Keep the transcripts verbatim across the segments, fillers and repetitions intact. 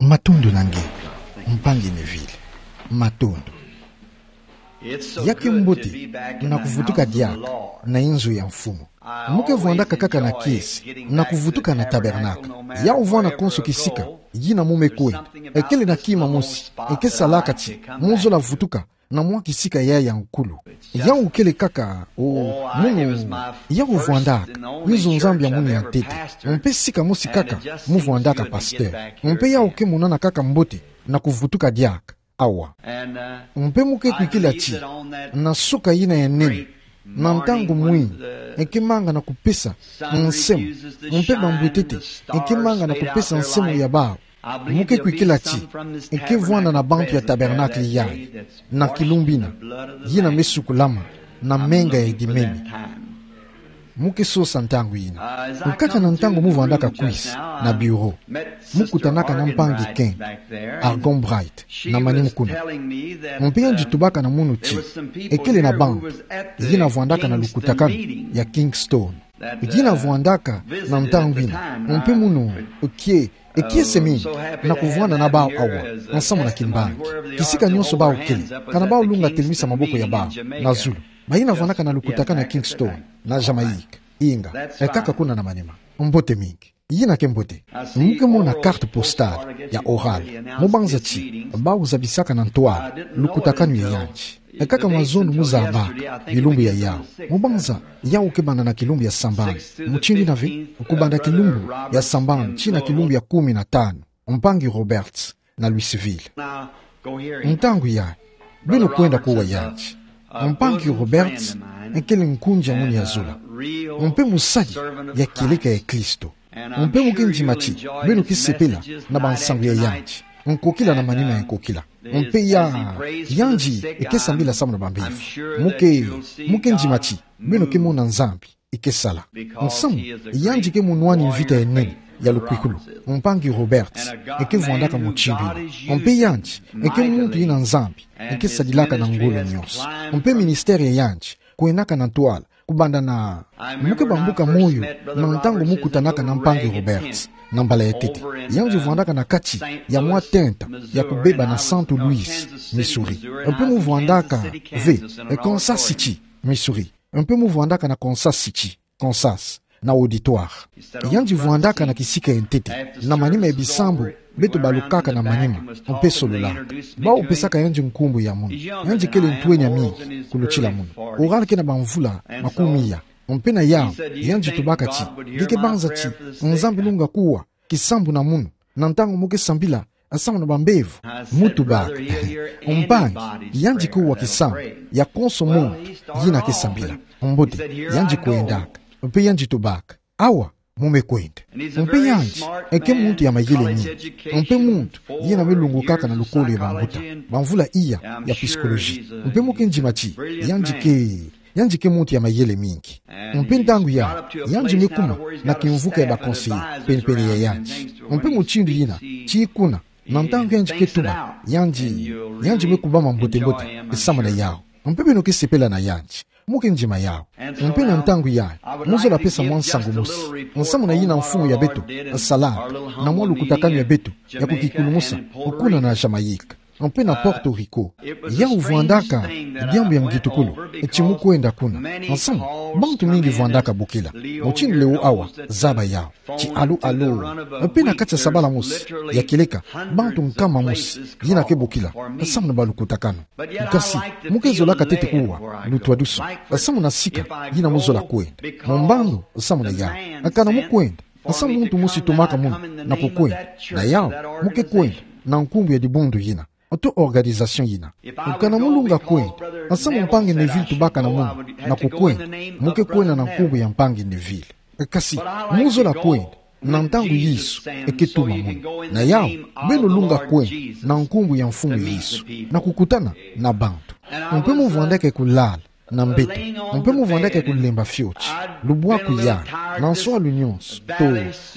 Matondo na nge, mpangi Neville. Matondo. Ya ke mbote na kuvutuka diaka na inzo ya mfumu. Mu ke vwandaka kaka na kiese na kuvutuka na tabernacle. Yawu vwanda konso kisika yina mu me kwenda. Ekele na kima mosi eke salaka ti mu zola vutuka na mwa kisika ya ya nkulu. Yawu kele kaka, o, munu, yawu vwandaka nzo Nzambi ya munu ya ntete. Mpe sika mosi kaka mu vwandaka pasteur. Mpe yawu ke monana kaka mbote na kuvutuka diaka awa. Mpe mu ke kwikila ti na suka yina ya nene, na ntangu mwini, eke manga na kupesa nsemo, mpe bambwetete eke manga na kupesa nsemo ya bawu. Mu ke kwikila ti eke vwanda na bantu ya tabernacle yayi, na kilumbu yina, yina me sukulama na menga ya edimemi. Mu ke sosa ntangu yina. Nkaka na ntangu mu vwandaka kwisa na bureau, mu kutanaka na mpangi Ken Arganbright na manima kuna. Mpe yandi tubaka na munu ti ekele na bantu yina vwandaka na lukutakanu ya Kingston, yina vwandaka na ntangu yina. Mpe munu, oke, e kiese mingi na kuvwanda na bawu awa, nsamu na kimbangi. Kisika nyonso bawu kele, kana bawu lunga telemisa maboko ya bawu na zulu. Bayina vwandaka na lukutakanu ya Kingston, na Jamaïque. Inga, e kaka kuna na manima. Mbote mingi. Yina ke mbote. Mu ke mona carte postale ya Oral. Mu banza ti bawu zabisaka na ntwala lukutakanu ya yandi. E kaka mazono mu zabaka bilumbu ya yawu. Mu banza yawu ke banda na kilumbu ya sambanu. Mutindu yina ve, kubanda kilumbu ya sambanu tii na kilumbu ya kumi na tanu. Mpangi Roberts na Louisville. Ntangu yayi, beno kwenda kuwa yandi. Mpangi Roberts ekele nkunzi ya munu ya zola, mpe mosadi ya kieleka ya Kristo. Mpe mu ke ndima ti beno ke sepela na bansangu ya yandi, nkokila na manima ya nkokila. Mpe ya, yandi eke sambila samu na bambevo. Mu ke, mu ke ndima ti beno ke mona Nzambi eke sala. Nsamu, yandi ke munwani mvita ya nene ya lukwikulu. Mpangi Roberts eke vwandaka mutindu yina. Mpe yandi eke muntu yina Nzambi eke sadilaka na ngolo nyonso. Mpe ministère ya yandi kwendaka na ntwala kubanda na, mu ke bambuka moyo na ntangu mu kutanaka na Mpangi Roberts na mbala ya ntete. Yandi vwandaka na kati ya mwa tenta ya kubeba na Saint Louis, Missouri. Mpe mu vwandaka ve, e, Kansas City, Missouri. Mpe mu vwandaka na Kansas City, Kansas, na auditoire. Yandi vwandaka na kisika ya ntete, na manima ya bisambu beto balukaka na manima, mpe sololaka. Bawu pesaka yandi nkumbu ya munu. Yandi kele ntwenya mingi kulutila munu. Oral ke na bamvula makumi iya. Mpe na yawu, yandi tubaka ti, nge ke banza ti Nzambi lunga kuwa kisambu na munu na ntangu mu ke sambila samu na bambevo? Mu tubaka, mpangi, yandi kuwa kisambu ya konso muntu yina ke sambila. Mbote, yandi kwendaka, mpe yandi tubaka, awa, mu me kwenda. Mpe yandi eke muntu ya mayele mingi, mpe muntu yina me lungukaka na lukolo ya bambuta bamvula iya ya psychologie. Mpe mu ke ndima ti yandi ke, yandi ke muntu ya mayele mingi. Mpe ntangu yayi, yandi me kuma na kimvuka ya ba conseillers penipeni ya yandi. Mpe mutindu yina, tii kuna, na ntangu yandi ke tuba, yandi, yandi me kubama mbote-mbote samu na yawu. Mpe beno ke sepela na yandi. Mu ke ndima yawu. Mpe na ntangu yayi, mu zola pesa mwa nsangu mosi, nsamu na yina mfumu ya beto salaka na mwa lukutakanu ya beto ya kukikulumusa, kuna na Jamaïque, mpe na Porto Rico. Yawu vwandaka diambu ya ngitukulu ti mu kwenda kuna. Nsamu, bantu mingi vwandaka bokila. Mutindu lewo awa, zaba yawu. Ti allô, allô. Mpe na kati ya sabala mosi ya kieleka, bantu nkama mosi yina ke bokila samu na balukutakanu. Kasi, mu ke zolaka ntete kuwa lutwadusoni samu na sika yina mu zola kwenda. Mu mbandu samu na yawu. Kana mu kwenda samu muntu mosi tumaka munu na kukwenda na yawu, mu ke kwenda na nkumbu ya dibundu yina, to organisation yina. Kana mu lunga kwenda samu Mpangi Neville tubaka na munu na kukwenda, mu ke kwenda na nkumbu ya Mpangi Neville. Kasi, mu zola kwenda na ntangu Yesu eke tuma munu. Na yawu, beno lunga kwenda na nkumbu ya Mfumu Yesu, na kukutana na bantu. Mpe mu vwandaka kulala na mbeto. Mpe mu vwandaka kulemba fioti. Lubwaku yayi, na nswalu nyonso, to,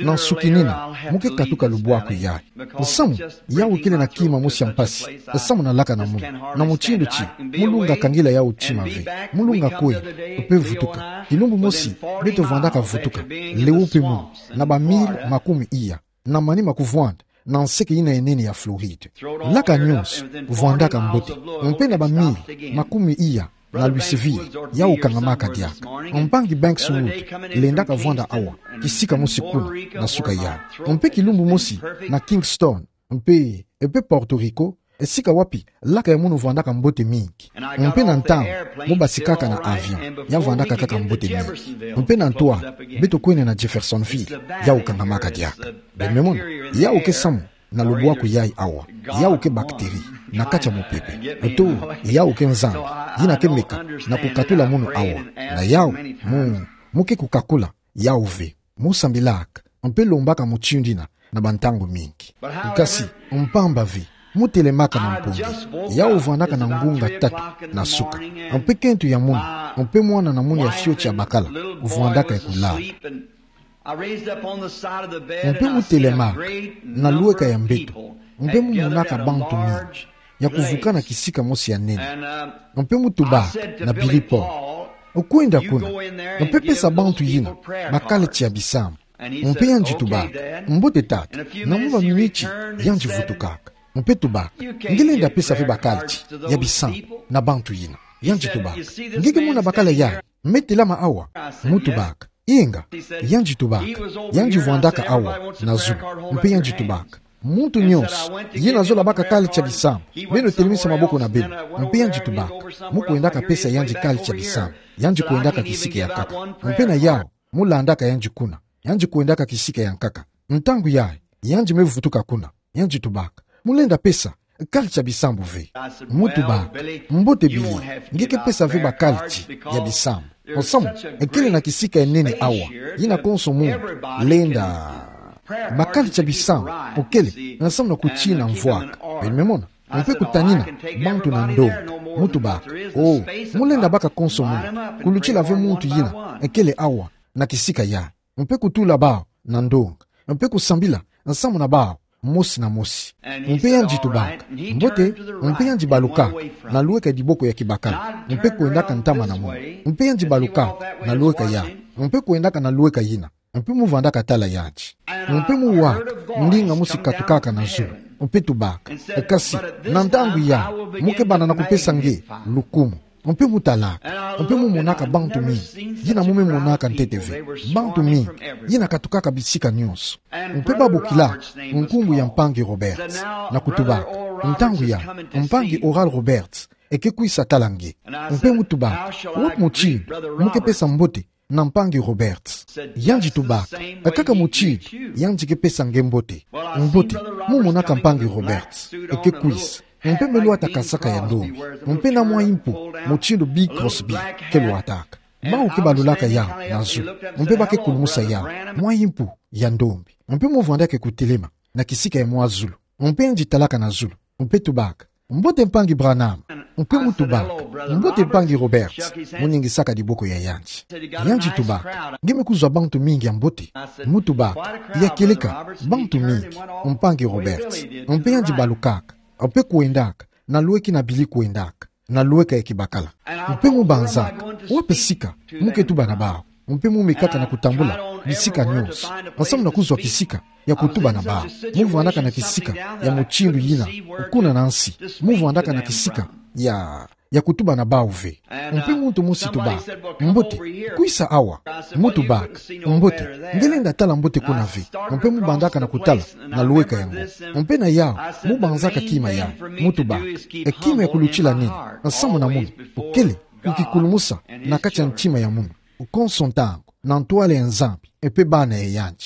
na nsukinina, mu ke katuka lubwaku yayi. Nsamu, yawu kele na kima mosi ya mpasi samu na laka na munu, na mutindu ti mu lunga kangila yawu tima ve. Mu lunga kwenda, mpe vutuka. Kilumbu mosi, beto vwandaka vutuka. Lewo mpe munu, na ba mille makumi iya na manima kuvwanda na nseke ina ya nene ya Floride. Laka nyonso vwandaka mbote, mpe na ba mile makumi iya na Louisville, yau kangamaka diaka. Mpangi Bankswood lendaka vwanda awa, kisika mosi kuna na suka yau. Mpe kilumbu mosi na Kingston, mpe, mpe Porto Rico, esika wapi laka ya munu vwandaka mbote mingi. Mpe na ntangu mo basikaka na avion, ya vwandaka kaka mbote mingi. Mpe na ntoa, beto kwenda na Jeffersonville, yau kangamaka diaka. Beno me mona, yau ke samu na lubwaku yayi awa, yau ke bactérie na kati ya mopepe. Nto, yau ke nzambi yina ke meka na kukatula munu awa. Na yau, mu, mu ke kukakula yau ve. Mo sambilaka mpe lombaka mutindu yina na bantangu mingi. Kasi, mpamba ve, mo telemaka na mpongi, yau vwandaka na ngunga tatu na suka. Mpe kento ya munu, mpe mwana na munu ya fioti ya bakala vwandaka ya kulala. Mpe mo telemaka na lweka ya mbeto, mpe mo monaka bantu mingi ya kuvukana kisika mosi ya nene. Mpe mo tubaka na Billy Paul: Kwenda kuna, mpe pesa bantu yina ba kaleti ya bisambu. Mpe yandi tubaka: Mbote tata. Na mwa ba miniti, yandi vutukaka. Mpe tubaka: Nge lenda pesa ve ba kaleti ya bisambu na bantu yina? Yandi tubaka: Nge ke mona bakala yandi me telama awa? Mo tubaka: Inga. Yandi tubaka: Yandi vwandaka awa na zulu. Mpe yandi tubaka: Muntu nyonso yina zola baka kaleti ya bisambu, beno telemisa maboko na beno. Mpe yandi tubaka: Mo kwendaka pesa yandi kaleti ya bisambu. Yandi kwendaka kisika ya nkaka. Mpe na yau, mo landaka yandi kuna. Yandi kwendaka kisika ya nkaka. Ntangu yayi, yandi me vutuka kuna. Yandi tubaka: Mo lenda pesa kaleti ya bisambu ve? Mo tubaka: Mbote Billy, nge ke pesa ve ba kaleti ya bisambu. Samu kele na kisika ya nene awa, yina konso muntu lenda ba kaleti ya bisambu, kele na samu na kutina mvwaka. Beno me mona, mpe kutanina bantu na ndonga. Mo tubaka: O, mo lenda baka konso muntu, kulutila ve muntu yina kele awa na kisika yayi, mpe kutula bau na ndonga, mpe kusambila na samu na bau mosi na mosi. Mpe yandi tubaka: Mbote. Mpe yandi balukaka na lweka ya diboko ya kibakala, mpe kwendaka ntama na munu. Mpe yandi balukaka na lweka yayi, mpe kwendaka na lweka yina. Mpe mo vwandaka tala yandi. Mpe mo waka ndinga mosi katukaka na zulu. Mpe tubaka: Kasi, na ntangu yayi, mo ke bana na kupesa nge lukumu. Mpe mo talaka, mpe mo monaka bantu mingi yina mo me monaka ntete ve. Bantu mingi yina katukaka bisika nyonso. Mpe babokilaka nkumbu ya Mpangi Roberts, na kutubaka: Ntangu yayi, Mpangi Oral Roberts e ke kwisa tala nge. Mpe mo tubaka: Wapi mutindu mo ke pesa mbote na Mpangi Roberts? Yandi tubaka: Kaka mutindu yandi ke pesa nge mbote. Mbote, mo monaka Mpangi Roberts e ke kwisa, mpe me lwata kasaka ya ndombi, mpe na mwa impu mutindu Bing Crosby ke lwataka. Bau ke balulaka yau na zulu, mpe ba ke kulumusa yau, mwa impu ya ndombi. Mpe mo vwandaka kutelema na kisika ya mwa zulu. Mpe yandi talaka na zulu, mpe tubaka: Mbote Mpangi Branham. Mpe mo tubaka: Mbote Mpangi Roberts. Mo ningisaka diboko ya yandi. Yandi tubaka: Nge me kuzwa bantu mingi ya mbote? Mo tubaka: Ya kieleka, bantu mingi, Mpangi Roberts. Mpe yandi balukaka, mpe kwendaka na lweki na Billy kwendaka na lweka ya kibakala. Mpe mo banzaka: Wapi sika mo ke tuba na bau? Mpe mo mekaka na kutambula bisika nyonso na samu na kuzwa kisika ya kutuba na bau. Mo vwandaka na kisika ya mutindu yina kuna na nsi. Mo vwandaka na kisika ya, ya kutuba na bau ve. Mpe muntu mosi tubaka: Mbote, kwisa awa. Mo tubaka: Mbote, nge lenda tala mbote kuna ve? Mpe mo bandaka na kutala na lweka yango. Mpe na yau, mo banzaka kima yayi. Mo tubaka: E kima ya kulutila nini? Na samu na munu, kele kukikulumusa na kati ya ntima ya munu konso ntangu, na ntwala ya Nzambi, mpe bana ya yandi.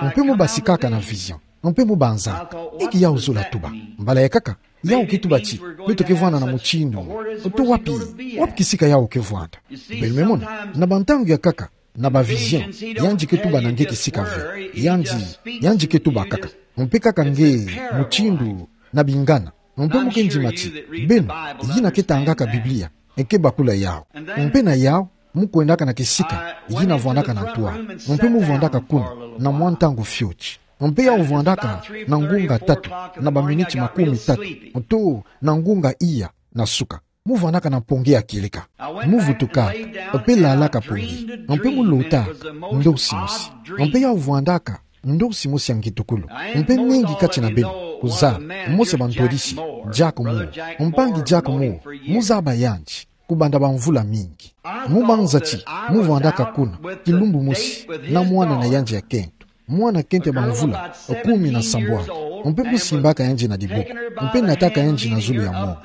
Mpe mo basikaka na vision. Mpe mo banzaka: Inki yau zola tuba? Mbala ya nkaka, yau ke tuba ti beto ke vwanda na mutindu. Oto wapi, wapi kisika yau ke vwanda? Beno me mona, na bantangu ya nkaka, na ba vision, yandi ke tuba na nge kisika ve. Yandi, yandi ke tuba kaka. Mpe kaka nge, mutindu na bingana. Mpe mo ke ndima ti beno yina ke tangaka Biblia, e ke bakula yau. Mpe na yau, mo kwendaka na kisika yina vwandaka na ntwala. Mpe mo vwandaka kuna na mwa ntangu fioti. Mpe yau vwandaka na ngunga tatu, na ba miniti makumi tatu, oto na ngunga iya na suka. Mo vwandaka na mpongi ya kieleka. Mo vutukaka, mpe lalaka mpongi. Mpe mo lotaka ndosi mosi. Mpe yau vwandaka Ndosi mosi ya ngitukulu. Mpe mingi kati na beno kuzaba, mosi ya bantwadisi, diako mo. Mpangi diako mo, muzaba yandi kubanda bamvula mingi. Mubanza ti muvwandaka kuna kilumbu mosi na mwana na yandi ya kento. Mwana kento ya bamvula kumi na sambwadi. Mpe musimbaka yandi na diboko. Mpe nataka yandi na zulu ya mont.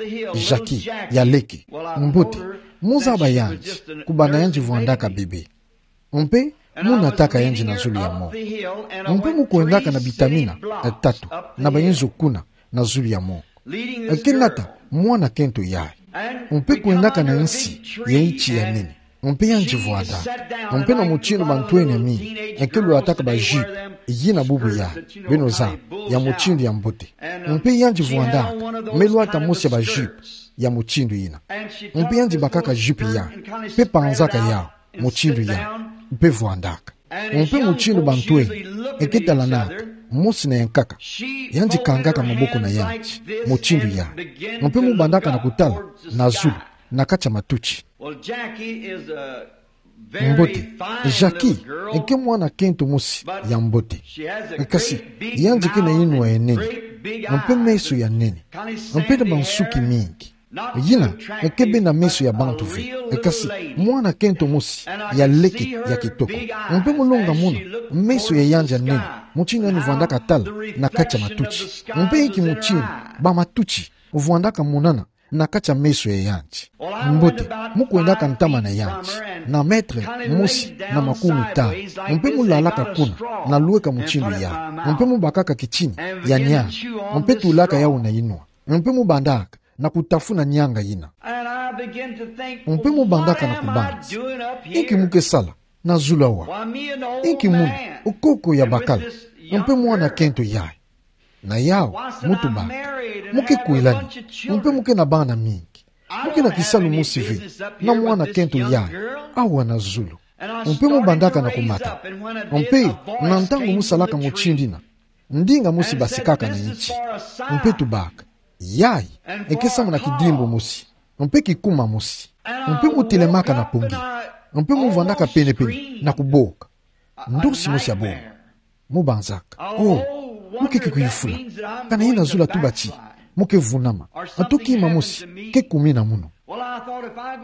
Jackie, ya leke. Mbote, muzaba yandi kubanda yandi vwandaka bebe. Mpe munataka yandi na zulu ya mont. Mpe mukwendaka na bitamina tatu na bayinzo kuna na zulu ya mont. Ke nata mwana kento yayi. Mpe kwendaka na nsi ya nti ya nene. Mpe yandi vwandaka. Mpe na mutindu bantwenia mingi ke lwataka ba jupe, yina bubu yayi, beno zaba, ya mutindu ya mbote. Mpe yandi vwandaka, me lwata mosi ya ba jupe ya mutindu yina. Mpe yandi bakaka jupe yayi, mpe panzaka yawu mutindu yayi, mpe vwandaka. Mpe mutindu bantwenia ke talanaka, mosi na yankaka, yandi kangaka maboko na yandi mutindu yayi. Mpe mubandaka na kutala na zulu, na kati ya matuti. Mbote, Jackie ke mwana kento mosi ya mbote. Kasi yandi ke na inwa ya nene, mpe meso ya nene, mpe na bansuki mingi. Yina ke bena meso ya bantu ve, kasi mwana kento mosi ya leke ya kitoko. Mpe mulonga mona meso ya yandi ya nene, mutindu yandi vwandaka tala na kati ya matuti. Mpe inki mutindu bamatuti vwandaka monana na kati ya meso ya yandi. Mbote, mukwendaka ntama na yandi, na mètre mosi na makumi tanu. Mpe mulalaka kuna na lweka mutindu yayi. Mpe mubakaka kitini ya niani. Mpe tulaka yawu na inwa. Mpe mubandaka na kutafuna nianga yina. Mpe mubandaka na kubanza, inki mu ke sala na zulu awa? Inki muna, koko ya bakala, mpe mwana kento yayi? Na yawu, mutubaka, mu ke kwelani, mpe mu ke na bana mingi. Mu ke na kisalu mosi ve na mwana kento yayi awa na zulu. Mpe mubandaka na kumata. Mpe na ntangu musalaka mutindu yina, ndinga mosi basikaka na nti. Mpe tubaka, yayi ke samuna kidimbu mosi, mpe kikuma mosi. Mpe mutelemaka na pongi, mpe muvwandaka penepene na kuboka. Ndosi mosi ya bonga. Mubanzaka, oh, mu ke kuyufula. Kana yina zulu atuba ti mu ke vunama, ato kima mosi ke kumina munu.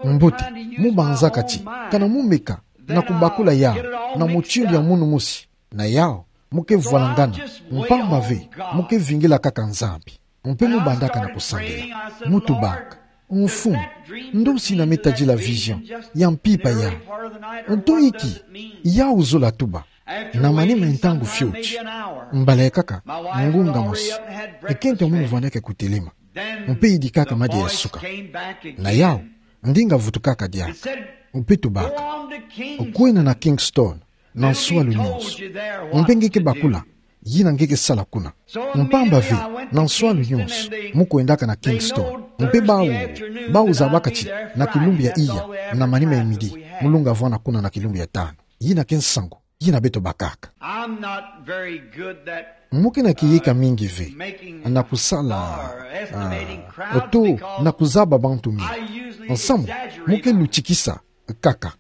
Mbote, mubanzaka ti kana mu meka na kubakula yawu na mutindu ya munu mosi, na yawu mu ke vwalangana, mpamba ve mu ke vingila kaka Nzambi. Mpe mubandaka na kusambila, mutubaka, Mfumu, ndosi na me tadila vision ya mpimpa yayi. Nto inki yawu zulu atuba? Na manima ya ntangu fioti, mbala yakaka ngunga mosi, kento ya munu vwandaka kutelema, mpe yidikaka madia ya suka. Na yawu, ndinga vutukaka diaka. Mpe tubaka, kwenda na Kingston na nswalu nyonso. Mpe nge ke bakula yina nge ke sala kuna. Mpamba ve na nswalu nyonso mu kwendaka na Kingston. Mpe bawu, bawu zabaka ti na kilumbu ya iya, na manima ya midi, mu lunga vwanda kuna na kilumbu ya tanu. Yina ke nsangu yina beto bakaka. I'm not very good that, mu ke na kiyika mingi ve na kusala, ah, oto na kuzaba bantu mingi. Nsamu, mu ke lutikisa kaka.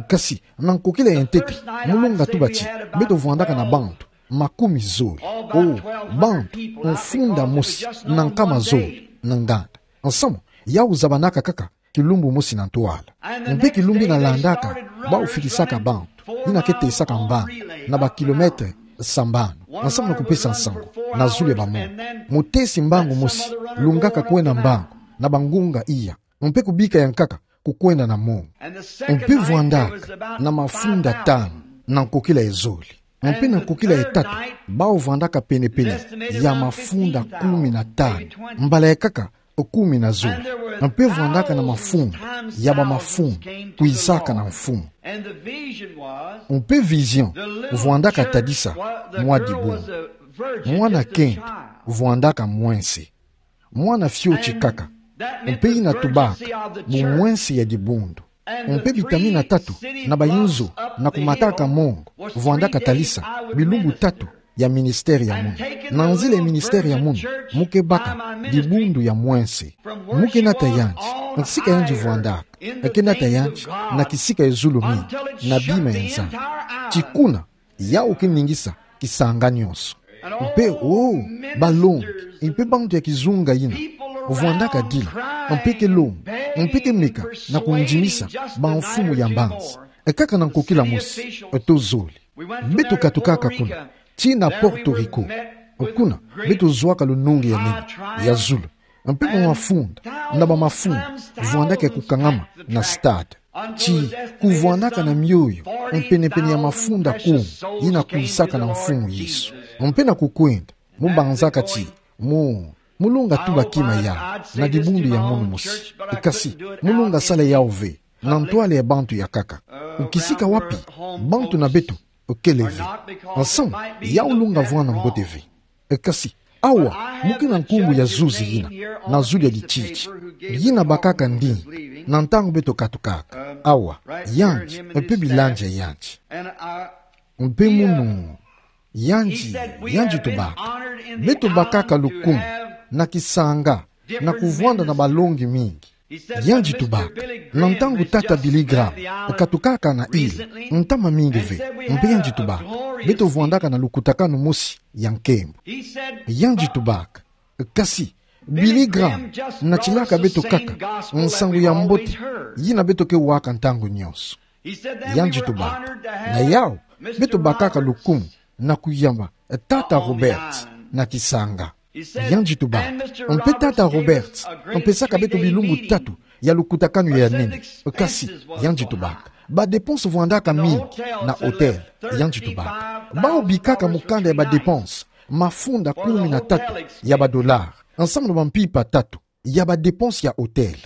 Kasi na nkokila ya ntete, mu lunga tuba ti beto vwandaka na bantu makumi zole. Oh, bantu mfunda mosi na nkama zole na nganda. Nsamu, yawu zabanaka kaka kilumbu mosi na ntwala. Mpe kilumbu yina landaka, bawu fitisaka bantu yina ke tesaka mbangi na ba kilomètre sambanu, nsamu na kupesa nsangu na zulu ya ba mongo. Mutesi mbangu mosi lungaka kwenda mbangu na bangunga iya, mpe kubika yankaka kukwenda na mongo. Mpe vwandaka na mafunda tanu na nkokila ya zole. Mpe na nkokila ya tatu, bawu vwandaka penepene ya mafunda kumi na tanu, mbala yakaka kumi na zole. Mpe vwandaka na mafunda ya ba mafunda kwizaka na Mfumu. Mpe vision vwandaka tadisa mwa dibundu. Mwana kento vwandaka mwense, mwana fioti kaka, mpe yina tubaka bumwense ya dibundu. Mpe bitamina tatu na bayinzo na kumataka mongo vwandaka tadisa bilumbu tatu ya ministère ya munu. Na nzila ya ministère ya munu, mu ke baka dibundu ya mwense. Mu ke nata yandi, nsika yandi vwandaka, ke nata yandi na kisika ya zulu mingi, na bima ya Nzambi. Ti kuna, yawu ke ningisa kisanga nyonso. Mpe, o, balongi, mpe bantu ya kizunga yina, vwandaka dila, mpe ke lomba, mpe ke meka na kundimisa bamfumu ya mbanza. E kaka na nkokila mosi, e to zole. Beto katukaka kuna, tii na Porto Rico. Kuna, beto zwaka lonongi ya nene, ya zulu. Mpe bamafunda na bamafunda vwandaka ya kukangama na stade. Tii kuvwandaka na mioyo mpene-pene ya mafunda kumi yina kwisaka na Mfumu Yesu. Mpe na kukwenda, mu banzaka ti, mu, mu longa tuba kima ya, na dibundu ya munu mosi. Kasi, mu longa sala yau ve, na ntwala ya bantu ya nkaka. Kisika wapi, bantu na beto, kele ve. Nsamu, yau longa vwanda mbote ve. Kasi, awa, mu ke na nkumbu ya zuzi yina, na zulu ya dititi. Yina bakaka ndinga, na ntangu beto katukaka. Awa, yandi, mpe bilandia yandi. Mpe munu, yandi, yandi tubaka. Beto bakaka lukumu, na kisanga, na kuvwanda na balongi mingi. Yandi tubaka, na ntangu tata Billy Graham katukaka na île, ntama mingi ve, mpe yandi tubaka, beto vwandaka na lukutakanu mosi ya nkembo. Yandi tubaka, kasi, Billy Graham natilaka beto kaka nsangu ya mbote yina beto ke waka ntangu nyonso. Yandi tubaka, na yau, beto bakaka lukumu na kuyamba tata Roberts na kisanga. Yandi tubaka, mpe tata Roberts mpesaka beto bilumbu tatu ya lukutakanu ya nene. Kasi, yandi tubaka, badépenses vwandaka mingi na hôtel. Yandi tubaka, bau bikaka mukanda ya badépenses, mafunda kumi na tatu ya badolari, nsamu na bampimpa tatu ya badépenses ya hôtel.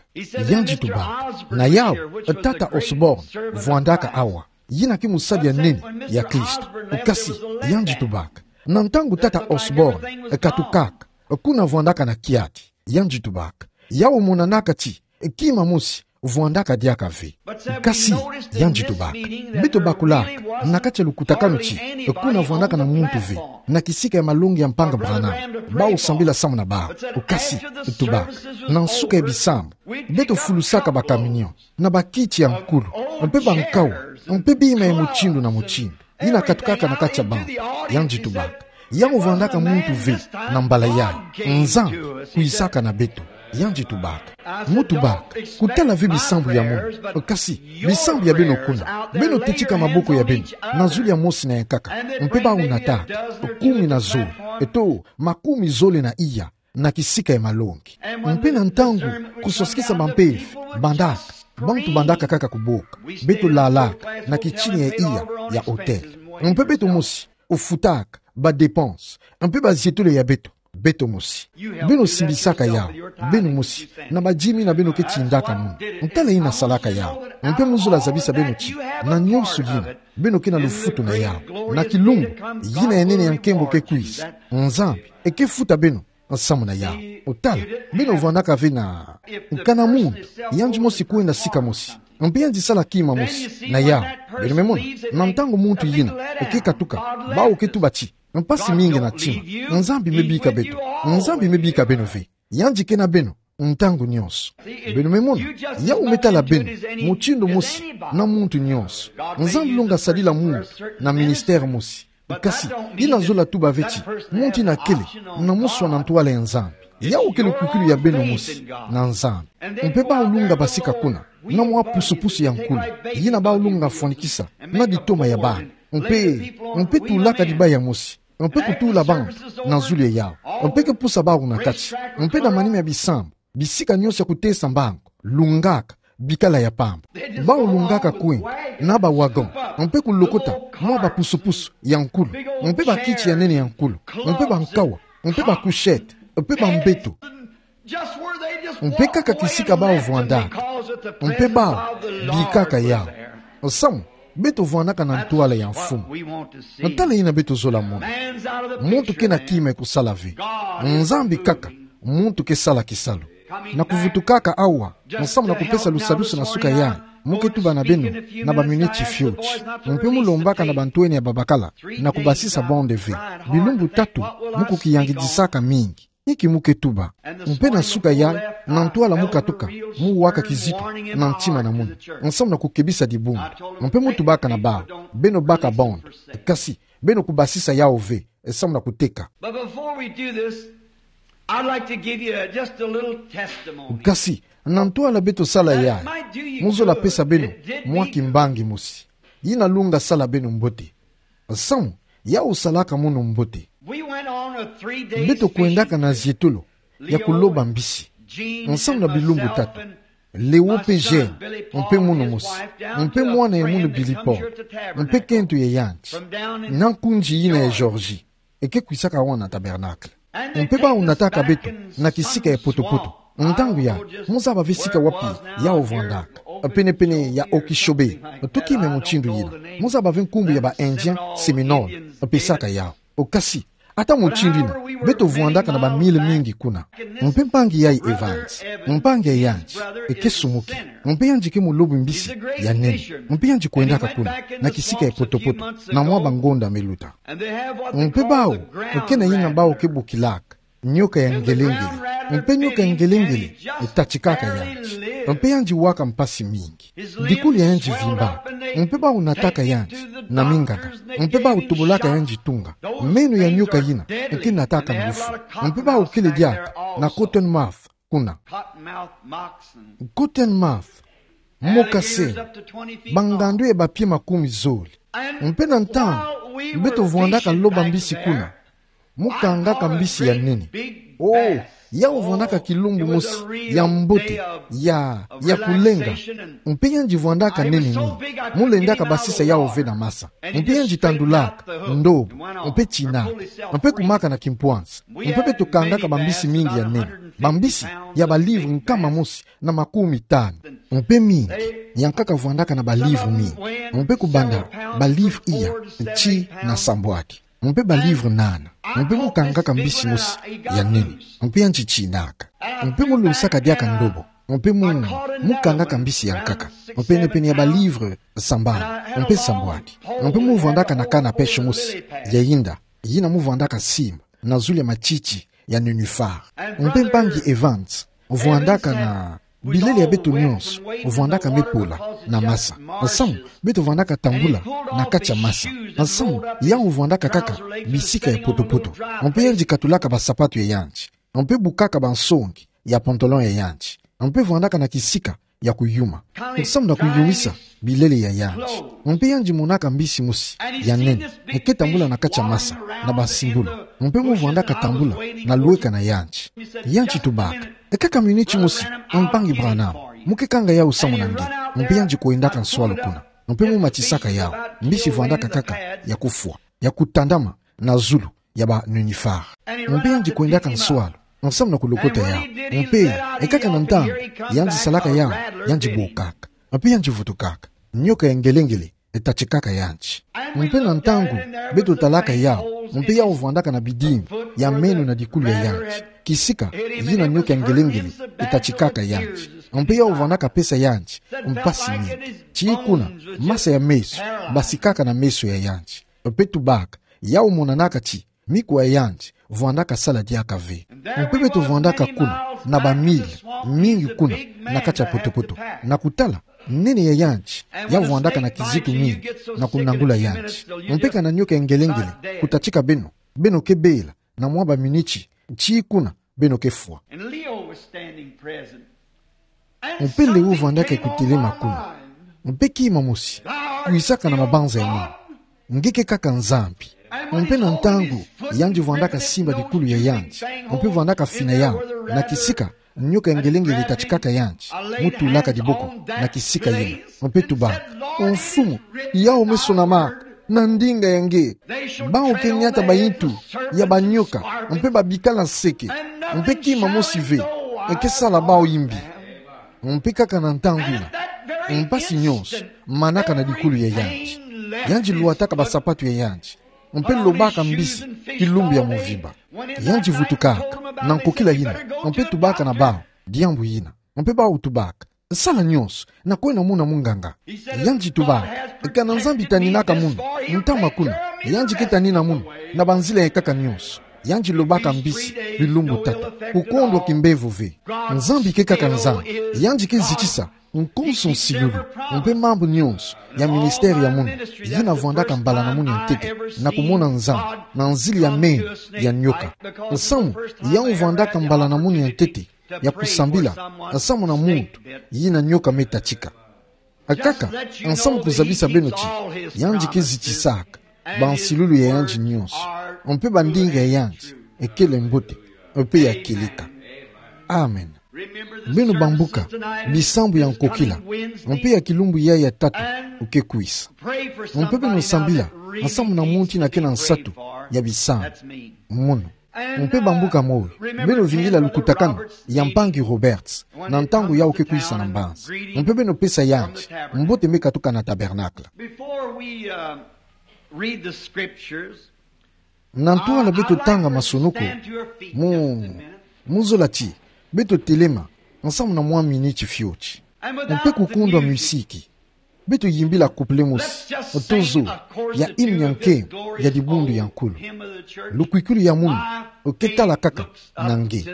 Yandi tubaka, na yau, tata Osborne vwandaka awa, yina ke mosali ya nene ya Kristo. Kasi, yandi tubaka, na ntangu tata Osborne katukaka, kuna vwandaka na kiadi. Yandi tubaka, yau monanaka ti kima mosi vwandaka diaka ve. Kasi, yandi tubaka, beto bakulaka na kati ya lukutakanu ti kuna vwandaka na muntu ve, na kisika ya malongi ya Mpanga Branham, bau sambila samu na bau. Kasi, tubaka, na nsuka ya bisambu, beto fulusaka bakaminio na bakiti ya nkulu, mpe bankawa, mpe bima ya mutindu na mutindu yina katukaka na kati ya bantu. Yandi tubaka, yau vwandaka muntu ve na mbala yayi, Nzambi kwisaka na beto. Yandi tubaka, mu tubaka, kutala ve bisambu ya munu, kasi bisambu ya beno kuna, beno tetika maboko ya beno na zulu ya mosi na ya nkaka, mpe bau nataka kumi na zole, eto, makumi zole na iya, na kisika ya malongi. Mpe na ntangu kusosikisa bampeve bandaka, bantu bandaka kaka kuboka, beto lalaka na kitini ya iya ya hôtel. Mpe beto mosi ofutaka badépenses mpe bazietolo ya beto, beto mosi. Beno simbisaka yau, beno mosi, na badix mille na beno ke tindaka munu. Tala yina salaka yau. Mpe mu zola zabisa beno ti, na nyonso yina, beno ke na lufutu na yau. Na kilumbu, yina ya nene ya nkembo ke kwisa, Nzambi ke futa beno nsamu na yau. Otala, beno vwandaka ve na nkana muntu, yandi mosi kwenda sika mosi, mpe yandi sala kima mosi na yau. Beno me mona, na ntangu muntu yina ke katuka, bau ke tuba ti, mpasi mingi na ntima. Nzambi me bika beto. Nzambi me bika beno ve. Yandi ke na beno ntangu nyonso. Beno me mona, yau me tala beno mutindu mosi na muntu nyonso. Nzambi longa sadila muntu na ministère mosi. Kasi, yina zola tuba ve ti muntu yina kele na muswa na ntwala ya Nzambi. Yau ke lukukulu ya beno mosi na Nzambi. Mpe bau longa basika kuna na mwa pusu-pusu ya nkulu, yina bau longa fwanikisa na ditoma ya bana. Mpe, mpe tulaka dibaya mosi, mpe kutula bantu na zulu ya yau, mpe ke pusa bau na kati, mpe na manima ya bisambu, bisika nyonso ya kutesa mbangu, longaka, bikala ya pamba. Bau longaka kwenda na ba wagon, mpe kulokota mwa bapusu-pusu ya nkulu, mpe bakiti ya nene ya nkulu, mpe bankawa, mpe ba couchette, mpe bambeto, mpe kaka kisika bau vwandaka, mpe bau bikaka yau. Nsamu, beto vwandaka na ntwala ya Mfumu. Tala yina beto zola mona. Muntu ke na kima ya kusala ve. Nzambi kaka, muntu ke sala kisalu. Na kuvutukaka awa, nsamu na kupesa lusadusu na suka yayi, mu ke tuba na beno na baminiti fioti. Mpe mu lombaka na bantwenia babakala na kubasisa bande ve. Bilumbu tatu, mu kukiyangidisaka mingi. Inki mu ke tuba? Mpe na suka yayi, na ntwala mu katuka, mu waka kizito na ntima na munu, nsamu na kukebisa dibundu. Mpe mu tubaka na bau, beno baka bande. Kasi, Beno kubasisa yawu ve, e, samu na kuteka. But before we do this, I'd like to give you a, just a little testimony. Kasi, na ntwala beto sala yayi, mu zola pesa beno mwa kimbangi mosi. Yina lunga sala beno mbote. Samu, yawu salaka mono mbote. We went on a three-day Beto kwendaka na zietolo ya kuloba mbisi. Nsamu na bilumbu tatu. Leo mpe Jean, mpe mono mosi, mpe mwana ya mono Billy Paul, mpe kento ya yandi. Na nkunzi yina ya Georgie, e ke kwisaka awa na Tabernacle. Mpe bawu nataka beto na kisika ya poto-poto. Ntangu yayi, mu zaba ve sika wapi yawu vwandaka. Pene-pene ya Okeechobee, to kima mutindu yina. Mu zaba ve nkumbu ya ba Indiens Seminoles pesaka yawu. O kasi, ata mutindu yina, beto vwandaka na ba mille mingi kuna. Mpe mpangi yayi Evans, mpangi ya yandi, e ke sumuki. Mpe yandi ke mulobi mbisi ya nene. Mpe yandi kwendaka kuna, na kisika ya poto-poto, na mwa bangonda me luta. Mpe bawu, e ke na yina bawu ke bokilaka nioka ya ngelengele. Mpe nioka ya ngelengele e tatikaka yandi. Mpe yandi waka mpasi mingi. Dikulu ya yandi vimbaka. Mpe bawu nataka yandi na minganga. Mpe bawu tobolaka yandi tunga. Meno ya nioka yina e ke nataka ngufu. Mpe bawu kele diaka na cotton mouth kuna. Cotton mouth, moccasin, bangandu ya bapie makumi zole. Mpe na ntangu beto vwandaka loba mbisi kuna, mu kangaka mbisi ya nene. O, yawu vwandaka kilumbu mosi ya mbote, ya, ya kulenga. Mpe yandi vwandaka nene mingi. Mu lendaka basisa yawu ve na masa. Mpe yandi tandulaka ndobo, mpe tinaka, mpe kumaka na kimpwansi. Mpe beto kangaka bambisi mingi ya nene, bambisi ya balivre nkama mosi na makumi tanu. Mpe mingi, yankaka vwandaka na balivre mingi. Mpe kubanda balivre iya, tii na sambwadi. Mpe balivre nana. Mpe mu kangaka mbisi mosi ya nene. Mpe yandi tinaka. Mpe mu losaka diaka ndobo. Mpe mu, mu kangaka mbisi yankaka. Mpe pene-pene ya balivre sambanu. Mpe sambwadi. Mpe mu vwandaka na canne à pêche mosi ya yinda, yina mu vwandaka simba na zulu ya matiti ya nénuphar. Mpe mpangi Evans vwandaka na bilele ya beto nyonso, vwandaka me pola na masa. Nsamu, beto vwandaka tambula na kati ya masa. Nsamu, yawu vwandaka kaka bisika ya poto-poto. Mpe yandi katulaka basapatu ya yandi. Mpe bukaka bansongi ya pantalon ya yandi. Mpe vwandaka na kisika ya kuyuma. Nsamu na kuyumisa bilele ya yandi. Mpe yandi monaka mbisi mosi ya nene, e ke tambula na kati ya masa, na basimbulu. Mpe mu vwandaka tambula na lweka na yandi. Yandi tubaka: E kaka miniti mosi, mpangi Branham. Mu ke kanga yawu samu na nge. Mpe yandi kwendaka nswalu kuna. Mpe mu matisaka yawu. Mbisi vwandaka kaka ya kufwa, ya kutandama na zulu ya ba nénuphar. Mpe yandi kwendaka nswalu, nsamu na kulokota yawu. Mpe, e kaka na ntangu yandi salaka yawu, yandi bokaka. Mpe yandi vutukaka. Nioka ya ngelengele e tatikaka yandi. Mpe na ntangu beto talaka yawu, mpe yawu vwandaka na bidimbu ya meno na dikulu ya yandi. Kisika yina nioka ya ngelengele e tatikaka yandi. Mpe yawu vwandaka pesa yandi mpasi mingi. Tii kuna, masa ya meso basikaka na meso ya yandi. Mpe tubaka: Yawu monanaka ti mikuwa ya yandi vwandaka sala diaka ve. Mpe beto vwandaka kuna, na ba mille mingi kuna, na kati ya poto-poto, na kutala nene ya yandi, ya vwandaka na kizitu mingi na kunangula yandi. Mpe kana nioka ya ngelengele kutatika beno, beno ke bela na mwa baminiti, tii kuna beno ke fwa. And Leo was standing present. Mpe Leo vwandaka kutelema kuna. Mpe kima mosi kwisaka na mabanza ya munu: Nge ke kaka Nzambi. Mpe na ntangu yandi vwandaka simba dikulu ya yandi, mpe vwandaka fina yawu na kisika nioka ya ngelengele tatikaka yandi, mu tulaka diboko na kisika yina. Mpe tubaka: O Mfumu, yawu me sonamaka na ndinga ya nge. Bawu ke niata bayintu ya banioka, mpe babikala nseke, mpe kima mosi ve e ke sala bawu imbi. Mpe kaka na ntangu yina, mpasi nyonso manaka na dikulu ya yandi. Yandi lwataka basapatu ya yandi, mpe lobaka mbisi kilumbu ya mvimba. Yandi vutukaka na nkokila yina, mpe tubaka na bawu diambu yina. Mpe bawu tubaka: Sala nyonso na kwena muna munganga. Yandi tubaka: Kana Nzambi taninaka munu, ntama kuna. Yandi ke tanina munu na banzila ya nkaka nyonso. Yandi lobaka mbisi bilumbu tata, kukondwa kimbevo ve. Nzambi ke kaka Nzambi, yandi ke zitisa nkonso nsilulu mpe mambu nyonso ya ministère ya munu, yina vwandaka mbala na munu ya ntete na kumona Nzambi na nzila ya meno ya nioka. Nsamu ya vwandaka mbala na munu ya ntete ya kusambila nsamu na muntu yina nioka me tatika. Kaka nsamu kuzabisa beno ti yandi ke zitisaka bansilulu ya yandi nyonso, mpe bandinga ya yandi ekele mbote mpe ya kieleka. Amen. Beno bambuka bisambu ya nkokila, mpe ya kilumbu ya ya tatu oke kwisa. Mpe beno sambila nsamu na muntu yina ke na nsatu ya bisambu. Munu. Mpe bambuka moyo, beno vingila lukutakanu ya mpangi Roberts na ntangu yau ke kwisa na mbanza. Mpe beno pesa yandi mbote me katuka na tabernacle. Before we, uh, read the scriptures, na ntwala beto tanga masonoko, mu, mu zola ti beto telema nsamu na mwa miniti fioti. Mpe kukundwa misiki, beto yimbila couple mosi to zo ya hymne ya nkembo ya dibundu ya nkulu. Lukwikulu ya munu oke tala kaka na nge.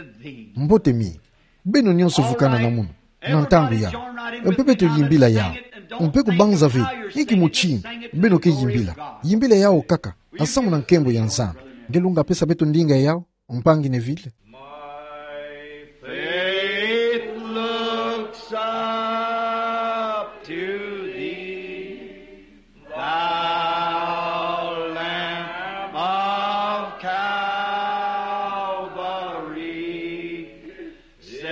Mbote mingi. Beno nyonso vukana na munu na ntangu yau. Mpe beto yimbila yau. Mpe kubanza ve inki mutindu beno ke yimbila. Yimbila yau kaka nsamu na nkembo ya Nzambi. Nge lunga pesa beto ndinga yau, mpangi Neville. My faith looks up to thee, thou Lamb of Calvary, Savior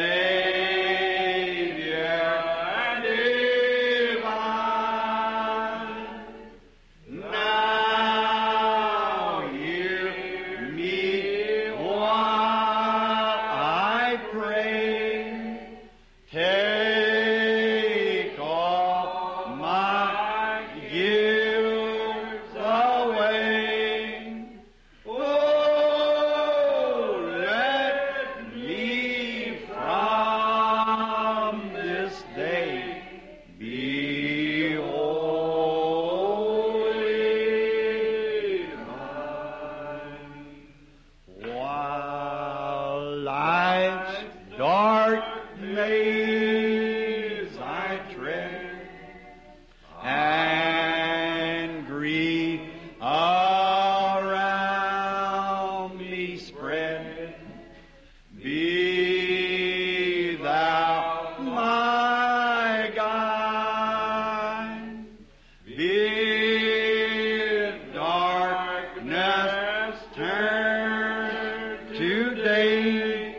divine. Now hear me while I pray. Take all my guilt away. Oh, let me from this day be holy thine. While life's dark maze I tread, and grief around me spread, be thou my guide. Bid darkness turn to day.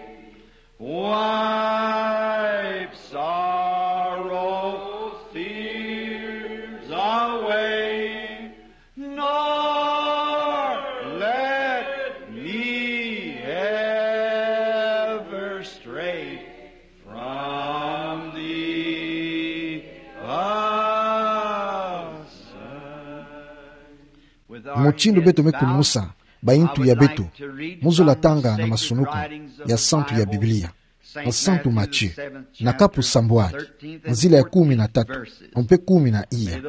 Wipe sorrow, fears away, nor let me ever stray from thee aside. Mutindu beto me kulumusa bayintu ya beto, mu zola tanga na masonoko ya santu ya Biblia, na Santu Matthieu, na kapu sambwadi, nzila ya kumi na tatu mpe kumi na iya.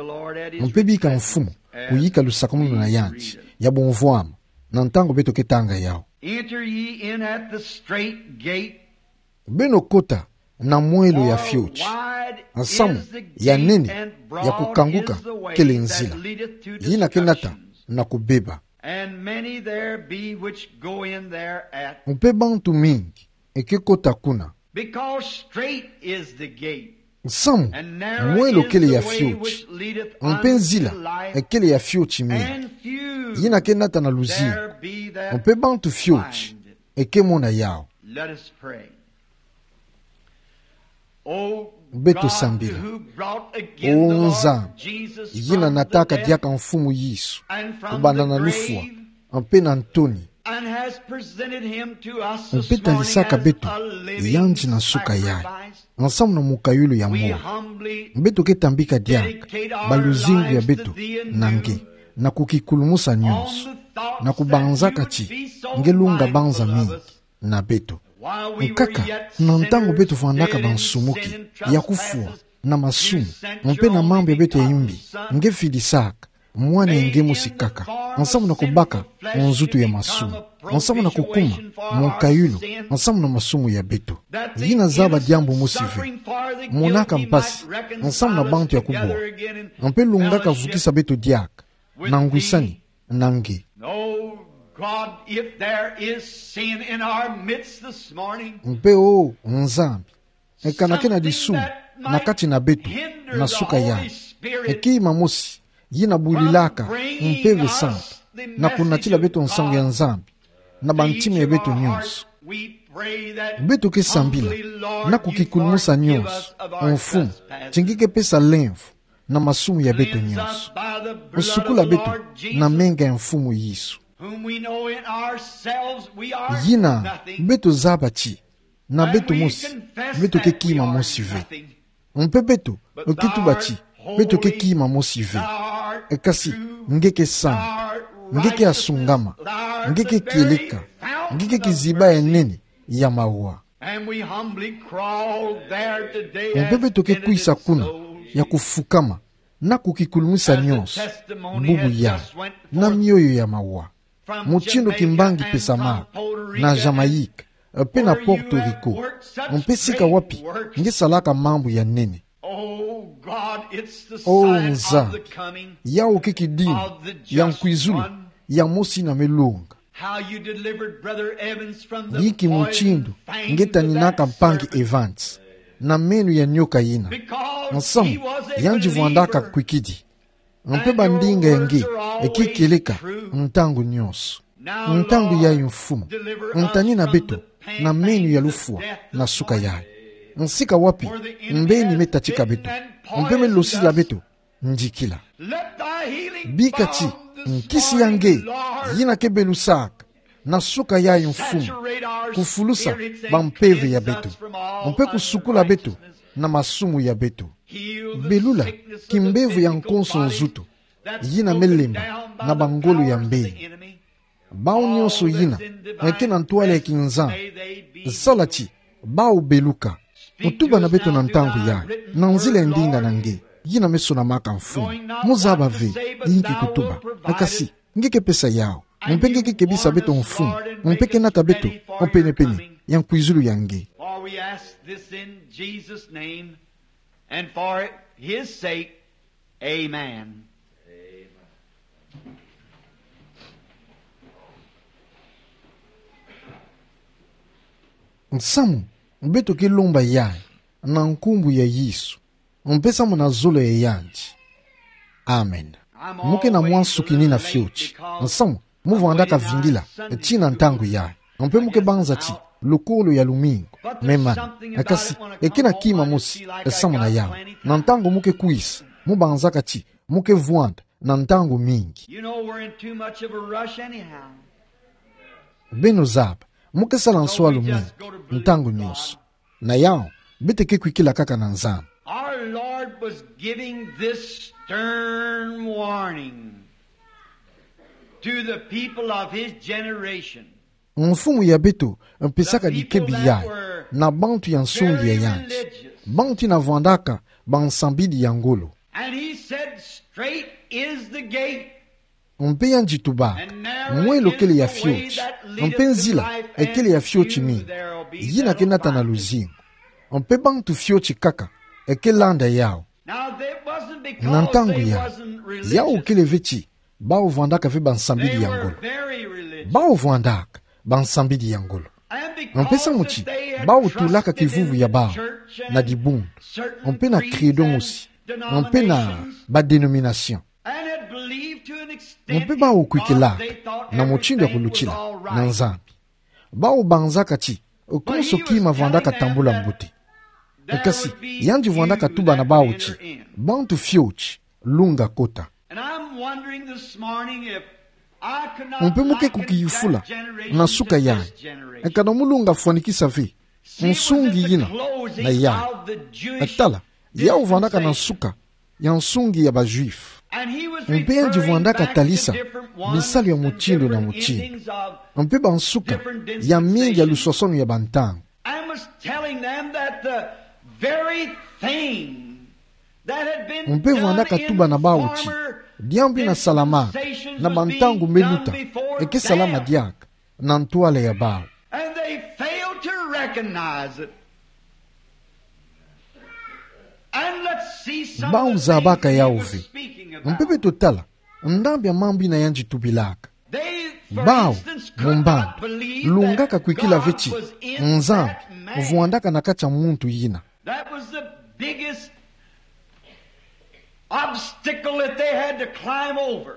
Mpe bika Mfumu kuyika lusakumunu na yandi ya bumvwama na ntangu beto ke tanga yau. Enter ye in at the strait gate. Beno kota na mwelo ya fioti. Nsamu ya nene, ya kukanguka kele nzila yina ke nata na kubeba. And many there be which go in thereat. Mpe bantu mingi eke kota kuna. Because strait is the gate. Nsamu mwelo kele ya fioti, mpe nzila ekele ya fioti mingi yina ke nata na luzingu, mpe bantu fioti eke mona yau. Let us pray. Beto sambila. O Nzambi, yina nataka diaka Mfumu Yesu kubanda na lufwa mpe na ntoni, mpe talisaka beto yandi na nsuka yayi, nsamu na mukayulu ya moyo. Beto ke tambika diaka baluzingu ya beto na nge, na kukikulumusa nyonso, na kubanzaka ti nge lunga banza mingi na beto. Nkaka, na ntangu beto vwandaka bansumuki ya kufwa na masumu mpe na mambu ya beto ya imbi, nge fidisaka Mwana ya nge mosi kaka, nsamu na kubaka nzutu ya masumu. nsamu na kukuma, munkayulu, nsamu na masumu ya beto. Yina zaba diambu mosi ve. Monaka mpasi, nsamu na bantu ya kubwa. Mpe lungaka vukisa beto diaka, na ngwisani, na nge. Oh God, if there is sin in our midst this morning, Mpe o Nzambi, e kana ke na disumu na kati na beto, na suka yayi, e kima mosi yina bulilaka Mpeve Santu na kunatila beto nsangu ya Nzambi na bantima ya beto nyonso. Beto ke sambila na kukikulumusa nyonso, Mfumu, ti nge ke pesa lemvo na masumu ya beto nyonso. Sukula beto na menga ya Mfumu Yesu. Yina beto zaba ti na beto mosi, beto ke kima mosi ve. Mpe beto ke tuba ti beto ke kima mosi ve. Kasi nge ke samu, nge ke asungama, nge ke kieleka, nge ke kiziba ya nene ya mawa. Mpe beto ke kwisa kuna ya kufukama na kukikulumusa nyonso bubu yayi na mioyo ya mawa. Mutindu kimbangi pesamaka na Jamaïque, mpe na Porto Rico, mpe sika wapi nge salaka mambu ya nene. O Nzambi, yawu ke kidimbu ya nkwizulu ya mosi yina me longa. Inki mutindu nge taninaka mpangi Evans na meno ya nioka yina? Nsamu yandi vwandaka kwikidi. Mpe bandinga ya nge e ke kieleka ntangu nyonso. Ntangu yayi, Mfumu, ntanina beto na meno ya lufwa na suka yayi. Sika wapi mbeni me tatika beto mpe me losila beto ndikila. Bika ti nkisi ya nge yina ke belusaka na suka yayi, Mfumu, kufulusa bampeve ya beto mpe kusukula beto na masumu ya beto. Belula kimbevo ya nkonso nzutu yina me lemba na bangolo ya mbeni. Bawu nyonso yina ke na ntwala ya kinzambi, sala ti bawu beluka. Tuba na beto na ntangu yayi na nzila ya ndinga na nge yina me sonamaka, Mfumu. Mu zaba ve inki kutuba, kasi nge ke pesa yawu. Mpe nge ke kebisa beto, Mfumu, mpe ke nata beto o penepene ya nkwizulu ya nge. For we ask this in Jesus' name and for his sake. Amen. Nsamu beto ke lomba yayi na nkumbu ya Yesu, mpe samu na zolo ya yandi. Amen. Mu ke na mwa nsuki nina fioti, nsamu mu vwandaka vingila tina ntangu yayi. Mpe mu ke banza ti lukolo ya lumingu me mana. Kasi e ke na kima mosi samu na yawu. Na ntangu mu ke kwisa, mu banzaka ti mu ke vwanda na ntangu mingi. You know we're in too much of a rush anyhow. Beno zaba, mu ke sala nsoa lumingu ntangu nyonso. Na yawu, beto ke kwikila kaka na Nzambi. Our Lord was giving this stern warning to the people of his generation. Mfumu ya beto mpesaka dikebi yayi na bantu ya nsungi ya yandi, bantu yina vwandaka bansambidi ya ngolo. And he said, "Strait is the gate." Mpe yandi tubaka, mwelo kele ya fioti, mpe nzila kele ya fioti mingi yina ke nata na luzingu, mpe bantu fioti kaka ke landa yawu. Na ntangu yayi, yawu kele ve ti bawu vwandaka ve bansambidi ya ngolo. Bawu vwandaka bansambidi ya ngolo. Mpe samu ti bawu tulaka kivuvu ya bawu na dibundu, mpe na credo mosi, mpe na badénomination. Mpe bawu kwikilaka na mutindu ya kulutila na Nzambi. Bawu banzaka ti konso kima vwandaka tambula mbote. Kasi yandi vwandaka tuba na bawu ti bantu fioti, lunga kota. Mpe mu ke kukiyufula na nsuka yayi, kana mu lunga fwanikisa ve nsungi yina na yayi. Tala, yawu vwandaka na nsuka ya nsungi ya ba Juifs. Mpe yandi vwandaka talisa bisalu ya mutindu na mutindu, mpe bansuka ya mingi ya luswaswanu ya bantangu. Mpe vwandaka tuba na bawu ti diambu yina salama na bantangu me luta, ke salama diaka. na ntwala ya bau. And they fail to recognize it. And let's see some of the things he was speaking about. Bau zabaka yau ve. Mpe beto tala ndambi ya mambu yina yandi tubilaka. Bau, mu mbandu, lungaka kwikila ve ti Nzambi vwandaka na kati ya muntu yina. That was the biggest obstacle that they had to climb over.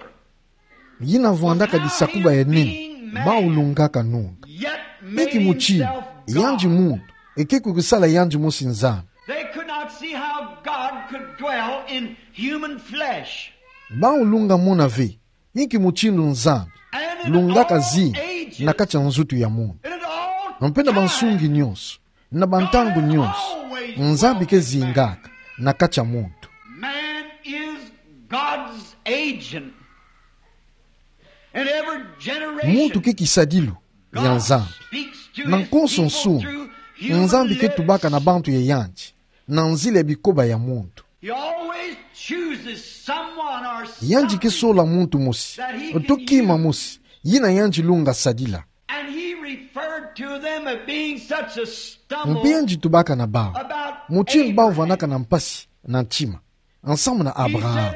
Yina vwandaka disakuba ya nene bau lungaka nunga. Yet made himself God. Inki mutindu yandi muntu eke kukisala yandi mosi Nzambi? They could not see how God could dwell in human flesh. Bau lunga mona ve inki mutindu Nzambi lungaka zinga na kati ya nzutu ya muntu. Mpe na bansungi nyonso, na bantangu nyonso, Nzambi ke zingaka na kati ya muntu. Man is God's agent. In every generation, muntu ke kisadilu ya Nzambi. Na nkonso nsumu, Nzambi ke tubaka na bantu ya yandi na nzila ya bikoba ya muntu. He always chooses someone or something. Yandi ke sola muntu mosi to kima mosi yina yandi lunga sadila. And he referred to them as being such a stumble. Mpe yandi tubaka na bau mutindu bau vwandaka na mpasi na ntima nsamu na Abraham.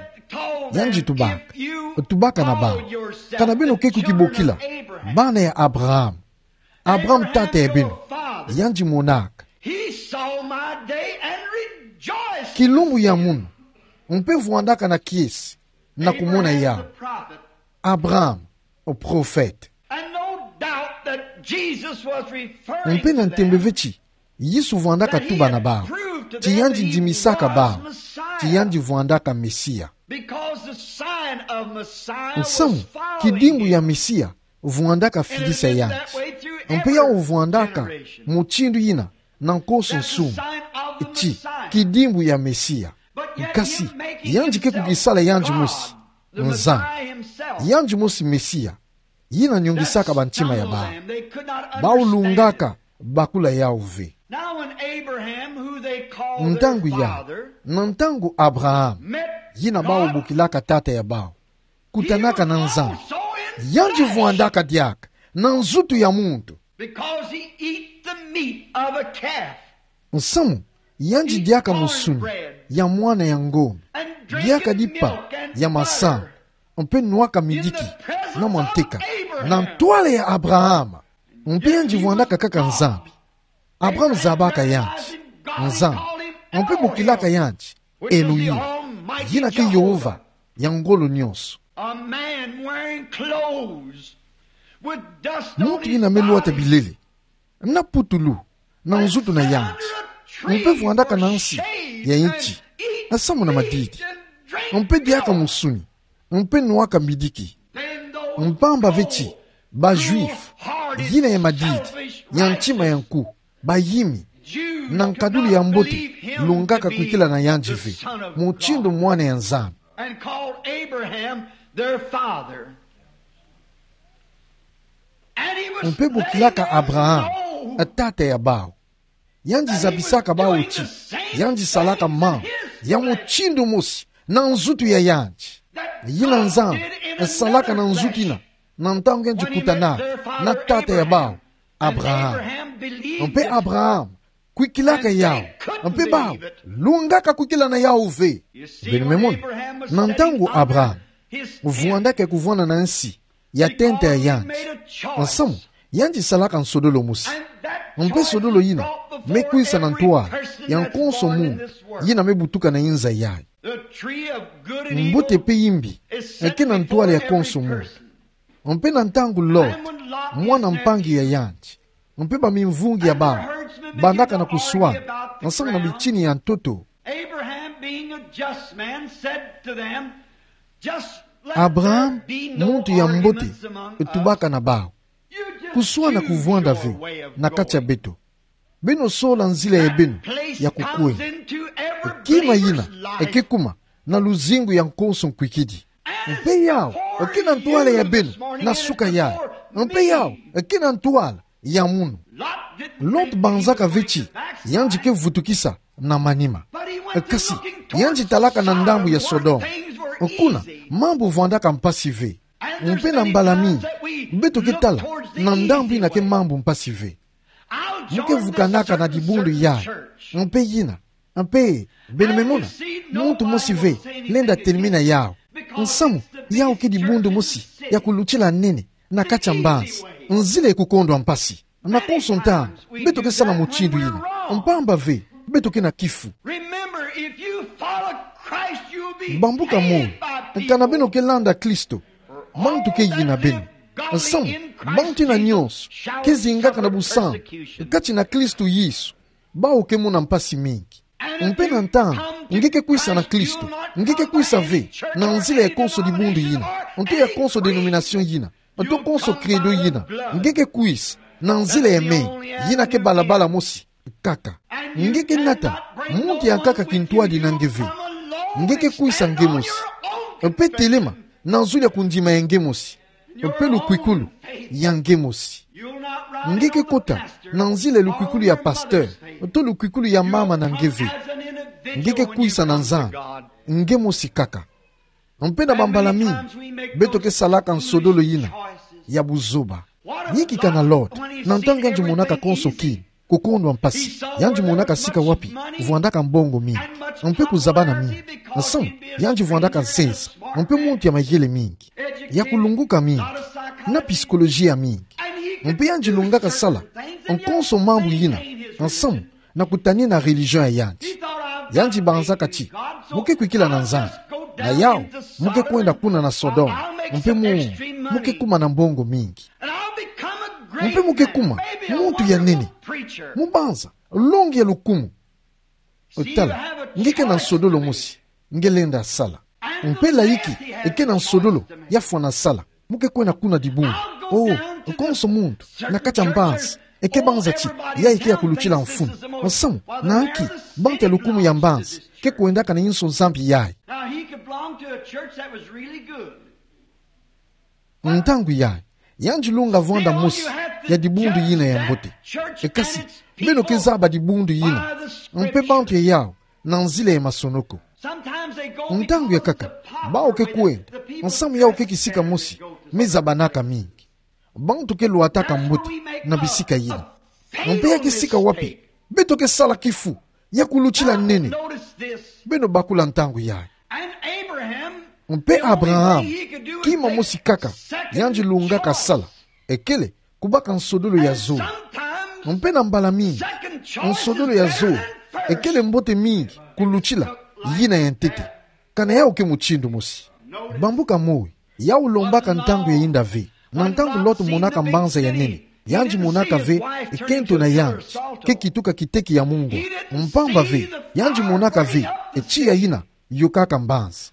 Yandi tubaka, tubaka na bau: Kana beno ke kukibokila bana ya Abraham, Abraham tata ya beno yandi monaka. He saw my day and rejoiced. Kilumbu ya munu, mpe vwandaka na kiese na kumona yau. Abraham, o profete. And no doubt that Jesus was referring to them. Mpe na ntembe ve ti Yesu vwandaka tuba na bau ti yandi ndimisaka bau ti yandi vwandaka Mesia. Because the sign of Messiah was following him. Nsamu, kidimbu ya Mesia vwandaka filisa yandi. Mpe yau vwandaka mutindu yina na nkonso nsumu ti kidimbu ya Mesia. Kasi yandi ke kukisala yandi mosi Nzambi, yandi mosi Mesia yina nyongisaka bantima ya bau. Bau lungaka bakula yau ve. Ntangu yau, na ntangu Abraham, yina bau bokilaka tata ya bau, kutanaka na Nzambi, yandi vwandaka diaka na nzutu ya muntu. Because he eat the meat of a calf. Nsamu, yandi diaka musuni ya mwana ya ngombe, diaka dipa ya masangu, mpe nwaka midiki na manteka, na ntwala ya Abraham. Mpe yandi vwandaka kaka Nzambi. Abraham zabaka yandi Nzambi, mpe bokilaka yandi Elohim, yina ke Yehova ya ngolo nyonso. A man wearing clothes with dust on his body. Muntu yina me lwata bilele, na putulu na nzutu na yandi, mpe vwandaka na nsi ya inti, nsamu na madidi, mpe diaka musuni, mpe nwaka midiki. Mpamba ve ti ba Juifs, yina ya madidi, ya ntima ya nku, bayimi, na nkadulu ya mbote, lungaka kwikila na yandi ve mutindu mwana ya Nzambi. And called Abraham their father. And he was letting them know. Mpe bokilaka Abraham tata ya bau. Yandi zabisaka bau ti yandi salaka mambu ya mutindu mosi na nzutu ya yandi. Yina Nzambi salaka na nzutu yina, na ntangu yandi kutanaka na tata ya bau Abraham. Mpe Abraham kwikilaka yau, mpe bau lungaka kwikila na yau ve. Beno me mona, na ntangu Abraham vwandaka ya kuvwanda na nsi ya tenta ya yandi, nsamu, yandi salaka nsodolo mosi. Mpe sodolo yina me kwisa na ntwala ya nkonso muntu yina me butuka na inza yayi. Mbote pe imbi eke na ntwala ya konso muntu. Mpe na ntangu Lot, mwana mpangi ya yandi, mpe bamimvungi ya bau bandaka na kuswana nsamu na bitini ya ntoto, Abraham, being a just man, said to them, "Just let there be no arguments among us." Abraham, muntu ya mbote, tubaka na bau: Kuswana kuvwanda ve na kati ya beto. Beno sola nzila ya beno ya kukwenda. Kima yina eke kuma na luzingu ya nkonso nkwikidi. Mpe yau eke na ntwala ya beno na suka yayi. Mpe yau eke na ntwala ya munu. Lot banzaka ve ti yandi ke vutukisa na manima. Kasi yandi talaka na ndambu ya Sodome. Kuna mambu vwandaka mpasi ve. Mpe na mbala mingi beto ke tala Na ndambu ina ke mambu mpasi ve. Mu ke vukanaka na dibundu yayi. Mpe yina. Mpe, beno me mona. Muntu mosi ve lenda telimina yawu. Nsamu, yawu ke dibundu mosi ya kulutila nene na kati ya mbansi. Nzila ya kukondwa mpasi. Na konso ntangu, beto ke sala mutindu yina. Mpamba ve, beto ke na kifu. Remember, if you follow Christ, you will be Bambuka hated moyo, by people. Kana beno ke landa Kristo, bantu ke yina beno. Nsamu, bantu ina nyonso ke zingaka na busantu kati na Kristo Yesu, bawu ke mona mpasi mingi. Mpe na ntangu nge ke kwisa na Kristo, nge ke kwisa ve na nzila ya konso dibundu yina, nto ya konso denomination yina, nto konso credo yina. Nge ke kwisa na nzila ya menga, yina ke balabala mosi kaka. Nge ke nata muntu ya nkaka kintwadi na nge ve. Nge ke kwisa nge mosi. Mpe telema na zulu ya kundima ya nge mosi. Mpe lukwikulu ya nge mosi. Nge ke kota na nzila ya lukwikulu ya pasteur, nto lukwikulu ya mama na nge ve. Nge ke kwisa na Nzambi, nge mosi kaka. Mpe na bambala mingi, beto ke salaka nsodolo yina ya buzoba. Niki kana Lot, na ntangu yandi monaka konso kima, kukondwa mpasi, yandi monaka sika wapi vwandaka mbongo mingi, mpe kuzabana mingi. Nsamu, yandi vwandaka nsesa, mpe muntu ya mayele mingi, ya kulunguka mingi, na psikoloji ya mingi. Mpe yandi lungaka sala nkonso mambu yina, nsamu, na kutanina religion ya yandi. Yandi banzaka ti mu ke kwikila na Nzambi. Na yawu, mu ke kwenda kuna na Sodome. Mpe mu, mu ke kuma na mbongo mingi. Mpe mu ke kuma muntu ya nene. Mu banza longi ya lukumu. Tala, nge ke na nsodolo mosi nge lenda sala. Mpe layiki e ke na nsodolo ya fwana sala. Mu ke kwenda kuna dibundu. Oh, konso muntu na kati ya mbansi e ke banza ti yayi ke ya kulutila mfunu. Nsamu, na nki? Bantu ya lukumu ya mbansi ke kwendaka na inso nzambi yayi. Now, he could belong to a church that was really good. Ntangu yayi, yandi lunga vwanda mosi ya dibundu yina ya mbote. E kasi, beno ke zaba dibundu yina mpe bantu ya yawu na nzila ya masonoko. Ntangu ya nkaka, bawu ke kwenda, nsamu yawu ke kisika mosi me zabanaka mingi. Bantu ke lwataka mbote na bisika yina. Mpe ya kisika wapi beto ke sala kifu ya kulutila nene. Beno bakula ntangu yayi. Mpe Abraham, kima mosi kaka yandi lungaka sala, e kele kubaka nsodolo ya zole. Mpe na mbala mingi, nsodolo ya zole e kele mbote mingi kulutila yina ya ntete. Kana yawu ke mutindu mosi? Bambuka moyo, yawu lombaka ntangu ya yinda ve. Na ntangu Lot monaka mbanza ya nene, yandi monaka ve e kento na yandi ke kituka kiteki ya mungwa. Mpamba ve, yandi monaka ve e tiya yina yokaka mbanza.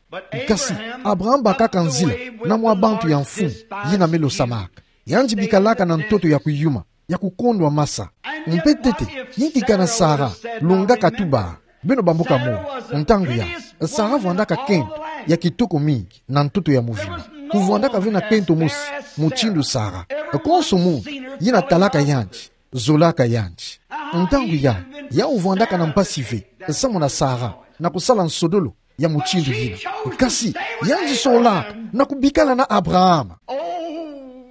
Kasi Abraham bakaka nzila na mwa bantu ya mfumu yina me losamaka. Yandi bikalaka na ntoto ya kuyuma, ya kukondwa masa. Mpe ntete, niki kana Sara lungaka tuba? Beno bambuka moyo, ntangu yayi, Sara vwandaka kento ya kitoko mingi na ntoto ya muvimba. Kuvwandaka ve na kento mosi mutindu Sara. Konso muntu yina talaka yandi, zolaka yandi. Ntangu yayi, yawu vwandaka na mpasi ve, nsamu na Sara, na kusala nsodolo ya mutindu yina. Kasi yandi solaka na kubikala na Abraham. Oh,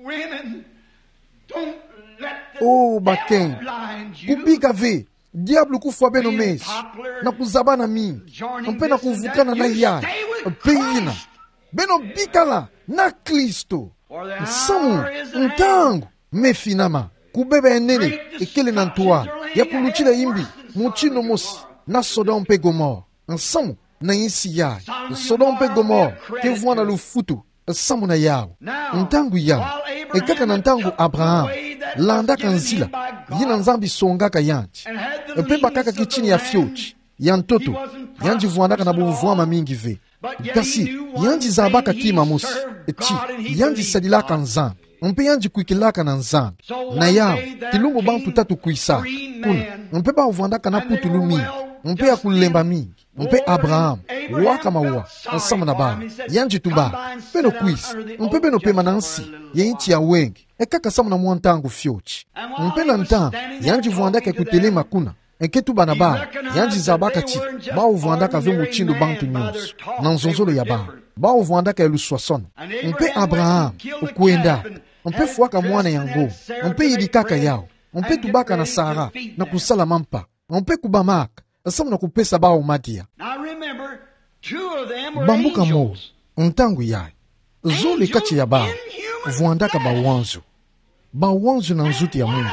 women, don't let the devil blind you. Oh, bakento, kubika ve diabulu kufwa beno meso na kuzabana mingi mpe na kuvukana na yayi. Mpe yina, beno bikala na Kristo. Nsamu, ntangu me finama, kubeba ya nene e kele na ntwala ya kulutila imbi mutindu mosi na Sodome mpe Gomore. Nsamu, na insi yayi, Sodome mpe Gomore ke vwanda lufutu nsamu na yawu. Ntangu yayi, e kaka na ntangu Abraham landaka nzila yina Nzambi songaka yandi, mpe bakaka kitini ya fioti ya ntoto, yandi vwandaka na bumvwama mingi ve. Kasi yandi zabaka kima mosi ti yandi sadilaka Nzambi, mpe yandi kwikilaka na Nzambi. Na yawu, kilumbu bantu tatu kwisaka kuna, mpe bawu vwandaka na putulu mingi mpe ya kulemba mingi. Mpe Abraham waka mawa nsamu na bawu. Yandi tuba: Beno kwisa, mpe beno pema na nsi ya inti ya wenge, e kaka nsamu na mwa ntangu fioti. Mpe na ntangu yandi vwandaka ya kutelema kuna, e ke tuba na bawu, yandi zabaka ti bawu vwandaka ve mutindu bantu nyonso na nzonzolo ya bawu. Bawu vwandaka ya luswaswanu. Mpe Abraham kwendaka, Mpe fwaka mwana ya ngo. Mpe yidikaka yau. Mpe tubaka na Sara, na kusala mampa. Mpe kubamaka, samu na kupesa bau madia. Now remember, two of them were Bambuka mo, angels. Ntangu yayi. Zole kati ya bau, vwandaka bawanzu. Bawanzu na nzutu ya munu.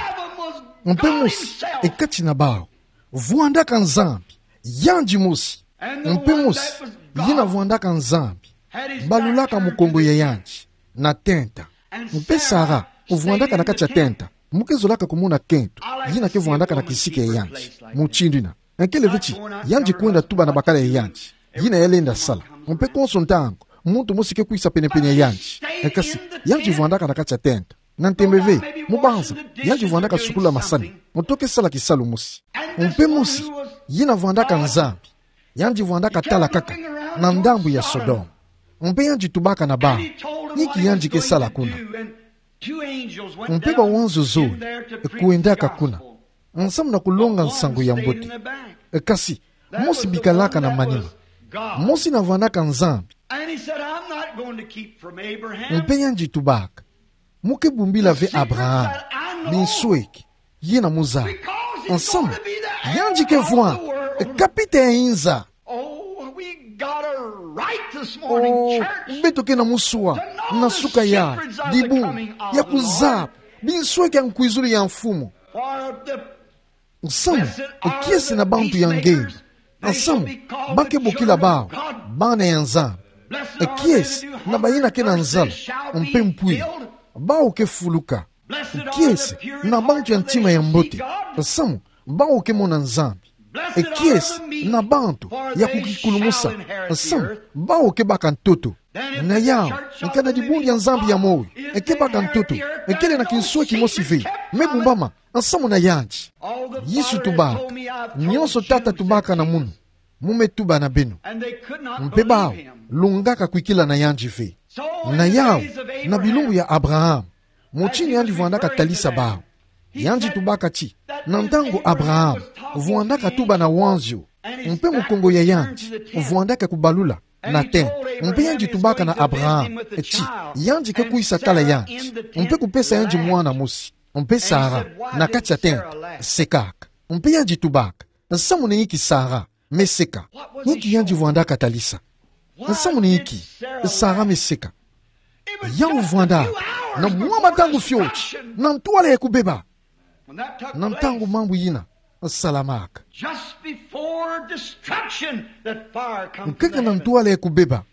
Mpe mosi, e kati na bau, vwandaka Nzambi, yandi mosi. Mpe mosi, yina vwandaka Nzambi, balulaka mukongo ya yandi na tenta. Mpe Sara, vwandaka na kati ya tenta, mu ke zolaka kumona kento, yina ke vwandaka na kisika ya yandi, mutindu yina. Nkele ve ti, yandi kwenda tuba na bakala ya yandi yina ya lenda sala. Mpe konso ntangu, muntu mosi ke kwisa penepene ya yandi. Kasi, yandi vwandaka na kati ya tenta. Na ntembe ve, mu banza, yandi vwandaka sukulula masani. Moto ke sala kisalu mosi. Mpe mosi, yina vwandaka Nzambi. Yandi vwandaka tala kaka na ndambu ya Sodome. Mpe yandi tubaka na bau, inki yandi ke sala kuna. Mpe bawanzu zole kwendaka kuna, nsamu na kulonga nsangu ya mbote. Kasi, mosi bikalaka na manima. Mosi na vwandaka Nzambi. Mpe yandi tubaka, mu ke bumbila ve Abraham binsweki yina mu zaba. Nsamu, yandi ke vwanda kapita ya inza. Oh, beto ke na muswa na suka ya dibundu ya kuzaba binsweki ya nkwizulu ya Mfumu. Nsamu, kiese na bantu ya nge. Nsamu, ba ke bokila bau bana ya Nzambi. Kiese na bayina ke na nzala mpe mpwiri, bau ke fuluka. Kiese na bantu ya ntima ya mbote. Nsamu, bau ke mona Nzambi. Kiese na bantu ya kukikulumusa. Nsamu, bau ke baka ntoto. Na yau, nkana dibundu ya Nzambi ya moyo ke baka ntoto, kele na kinsweki kimosi ve me bumbama nsamu na yandi. Yesu tubaka, nionso Tata tubaka na munu, mu me tuba na beno. Mpe bau lungaka kwikila na yandi ve. Na yau, na bilumbu ya Abraham, mutindu yandi vwandaka talisa bau, yandi tubaka ti, na ntangu Abraham vwandaka tuba na wanzio, mpe mukongo ya yandi vwandaka kubalula na tenta. Mpe yandi tubaka na Abraham ti, yandi ke kwisa tala yandi, mpe kupesa yandi mwana mosi. Mpe Sara, na kati ya tenta, sekaka. Mpe yandi tubaka, nsamu na inki Sara me seka? Inki yandi vwandaka talisa? Nsamu na inki Sara me seka? Yau vwandaka na mwa matangu fioti na ntwala ya kubeba. Na ntangu mambu yina salamaka, just before destruction, that fire comes from nkaka na heaven. Ntwala ya kubeba,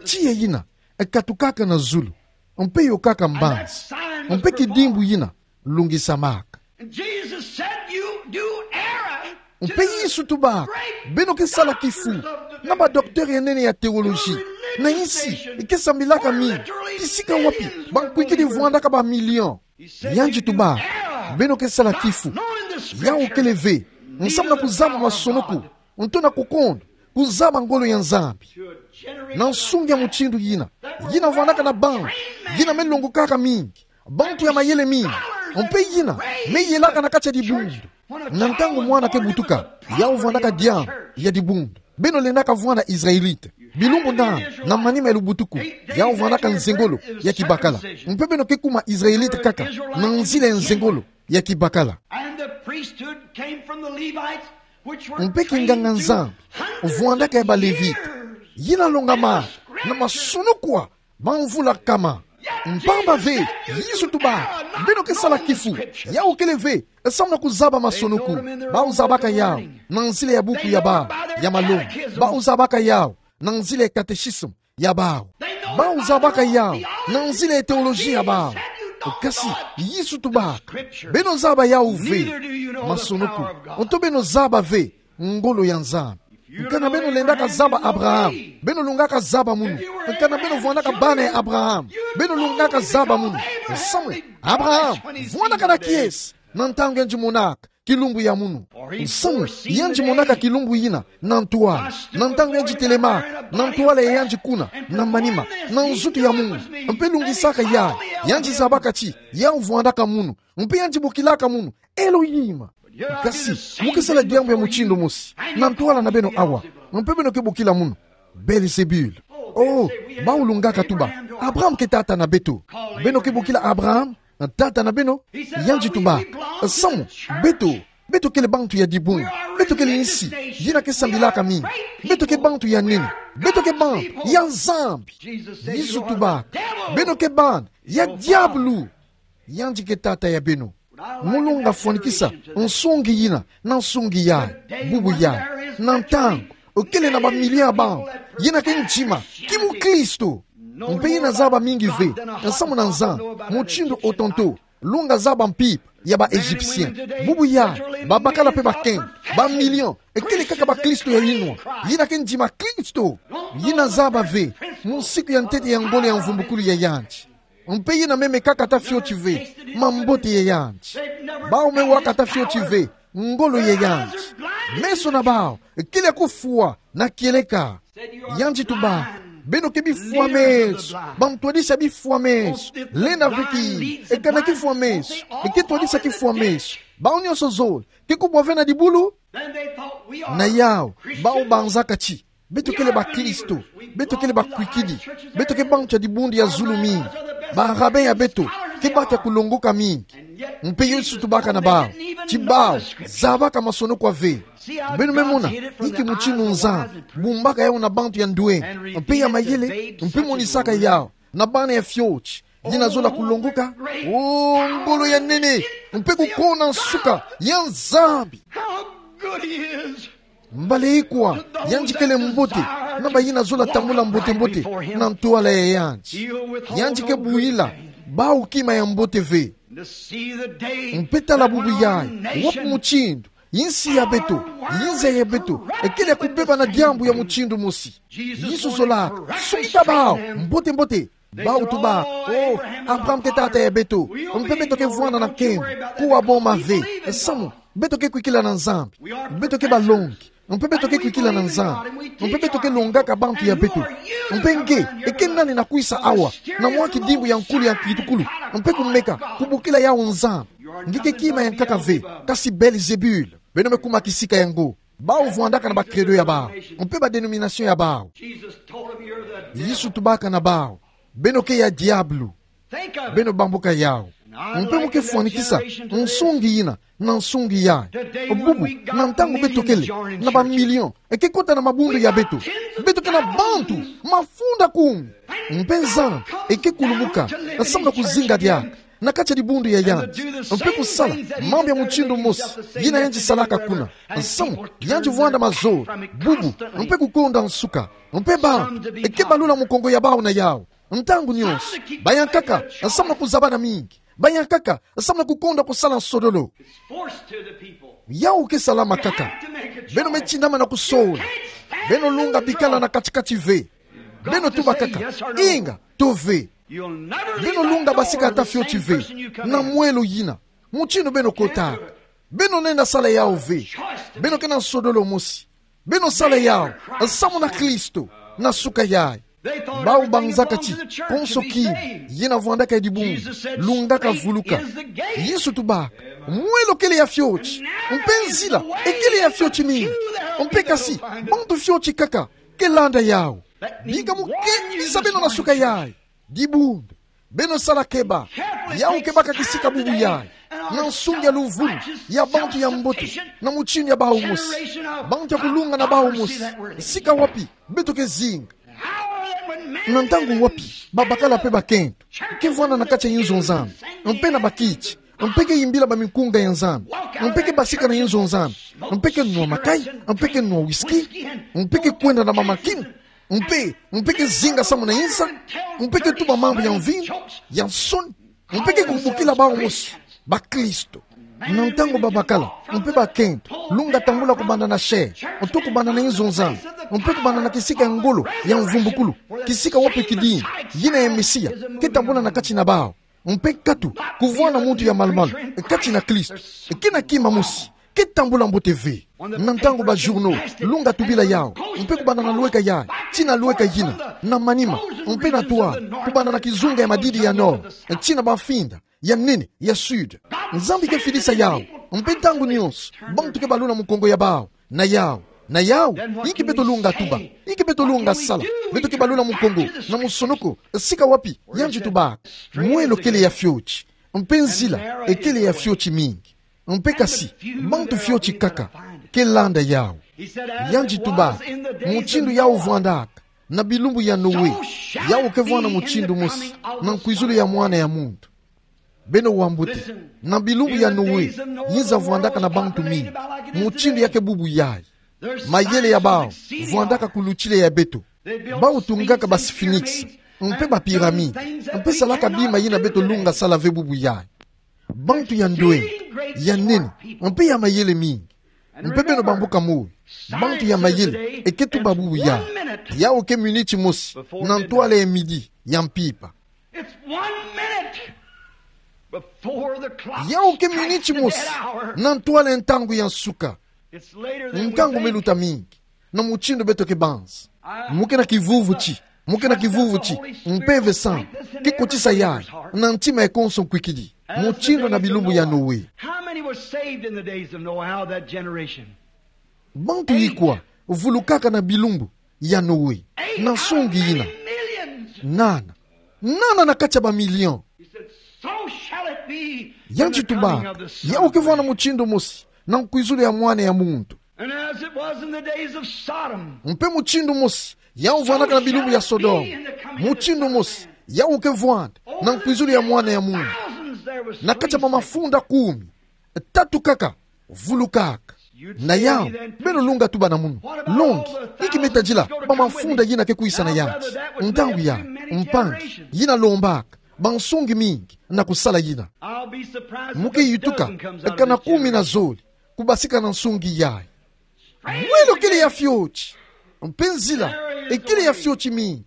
tiya yina katukaka na zulu, mpe yokaka mbanzi, mpe kidimbu yina lungisamaka. And Jesus said, "You do err." Mpe Yesu tubaka, beno ke sala kifu na ba docteur ya nene ya théologie, na insi ke sambilaka mingi, kisika wapi bankwikidi vwandaka ba million. Yandi tubaka, beno ke sala kifu, yau kele ve nsamu na kuzaba masonoko, nto na kukonda kuzaba ngolo ya Nzambi. Na nsunga ya mutindu yina, yina vwandaka na bantu yina me longokaka mingi, bantu ya mayele mingi, mpe yina me yelaka na kati ya dibundu. Na ntangu mwana ke butuka, yau vwandaka diambu ya dibundu. Beno lendaka vwanda Israélite. Bilumbu nani na manima ya lubutuku, yau vwandaka nzengolo ya kibakala. Mpe beno ke kuma Israélite kaka na nzila ya nzengolo ya kibakala. And the priesthood came from the Levites, which were trained through hundreds of years. Mpe kinganga-Nzambi vwandaka ya ba Levite, yina longamaka na masonoko bamvula nkama. Mpamba ve, Yesu tubaka, beno ke sala kifu, yau kele ve nsamu na kuzaba masonoko. Bau zabaka yau na nzila ya buku ya bau ya malongi. Bau zabaka yau na nzila ya catéchisme ya bau. Bau zabaka yau na nzila ya théologie ya bau. Kasi Yesu tubaka, beno zaba yau ve masonoko, nto beno zaba ve ngolo ya Nzambi. Nkana beno lendaka zaba Abraham, beno lungaka zaba munu. Nkana beno vwandaka bana ya Abraham, beno lungaka zaba munu. Nsamu, Abraham vwandaka na kiese na ntangu yandi monaka kilumbu ya munu? Nsamu, yandi monaka kilumbu yina na ntwala, na ntangu yandi telemaka na ntwala ya yandi kuna na manima, na nzutu ya munu, mpe lungisaka yandi, yandi zabaka ti yau vwandaka munu, mpe yandi bokilaka munu Elohim. Kasi mu ke sala diambu ya mutindu mosi na ntwala na beno awa, mpe beno ke bokila munu Belzebul. Oh, bau lungaka tuba Abraham ke tata na beto. Beno ke bokila Abraham tata na beno. Yandi tuba: Samu, beto, beto kele bantu ya dibundu. Beto kele nsi yina ke sambilaka mingi. Beto ke bantu ya nene. Beto ke bantu ya Nzambi. Yesu tuba: Beno ke bantu ya diabulu. Yandi ke tata ya beno. Mu longa fwanikisa nsungi yina na nsungi yayi. Bubu yayi, na ntangu, kele na bamilio ya bantu yina ke ndima ki mukristo. Mpe yina zaba mingi ve, samu na Nzambi, mutindu otonto. Longa zaba mpimpa ya ba Égyptiens. Bubu yayi, babakala mpe bakento, bamilio, kele kaka bakristo ya yinwa yina ke ndima Kristo. Yina zaba ve munsiku ya ntete ya ngolo ya mvumbukulu ya yandi. Mpe yina meme kaka ata fioti ve mambote ya yandi. Bawu me waka ata fioti ve ngolo ya yandi. Meso na bawu kele ya kufwa na kieleka. Yandi tuba: Beno ke bifwa meso, bamtwadisi ya bifwa meso. Lenda ve ki kana kifwa meso, ke twadisa kifwa meso. Bawu nyonso zole ke kubwa ve na dibulu. Na yawu, bawu banzaka ti beto kele bakristo, beto kele bakwikidi, beto ke bantu ya dibundu ya zulu mingi. Ba rabbin ya beto ke bantu ya kulongoka mingi. Mpe Yesu tubaka na bawu ti bawu zabaka masono kwa ve. Beno me mona inki mutindu Nzambi bumbaka yawu na bantu ya ndwenga mpe ya mayele, mpe monisaka yawu na bana ya fioti yina zola kulongoka. O ngolo ya nene mpe kukonda nsuka ya Nzambi! How good he is! Mbala ikwa yandi kele mbote na bayina zola tambula mbote-mbote na ntwala ya yandi. Yandi ke buhila bawu kima ya mbote ve. Mpe tala bubu yayi, wapi mutindu insi ya beto, inza ya beto kele ya kubeba na diambu ya mutindu mosi. Yesu zolaka sukisa bawu mbote-mbote. Bawu tuba: O, Abraham ke tata ya beto, mpe beto ke vwanda na nkembo, kuwa boma ve. Samu, beto ke kwikila na Nzambi. Beto ke balongi, mpe beto ke kwikila na Nzambi. Mpe beto ke longaka bantu ya beto. Mpe nge, ke nani na kwisa awa na mwa kidimbu ya nkulu ya kitukulu, mpe kumeka kubokila yawu Nzambi? Nge ke kima ya nkaka ve, kasi Belzebul. Beno me kuma kisika yango. Bawu vwandaka na ba credo ya bawu mpe ba dénomination ya bawu. Yesu tubaka na bawu: Beno ke ya diabulu. Beno bambuka yawu. Mpe mu ke fwanikisa nsungi yina na nsungi yayi. Bubu, na ntangu beto kele na bamilio ke kota na mabundu ya beto, beto ke na bantu mafunda kumi. Mpe Nzambi ke kulumuka samu na kuzinga diaka na kati ya dibundu ya yandi, mpe kusala mambu ya mutindu mosi yina yandi salaka kuna. Samu yandi vwanda mazola, bubu, mpe kukonda nsuka. Mpe bantu ke balula mukongo ya bawu na yawu ntangu nyonso. Bayankaka samu na kuzabana mingi. Bayankaka samu na kukonda kusala nsodolo. Yawu ke salama kaka. Beno me tinama na kusola. Beno lunga bikala na kati-kati ve. Beno tuba kaka: Inga, to ve. Beno lunga basika ata fioti ve na mwelo yina. Mutindu beno kotaka, beno lenda sala yawu ve. Beno ke na nsodolo mosi. Beno sala yawu samu na Kristo. Na suka yayi, bawu banzaka ti konso kima yina vwandaka ya dibundu lungaka vuluka. Yesu tubaka: Mwelo kele ya fioti, mpe nzila kele ya fioti mingi, mpe kasi bantu fioti kaka ke landa yawu. Bika mu kenisa beno na suka yayi. Dibundu, beno sala keba. Yawu ke baka kisika bubu yayi na nsungi ya luvunu ya bantu ya mbote na mutindu ya bawu mosi, bantu ya kulunga na bawu mosi. Sika wapi beto ke zinga? Na ntangu wapi babakala mpe bakento ke vwanda na kati ya inzo Nzambi, mpe na bakiti, mpe ke yimbila bamikunga ya Nzambi, mpe ke basika na inzo Nzambi, mpe ke nwa makai, mpe ke nwa whisky, mpe ke kwenda na mamakina, mpe, mpe ke zinga samu na inza, mpe ke tuba mambu ya mvinyo ya nsoni, mpe ke kubokila bawu mosi bakristo? Na ntangu babakala mpe bakento, lunga tambula kubanda na chair, to kubanda na inzo Nzambi, mpe kubanda na kisika ya ngolo ya mvumbukulu, kisika wapi kidini yina ya Mesia ke tambula na kati na bawu, mpe nkatu kuvwanda muntu ya malu-malu kati na Kristo, kina kima mosi ke tambula mbote ve. Na ntangu ba journaux lunga tubila yawu, mpe kubanda na lweka yayi tii na lweka yina, na manima, mpe na twala, kubanda na kizunga ya madidi ya nord tii na bamfinda ya nene ya sud, Nzambi ke fidisa yawu. Mpe ntangu nyonso bantu ke balula mukongo ya bawu na yawu, Na yau, inki beto lunga tuba, inki beto lunga sala? Beto ke balula mukongo na musonoko, sika wapi? Yandi tubaka: Mwelo kele ya fioti, mpe nzila ekele ya fioti mingi, mpe kasi bantu fioti kaka ke landa yau. Yandi tubaka: Mutindu yau vwandaka na bilumbu ya Noe, yau ke vwanda mutindu mosi na nkwizulu ya Mwana ya Muntu. Beno wambuta, na bilumbu ya Noe, nza vwandaka na bantu mingi, mutindu ya ke bubu yayi. Mayele ya bau vwandaka kulutila ya beto. Bau tungaka ba sphinx, mpe ba pyramide, mpe salaka bima yina beto lunga sala ve bubu yayi. Bantu ya ndoenga, ya nene, mpe ya mayele mingi. Mpe beno bambuka moi, bantu ya mayele eke tuba bubu yayi: Yau ke miniti mosi na ntwala ya midi ya mpimpa. It's one minute before the clock Yau ke miniti mosi na ntwala ya ntangu ya nsuka. It's later than we Ntangu me luta mingi na mutindu beto ke banza. Mu ke na kivuvu ti, mu ke na kivuvu ti Mpeve Santa ke kotisa yayi na ntima ya konso nkwikidi, mutindu na bilumbu ya Noe. How many were saved in the days of Noah, out of that generation? Bantu yi kwa vulukaka na bilumbu ya Noe, na nsungi yina? Nana. Nana na kati ya ba million. He said, "So shall it be in the coming of the Son of Man." Yandi tubaka: Yau ke vwanda mutindu mosi na nkwizulu ya Mwana ya Muntu. And as it was in the days of Sodom, Mpe mutindu mosi yau vwandaka na bilumbu ya Sodoma, mutindu mosi yau ke vwanda na nkwizulu ya Mwana ya Muntu. Na kati ya ba mafunda kumi, tatu kaka vulukaka. Na yau, beno lunga tuba na munu: Longi, inki me tadila ba mafunda yina ke kwisa na yandi? Ntangu yayi, mpangi, yina lombaka ba nsungi mingi na kusala yina. Mu ke yituka kana kumi na zole kubasika na nsungi yayi. Mwelo kele ya fioti, mpe nzila ekele ya fioti mingi,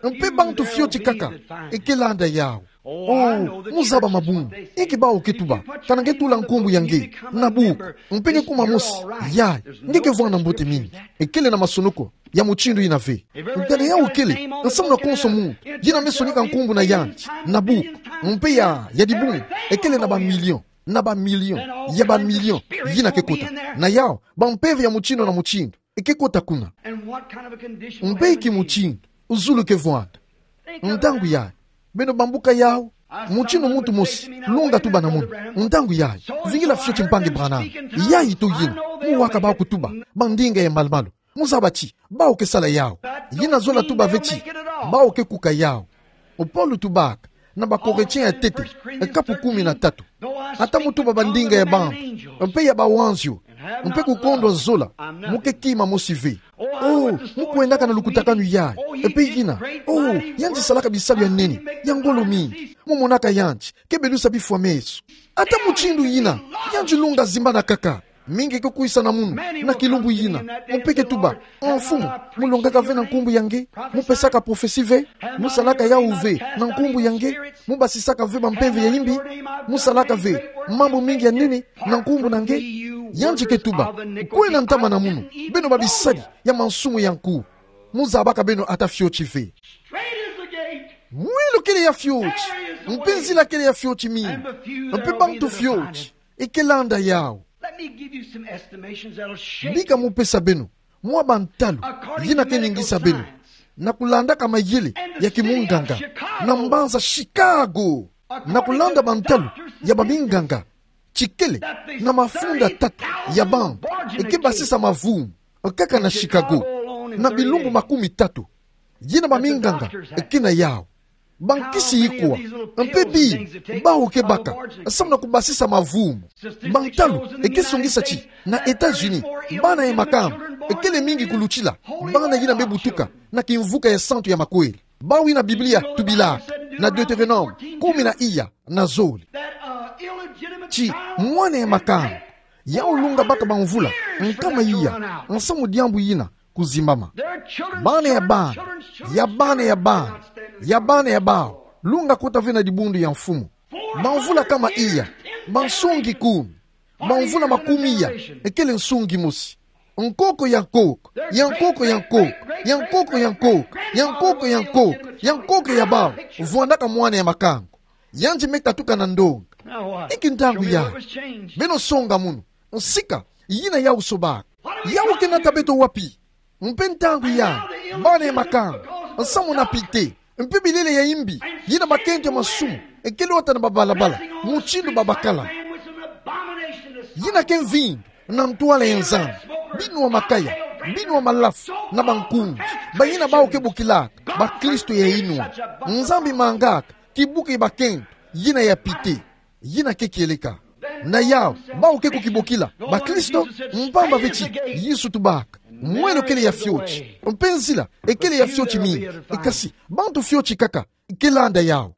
mpe bantu fioti kaka eke landa yau. Oh, mu zaba mabungu inki bau ke tuba: Kana nge tula nkumbu ya nge na buku, mpe nge kuma mosi, yayi nge ke vwanda mbote mingi. Ekele na masonoko ya mutindu yina ve. Ntala yau kele nsamu na konso muntu yina me sonika nkumbu na yandi na buku, mpe ya, ya dibungu, ekele na ba million, na ba million ya ba million yina ke kota. Na yau, ba mpeve ya mutindu na mutindu eke kota kuna. Mpe inki mutindu zulu ke vwanda? Ntangu yayi, beno bambuka yau. Mutindu muntu mosi, lunga tuba na munu: Ntangu yayi, vingila fioti mpangi Branham. Yayi to yina, mu waka bau kutuba ba ndinga ya malu-malu. Mu zaba ti bau ke sala yau. Yina zola tuba ve ti bau ke kuka yau. Paulo tubaka na ba Corinthiens ya ntete, kapu kumi na tatu: Ata mu tuba ba ndinga ya bantu mpe ya bawanzio, mpe kukondwa zola, mu ke kima mosi ve. Oh, mu kwendaka na lukutakanu yayi, mpe yina, oh, yandi salaka bisalu ya nene, ya ngolo mingi. Mu monaka yandi ke belusa bifwa meso. Ata mutindu yina, yandi lunga zimbana kaka. Mingi ke kwisa na munu na kilumbu yina, mpe ke tuba: Ah, Mfumu, mu longaka ve na nkumbu ya nge? Mu pesaka prophetie ve? Mu salaka yau ve na nkumbu ya nge? Mu basisaka ve ba mpeve ya imbi? Mu salaka ve mambu mingi ya nene na nkumbu na nge? Yandi ke tuba: Kwena ntama na munu, beno babisadi ya mansumu ya nkuwu. Mu zabaka beno ata fioti ve. Mwelo kele ya fioti, mpe nzila kele ya fioti mingi, mpe bantu fioti eke landa yau. Let me give you some estimations that'll shake you. Bika mu pesa beno mwa bantalu yina ke ningisa beno, na kulandaka mayele ya kimunganga na mbanza Chicago, na kulanda bantalu ya baminganga, tikele na mafunda tatu ya bantu eke basisa mavumu kaka na Chicago na bilumbu makumi tatu yina baminganga eke na yau. Bankisi ikwa, mpe bi bau ke baka samu na kubasisa mavumu? Bantalu eke songisa ti na États-Unis, bana ya makamba ekele mingi kulutila bana yina me butuka na kimvuka ya santu ya makwela. Bau yina Biblia tubilaka na Deutéronome kumi na iya na zole, ti mwana ya makamba yau lunga baka bamvula nkama iya samu diambu yina kuzimbama. Bana ya bana ya bana ya bana ya bana ya bau lunga kota ve na dibundu ya mfumu. Bamvula nkama iya, bansongi kumi, bamvula makumi iya, ekele nsongi mosi. Nkoko ya nkoko ya nkoko ya nkoko ya nkoko ya nkoko ya nkoko ya nkoko ya nkoko ya bau vwandaka mwana ya makamba. Yandi me katuka na ndonga. Inki ntangu yayi? Beno songa munu. Nsika yina yau sobaka. Yawu ke nata beto wapi? Mpe ntangu ya, bana ya makanga, nsamu na pite, mpe bilele ya imbi, yina makento ya masumu, ekele wata na babalabala, mutindu babakala. Yina ke mvindu na ntwala ya Nzambi, binwa makaya, binwa malafu, na bankunzi, bayina bawu ke bokilaka bakristo ya inwa. Nzambi mangaka kibuka ya bakento yina ya pite. Yina ke kieleka. Na yawu, bawu ke kukibokila bakristo, mpamba ve ti Yesu tubaka mwelo kele ya fioti, mpe nzila ekele ya fioti mingi. Kasi bantu fioti kaka ke landa yawu.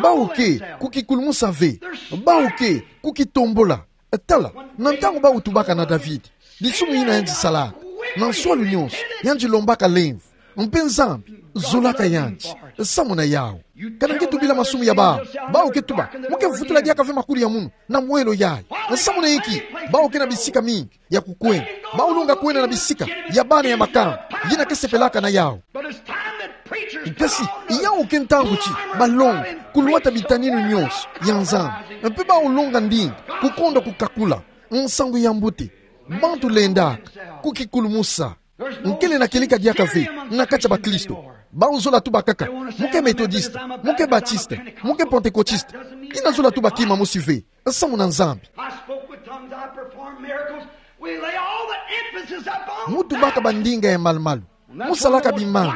Bawu ke kukikulumusa ve. Bawu ke kukitombola. Tala, na ntangu bawu tubaka na David, disumu yina yandi salaka, na nswalu nyonso yandi lombaka lemvo, mpe Nzambi zolaka yandi. Nsamu na yawu. Kana nge tubila masumu ya bawu, bawu ke tuba: Mu ke vutula diaka ve makulu ya munu na mwelo yayi. Nsamu na inki? Bawu ke na bisika mingi ya kukwenda. Bawu longa kwenda na bisika ya bana ya makanga, yina ke sepelaka na yawu. Kasi yawu ke ntangu ti balonga kulwata bitaninu nyonso ya Nzambi, mpe bawu longa ndinga kukondwa kukakula nsangu ya mbote. Bantu lendaka kukikulumusa. Nkele na kieleka diaka ve na kati ya bakristo. Bawu zola tuba kaka: Mu ke metodiste, mu ke batiste, mu ke pentekotiste. Yina zola tuba kima mosi ve. Nsamu na Nzambi. I spoke with tongues, I performed miracles. We lay all the emphasis upon... Mu tubaka bandinga ya malumalu, mu salaka bimanga.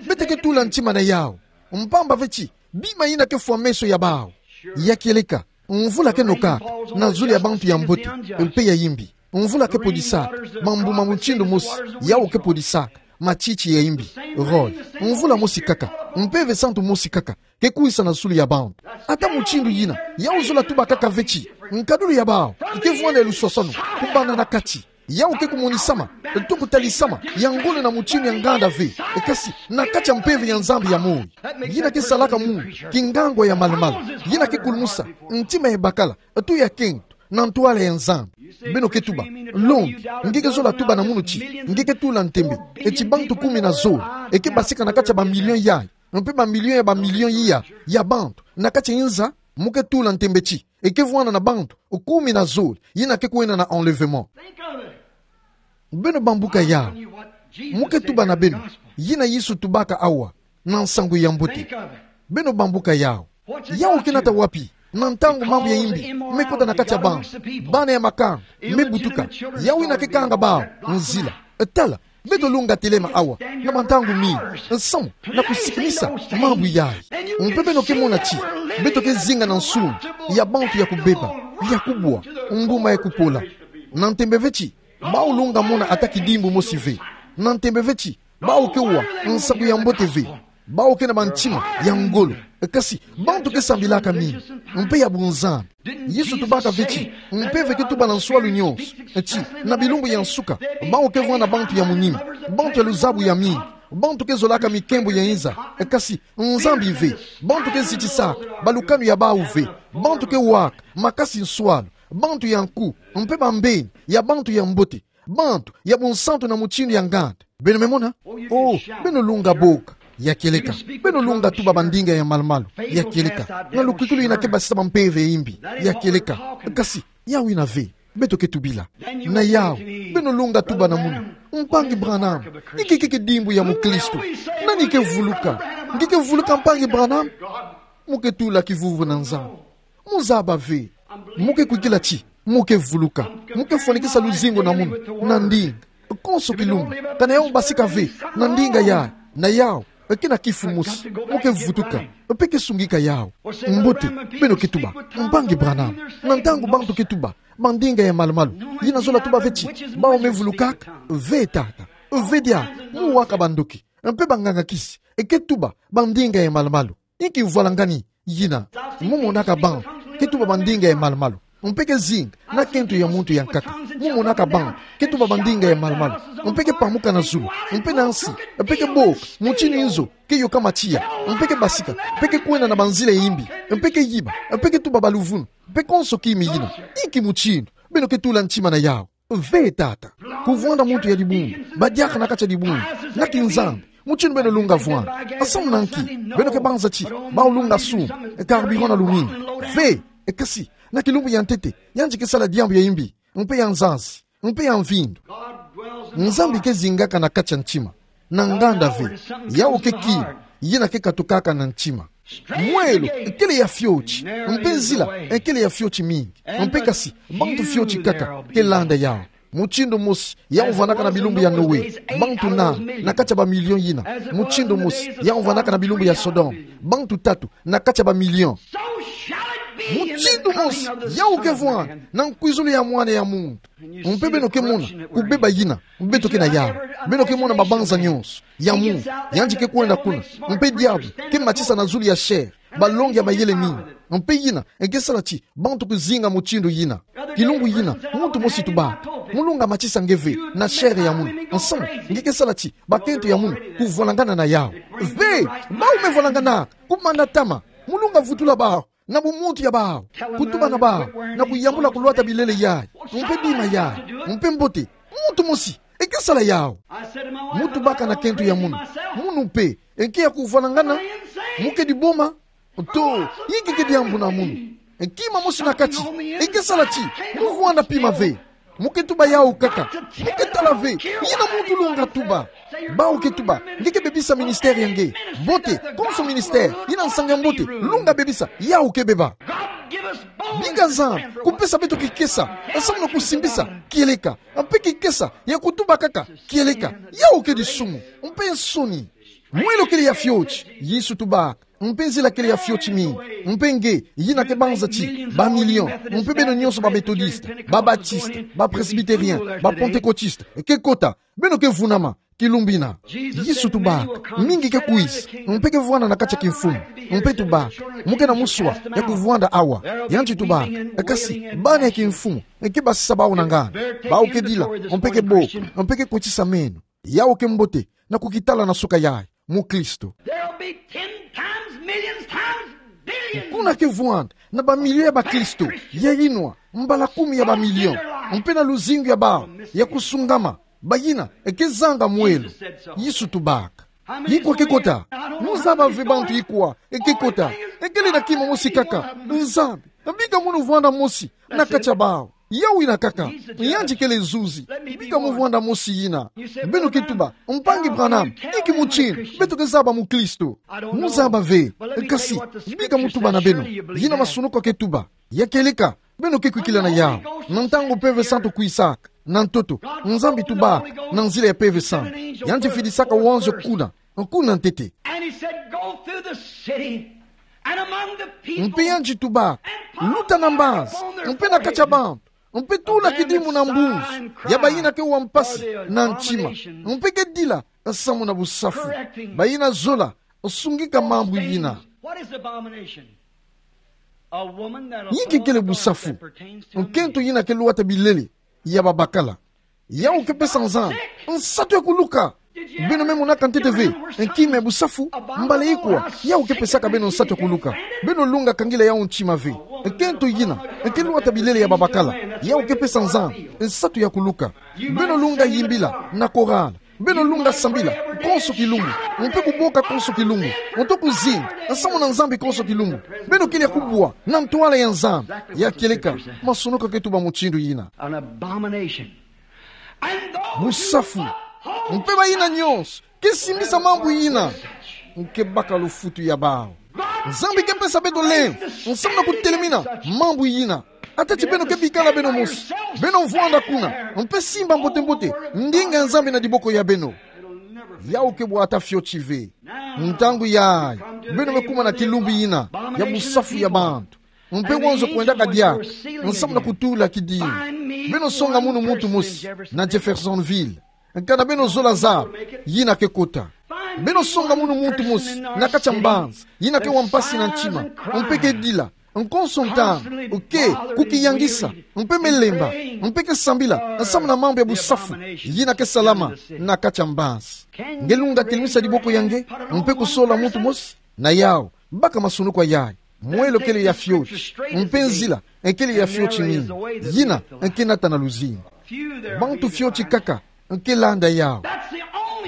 Beto ke tula ntima na yawu, mpamba ve ti bima yina ke fwa meso ya bawu. Ya kieleka, mvula ke nokaka na zulu ya bantu ya mbote mpe ya imbi. Mvula ke podisaka mambu ma mutindu mosi, yawu ke podisaka matiti ya imbi, rhôle. Mvula mosi kaka, Mpeve Santu mosi kaka ke kwisa na zulu ya bantu. Ata mutindu yina, yawu zola tuba kaka ve ti nkadulu ya bawu ke vwanda ya luswaswanu kubanda na kati. Yawu ke kumonisama to kutalisama ya ngolo na mutindu ya nganda ve, kasi na kati ya mpeve ya Nzambi ya moyo. Yina ke salaka munu kingangwa ya malumalu. Yina ke kulumusa ntima ya bakala to ya kento na ntwala ya Nzambi. Beno ke tuba: Longi, nge ke zola tuba na munu ti nge ke tula ntembe ti bantu kumi na zole, e ke basika na kati ya bamilio yayi, mpe bamilio ya bamilio iya ya bantu na kati ya inza? Mu ke tula ntembe ti e ke vwanda na bantu kumi na zole yina ke kwenda na enlèvement? Beno bambuka yawu. Mu ke tuba na beno yina Yesu tubaka awa na nsangu ya mbote. Beno bambuka yawu. Yawu ke nata wapi? Na ntangu mambu ya imbi me kota na kati ya bantu, bana ya makanga me butuka, yawu yina ke kanga bawu nzila. Tala, beto lunga telema awa na bantangu mingi, nsamu na kusikinisa mambu yayi. Mpe beno ke mona ti beto ke zinga na nsungi ya bantu ya kubeba, ya kubwa, mbuma ya kupola. Na ntembe ve ti bawu lunga mona ata kidimbu mosi ve. Na ntembe ve ti bawu ke wa nsangu ya mbote ve. Bawu ke na bantima ya ngolo, kasi bantu ke sambilaka mingi mpe ya bunzambi. Yesu tubaka ve ti mpeve ke tuba na nswalu nyonso ti na bilumbu ya nsuka bawu ke vwanda bantu ya munima, bantu ya luzabu ya mingi, bantu ke zolaka mikembo ya inza, kasi Nzambi ve. Bantu ke zitisaka balukanu ya bawu ve. Bantu ke waka makasi nswalu, bantu ya nku, mpe bambeni ya bantu ya mbote, bantu ya bunsantu na mutindu ya nganda. Beno me mona? Oh, beno lunga boka, ya kieleka. Beno lunga tuba bandinga ya malumalu, ya kieleka, na lukwikilu yina ke basisa bampeve ya imbi, ya kieleka. Kasi yawu yina ve beto ke tubila. Na yawu, beno lunga tuba na munu: Mpangi Branham, inki keke kidimbu ya mukristo? Nani ke vuluka? Nge ke vuluka, Mpangi Branham? Mu ke tula kivuvu na Nzambi. Mu zaba ve. Mu ke kwikila ti mu ke vuluka. Mu ke fwanikisa luzingu na munu na ndinga. Konso kilumbu, kana yawu basika ve na ndinga yayi, na yawu ke na kifu mosi, mu ke vutuka mpe ke sungika yawu. Mbote, beno ke tuba: Mpangi Branham, na ntangu bantu ke tuba bandinga ya malumalu, yina zola tuba ve ti bawu me vulukaka? Ve tata. Ve diaka. Mu waka bandoki mpe banganga-kisi ke tuba bandinga ya malumalu. Inki mvwalangani yina? Mu monaka bantu ke tuba bandinga ya malumalu mpe ke zinga na kento ya muntu ya nkaka. Mu monaka bantu ke tuba bandinga ya malumalu mpe ke pamuka na zulu mpe na nsi, mpe ke boka mutindu inzo ke yoka matiya, mpe ke basika, mpe ke kwenda na banzila ya imbi, mpe ke yiba, mpe ke tuba baluvunu, mpe konso kima yina. Inki mutindu beno ke tula ntima na yawu? Ve tata. Kuvwanda muntu ya dibundu, badiaka na kati ya dibundu na kinzambi, mutindu beno lunga vwanda. Nsamu na nki? Beno ke banza ti bawu lunga sumba carburant na lumingu. Ve. Kasi na kilumbu ya ntete, yandi ke sala diambu ya imbi mpe ya nzazi mpe ya mvindu. God dwells Nzambi ke zingaka na kati ya ntima. Na nganda ve, yawu ke ki, yina ke katukaka na ntima. Mwelo, ekele ya fioti, mpe nzila, ekele ya fioti mingi. Mpe kasi, bantu fioti kaka ke landa yawu. Mutindu mosi, yawu vandaka na bilumbu ya Noe, bantu nani, na kati ya bamilio yina. Mutindu mosi, yawu vandaka na bilumbu ya Sodome, bantu tatu, na kati ya bamilio. Mutindu mosi, yawu ke vwanda na nkwizulu ya Mwana ya muntu. Mpe beno ke mona kubeba yina beto ke na yawu. Beno ke mona mabanza nyonso ya munu yandi ke kwenda kuna. Mpe diabu ke matisa na zulu ya chair balongi ya mayele mingi. Mpe yina ke sala ti bantu kuzinga mutindu yina. Kilumbu yina, muntu mosi tubaka: Mu lunga matisa nge ve na chair ya munu, nsamu nge ke sala ti bakento ya munu kuvwalangana na yawu. Ve, bawu me vwalangana, kumana tama. Mu lunga vutula bawu na bumuntu ya bawu, kutuba na bawu na kuyambula kulwata bilele yayi, mpe bima yayi, mpe mbote. Muntu mosi ke sala yawu. Mu tubaka na kento ya munu: Munu mpe ke ya kuvwalangana? Mu kedi boma? To, inki ke diambu na munu? Kima mosi na kati ke sala ti mu vwanda pima ve. Mu ke tuba yawu kaka. Mu ke tala ve, yina muntu lunga tuba. Bawu ke tuba: Nge ke bebisa ministère ya nge. Mbote, konso ministère yina nsangu ya mbote lunga bebisa, yawu ke beba. Bika Nzambi kupesa beto kikesa, nsamu na kusimbisa kieleka, mpe kikesa ya kutuba kaka kieleka. Yawu ke disumu mpe nsoni. Mwelo kele ya fioti, Yesu tubaka, mpe nzila kele ya fioti mingi. Mpe nge, yina ke banza ti bamilio, mpe beno nyonso, ba Methodiste, ba Baptiste, ba Presbytérien, ba Pentecôtiste, ke kota, beno ke vunama kilumbu yina. Yesu tubaka: Mingi ke kwiza, mpe ke vwanda na kati ya kimfumu. Mpe tubaka: Mu ke na muswa ya kuvwanda awa. Yandi tubaka: Kasi bana ya kimfumu ke basisa bawu na nganda. Bawu ke dila, mpe ke boka, mpe ke kotisa meno. Yawu ke mbote na kukitala na suka yayi, mukristo. There'll be ten times, millions times, billions. Kuna ke vwanda na bamilio ya bakristo ya inwa mbala kumi ya bamilio, mpe na luzingu ya bawu ya kusungama, bayina ke zanga mwelo. Yesu tubaka: Ikwa ke kota? Mu zaba ve bantu ikwa ke kota. Kele na kima mosi kaka: Nzambi, bika munu vwanda mosi na kati ya bawu. Yawu yina kaka. Yandi kele zuzi. Bika mu vwanda mosi yina. Beno ke tuba: Mpangi Branham, inki mutindu beto ke zaba mukristo? Mu zaba ve. Kasi bika mu tuba na beno yina masunuku ke tuba. Ya kieleka, beno ke kwikila na yawu. Na ntangu Mpeve Santu kwisaka, na ntoto, Nzambi tubaka na nzila ya Mpeve Santu. Yandi fidisaka wanzo kuna, kuna ntete. And he said, "Go through the city and among the people." Mpe yandi tubaka: Luta na mbanza, mpe na kati ya bantu, mpe tula kidimbu na mbunzu ya bayina ke wa mpasi na ntima, mpe ke dila nsamu na busafu. Bayina zola, sungika mambu yina. What is abomination? A woman that'll... Inki kele busafu? Nkento yina ke lwata bilele ya babakala. Yawu ke pesa Nzambi nsatu ya kuluka. Beno me monaka ntete ve kima ya busafu? Mbala ikwa, yawu ke pesaka beno nsatu ya kuluka. Beno lunga kangila yawu ntima ve. Nkento yina ke lwata bilele ya babakala, yawu ke pesa Nzambi nsatu ya kuluka. Beno lunga yimbila na korala. Beno lunga sambila konso kilumbu, mpe kuboka konso kilumbu, mpe kuzinga nsamu na Nzambi konso kilumbu. Beno kele ya kubwa na ntwala ya Nzambi. Ya kieleka, masunuku ke tuba mutindu yina. An abomination. And those who uphold... Busafu. Mpe bayina nyonso ke simbisa mambu yina, nke baka lufutu ya bawu. Nzambi ke pesa beto lemvo nsamu na kutelemina mambu yina. Ata ti beno ke bikala beno mosi, beno vwanda kuna, mpe simba mbote-mbote ndinga ya Nzambi na diboko ya beno, yawu ke bwata fioti ve. Ntangu yayi, beno me kuma na kilumbu yina ya busafu ya bantu. Mpe wanzo kwendaka diaka nsamu na kutula kidimbu. Beno songa munu muntu mosi na Jeffersonville. Kana beno zola zaba, yina ke kota. Beno songa munu muntu mosi na kati ya mbanza, yina ke wa mpasi na ntima, mpe ke dila, nkonso ntangu, ke kukiyangisa, mpe me lemba, mpe ke sambila nsamu na mambu ya busafu yina ke salama na kati ya mbanza. Nge lunga telemisa diboko ya nge, mpe kusola muntu mosi na yawu, baka masunuku yayi. Mwelo kele ya fioti, mpe nzila kele ya fioti mingi, yina ke nata na luzingu. Bantu fioti kaka ke landa yawu.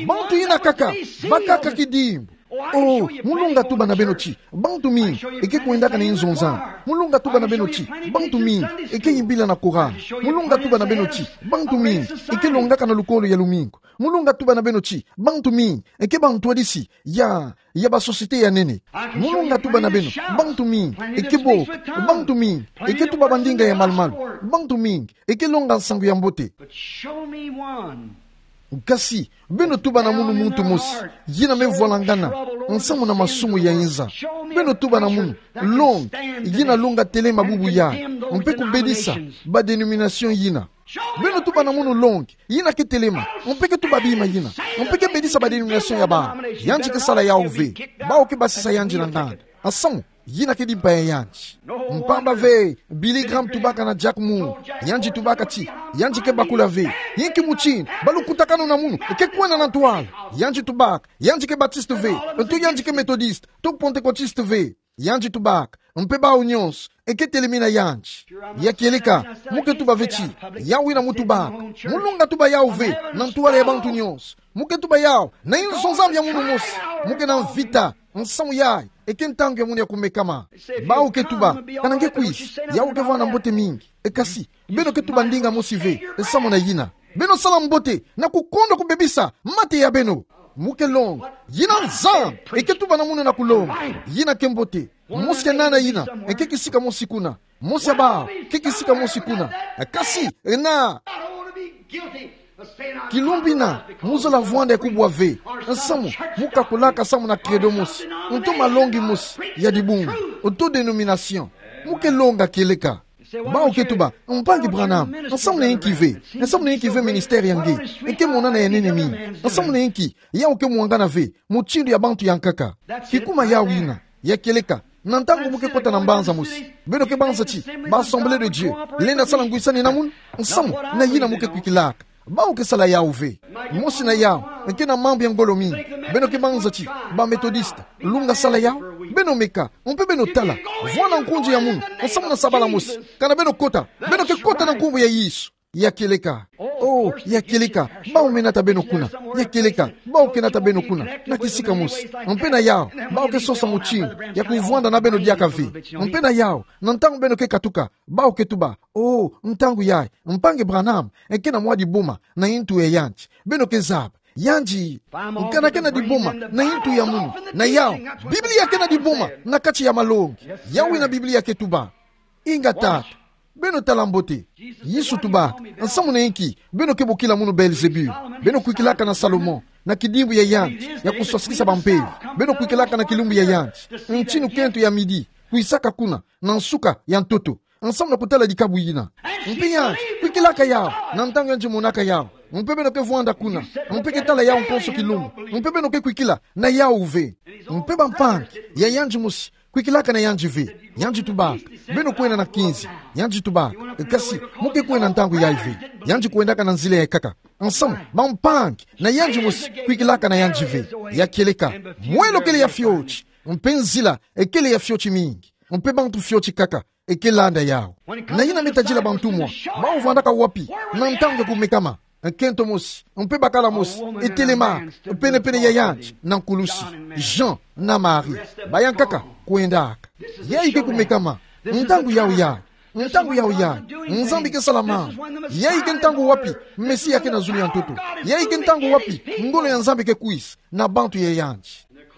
Bantu yina kaka bakaka kidimbu. Oh, mu longa tuba na beno ti bantu mingi eke kwendaka na inzo nzambi. Mu longa tuba na beno ti bantu mingi eke yimbila na korali. Mu longa tuba na beno ti bantu mingi eke longaka na lukolo ya lumingu. Mu longa tuba na beno ti bantu mingi eke bantwadisi ya, ya ba société ya nene. Mu longa tuba na beno bantu mingi eke bo, bantu mingi eke tuba bandinga ya malu-malu, bantu mingi eke longa nsangu ya mbote. But show me one. Kasi beno tuba na munu muntu mosi yina me vwalangana nsamu na masumu ya inza. Beno tuba na munu longi yina longa telema bubu yayi mpe kubedisa ba dénomination yina. Beno tuba na munu longi yina ke telema mpe ke tuba bima yina mpe ke bedisa ba dénomination ya bawu. Yandi ke sala yawu ve. Bawu ke basisa yandi na nganda. Nsamu yina ke dimpa ya yandi. Mpamba ve Billy Graham tubaka na Jack Moore, yandi tubaka ti yandi ke bakula ve. Inki mutindu balukutakanu na munu ke kwenda na ntwala? Yandi tubaka yandi ke Baptiste ve, nto yandi ke Methodiste, nto Pentecôtiste ve. Yandi tubaka mpe bawu nyonso eke telemi na yandi. Ya kieleka, mu ke tuba ve ti yawu wina mu tubaka. Mu longa tuba yawu ve na ntwala ya bantu nyonso. Mu ke tuba yawu na inzo nzambi ya munu mosi. Mu ke na mvita. Nsamu yayi eke ntangu ya munu ya kumekama. Bawu ke tuba, kana nge kwisi, yawu ke vwanda mbote mingi. E kasi beno ke tuba ndinga mosi ve nsamu na yina. Beno sala mbote na kukondwa kubebisa mate ya beno. Mu ke longa yina Nzambi eke tuba na munu na kulonga. Yina ke mbote. Mosi ya nana yina eke kisika mosi kuna. Mosi ya bawu ke kisika mosi kuna. Kasi na kilumbu ina mu zola vwanda ya kubwa ve nsamu mu kakulaka samu na credo mosi, nto malongi mosi ya dibundu, nto dénomination. Mu ke longa kieleka. Bawu ke tuba, mpangi Branham, nsamu na inki ve? Nsamu na inki ve ministère ya nge eke monana ya nene mingi? Nsamu na inki yawu ke mwangana ve mutindu ya bantu ya nkaka? Kikuma yawu yina. Ya kieleka, na ntangu mu ke kota na mbanza mosi, beno ke banza ti ba Assemblée de Dieu lenda sala ngwisani na munu. Nsamu na yina mu ke kwikilaka. Bawu ke sala yawu ve. Mosi na yawu eke na mambu ya ngolo mingi. Beno ke banza ti ba Methodiste lunga sala yawu. Beno meka mpe beno tala. Vwanda nkunzi ya munu nsamu na sabala mosi. Kana beno kota, beno ke kota na nkumbu ya Yesu. Ya kieleka. Oh, ya kieleka. Bawu me nata beno kuna. Ya kieleka. Bawu ke nata beno kuna na kisika mosi. Mpe na yawu bawu ke sosa mutindu ya kuvwanda na beno diaka ve. Mpe na yawu, na ntangu beno ke katuka, bawu ke tuba, oh, ntangu yayi mpangi Branham eke na mwa diboma na intu ya yandi. Beno ke zaba, yandi kana ke na diboma na intu ya munu? Na yawu, Biblia ke na diboma na kati ya malongi. Yawu wina Biblia ke tuba. Ingeta, beno tala mbote. Yesu tubaka, nsamu na inki beno ke bokila munu Beelzebul? Beno kwikilaka na Salomon na kidimbu ya yandi ya kuswasikisa bampeve. Beno kwikilaka na kilumbu ya yandi, ntinu kento ya midi, kwisaka kuna na nsuka ya ntoto, nsamu na kutala dikabu yina. Mpe yandi kwikilaka yawu na ntangu yandi monaka yawu. Mpe beno ke vwanda kuna mpe ke tala yawu konso kilumbu. Mpe beno ke kwikila na yawu ve. Mpe bampangi ya yandi mosi kwikilaka na yandi ve. Yandi tubaka, beno kwenda na kinzi. Yandi tubaka, kasi mu ke kwenda ntangu yayi ve. Yandi kwendaka na nzila ya nkaka. Nsamu, bampangi na yandi mosi kwikilaka na yandi ve. Ya kieleka, mwelo kele ya fioti, mpe nzila ekele ya fioti mingi, mpe bantu fioti kaka eke landa yawu. Na yina me tadila bantumwa, bawu vwandaka wapi na ntangu ya kumekama? Nkento mosi mpe bakala mosi etelema pene-pene ya yandi na nkulusi. Jean na Marie, bayankaka kwendaka. Yayi ke kumekama. Ntangu yawu yayi. Ntangu yawu yayi. Nzambi ke sala mambu. Yayi ke ntangu wapi Mesia ke na zulu ya ntoto. Yayi ke ntangu wapi ngolo ya Nzambi ke kwisa na bantu ya yandi.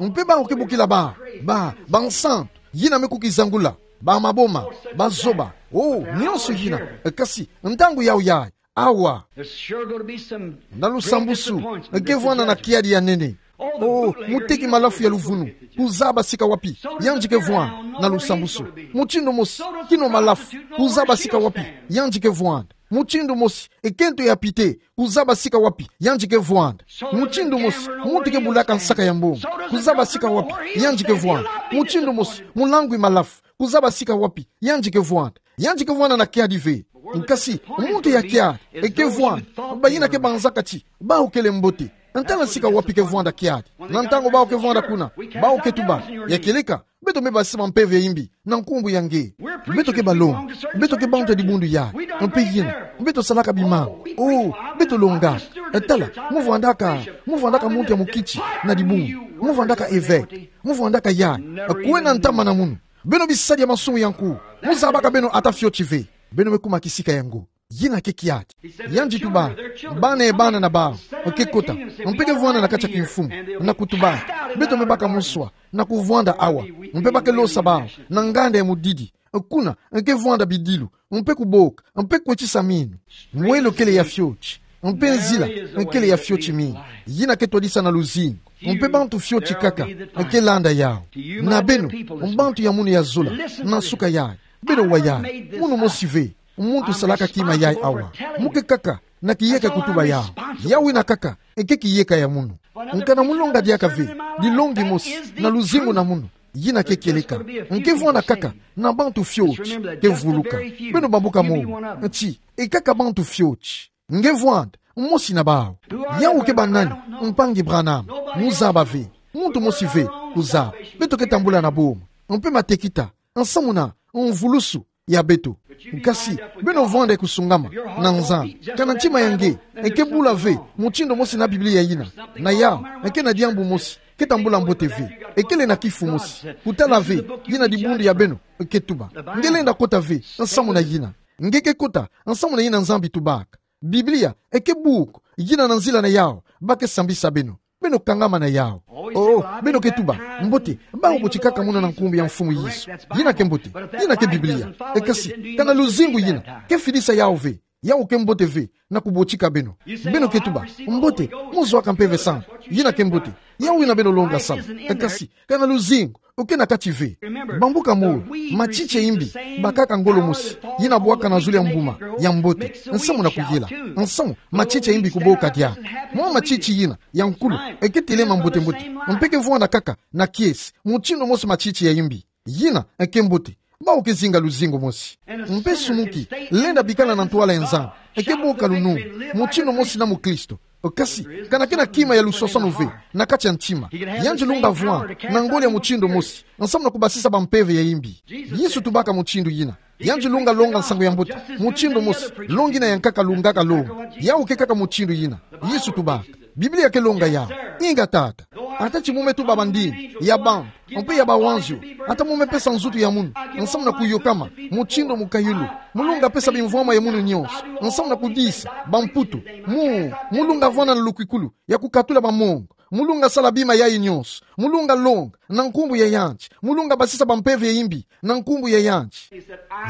Mpe bawu ke bokila ba, ba, bansantu yina me kukizangula, ba maboma, bazoba, oh, nyonso yina. Kasi ntangu yawu yayi. Awa. There's sure gonna be some Na lusambusu, great disappointment ke vwanda na kiadi ya nene. Oh, muteki malafu ya luvunu, kuzaba sika wapi yandi ke vwanda na lusambusu. Mutindu mosi, kino malafu, kuzaba sika wapi yandi ke vwanda. Mutindu mosi, ekento ya pite, kuzaba sika wapi yandi ke vwanda. Mutindu mosi, muntu ke bulaka nsaka ya mbongo, kuzaba sika wapi yandi ke vwanda. Mutindu mosi, mulangwi malafu, kuzaba sika wapi yandi ke vwanda. Yandi ke vwanda na kiadi ve. Nkasi muntu ya kiadi eke vwanda, bayina ke banzaka ti bawu kele mbote. Ntala sika wapi ke vwanda kiadi. Na ntangu bawu ke vwanda kuna, bawu ke tuba, ya kieleka, beto me basisa bampeve ya imbi na nkumbu ya nge. Beto ke balongi, beto ke bantu ya dibundu yayi. Mpe yina, beto salaka bimangu. Oh, beto longaka. Tala, mu vwandaka, mu vwandaka muntu ya mukiti na dibundu. Mu vwandaka évêque, mu vwandaka yai. Kwena ntama na munu. Beno bisadi ya mansumu ya nku. Mu zabaka beno ata fioti ve. Beno me kuma kisika yango. Yina ke kiati. Yandi tuba, bana ye bana na bawu ke kota, mpe ke vwanda na kati ya kimfumu, na kutuba, beto me baka muswa, na kuvwanda awa, mpe ba ke losa bawu na nganda ya mudidi, kuna ke vwanda bidilu, mpe kuboka, mpe kwetisa minu. Mwelo kele ya fioti, mpe nzila kele ya fioti mingi. Yina ke twadisa na luzingu, mpe bantu fioti kaka ke landa yawu. Na beno, bantu ya munu ya zola, na nsuka yai, beno wa yai, munu mosi ve, muntu salaka kima yai awa. Mu ke kaka na kiyeka kutuba yawu. Yawu yina kaka ke kiyeka ya munu. Nka na mu longa diaka ve dilongi mosi na luzingu na munu, yina ke kieleka. Nge vwanda kaka na bantu fioti ke vuluka. Beno bambuka mo. Nti, e kaka bantu fioti. Nge vwanda mosi na bawu. Yawu ke banani? Mpangi Branham. Mu zaba ve. Muntu mosi ve kuzaba. Beto ke tambula na boma, mpe matekita, nsamu na mvulusu ya beto. Kasi beno vwanda ye kusungama na Nzambi. Ka na ntima ya nge ke bula ve mutindu mosi na Biblia yina, na yawu ke na diambu mosi ke tambula mbote ve. Kele na kifu mosi. Kutala ve yina dibundu ya beno ke tuba. Nge lenda kota ve nsamu na yina. Nge ke kota nsamu na yina Nzambi tubaka. Biblia ke buku yina na nzila na yawu ba ke sambisa beno. Beno kangama na yawu. Oh, beno ke tuba, mbote, bawu botikaka muna na nkumbu ya Mfumu Yesu. Yina ke mbote. Yina ke Biblia. Kasi, ka na luzingu yina ke fidisa yawu ve. Yawu ke mbote ve na kubotika beno. Beno ke tuba, mbote, mu zwaka Mpeve Santu. Yina ke mbote. Yawu yina beno longa sala. Kasi, ka na luzingu ke na kati ve. Bambuka mo. Matiti ya imbi bakaka ngolo mosi yina bwakana zulu ya mbuma ya mbote, nsamu na kuyela. Nsamu matiti ya imbi kuboka diaka. Mwa matiti yina ya nkulu ke telema mbote-mbote, mpe ke vwanda kaka na kiese mutindu mosi matiti ya imbi. Yina ke mbote. Bawu ke zinga luzingu mosi. Mpe sumuki lenda bikala na ntwala ya Nzambi ke boka lunungu mutindu mosi na mukristo. Kasi, ka na ke na kima ya luswaswanu ve na kati ya ntima, yandi lunga vwanda na ngolo ya mutindu mosi, nsamu na kubasisa bampeve ya imbi. Yesu tubaka mutindu yina. Yandi lunga longa nsangu ya mbote mutindu mosi longi yina yankaka lungaka longa. Yawu ke kaka mutindu yina. Yesu tubaka. Biblia ke longa yawu. Inga tata. Ata ti mu me tuba bandinga ya bantu, mpe ya bawanzio, ata mu me pesa nzutu ya munu nsamu na kuyokama mutindu mukayulu, mu lunga pesa bimvwama ya munu nyonso nsamu na kudisa bamputu. Mu, mu lunga vwanda na lukwikulu ya kukatula bamongo. Mu lunga sala bima yayi nyonso. Mu lunga longa na nkumbu ya yandi. Mu lunga basisa bampeve ya imbi na nkumbu ya yandi.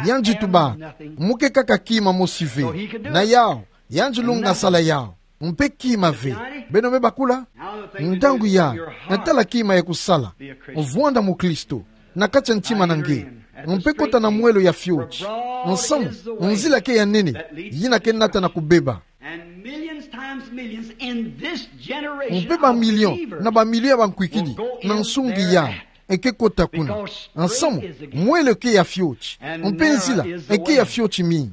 Yandi tubaka, mu ke kaka kima mosi ve. Na yawu, yandi lunga sala yawu. Mpe kima ve. Beno me bakula? Ntangu yayi, tala kima ya kusala. Vwanda mukristo na kati ya ntima na nge. Mpe kota na mwelo ya fioti. Nsamu, nzila ke ya nene yina ke nata na kubeba. Mpe bamilio na bamilio ya bankwikidi na nsungi yayi ke kota kuna. Nsamu, mwelo ke ya fioti, mpe nzila ke ya fioti mingi.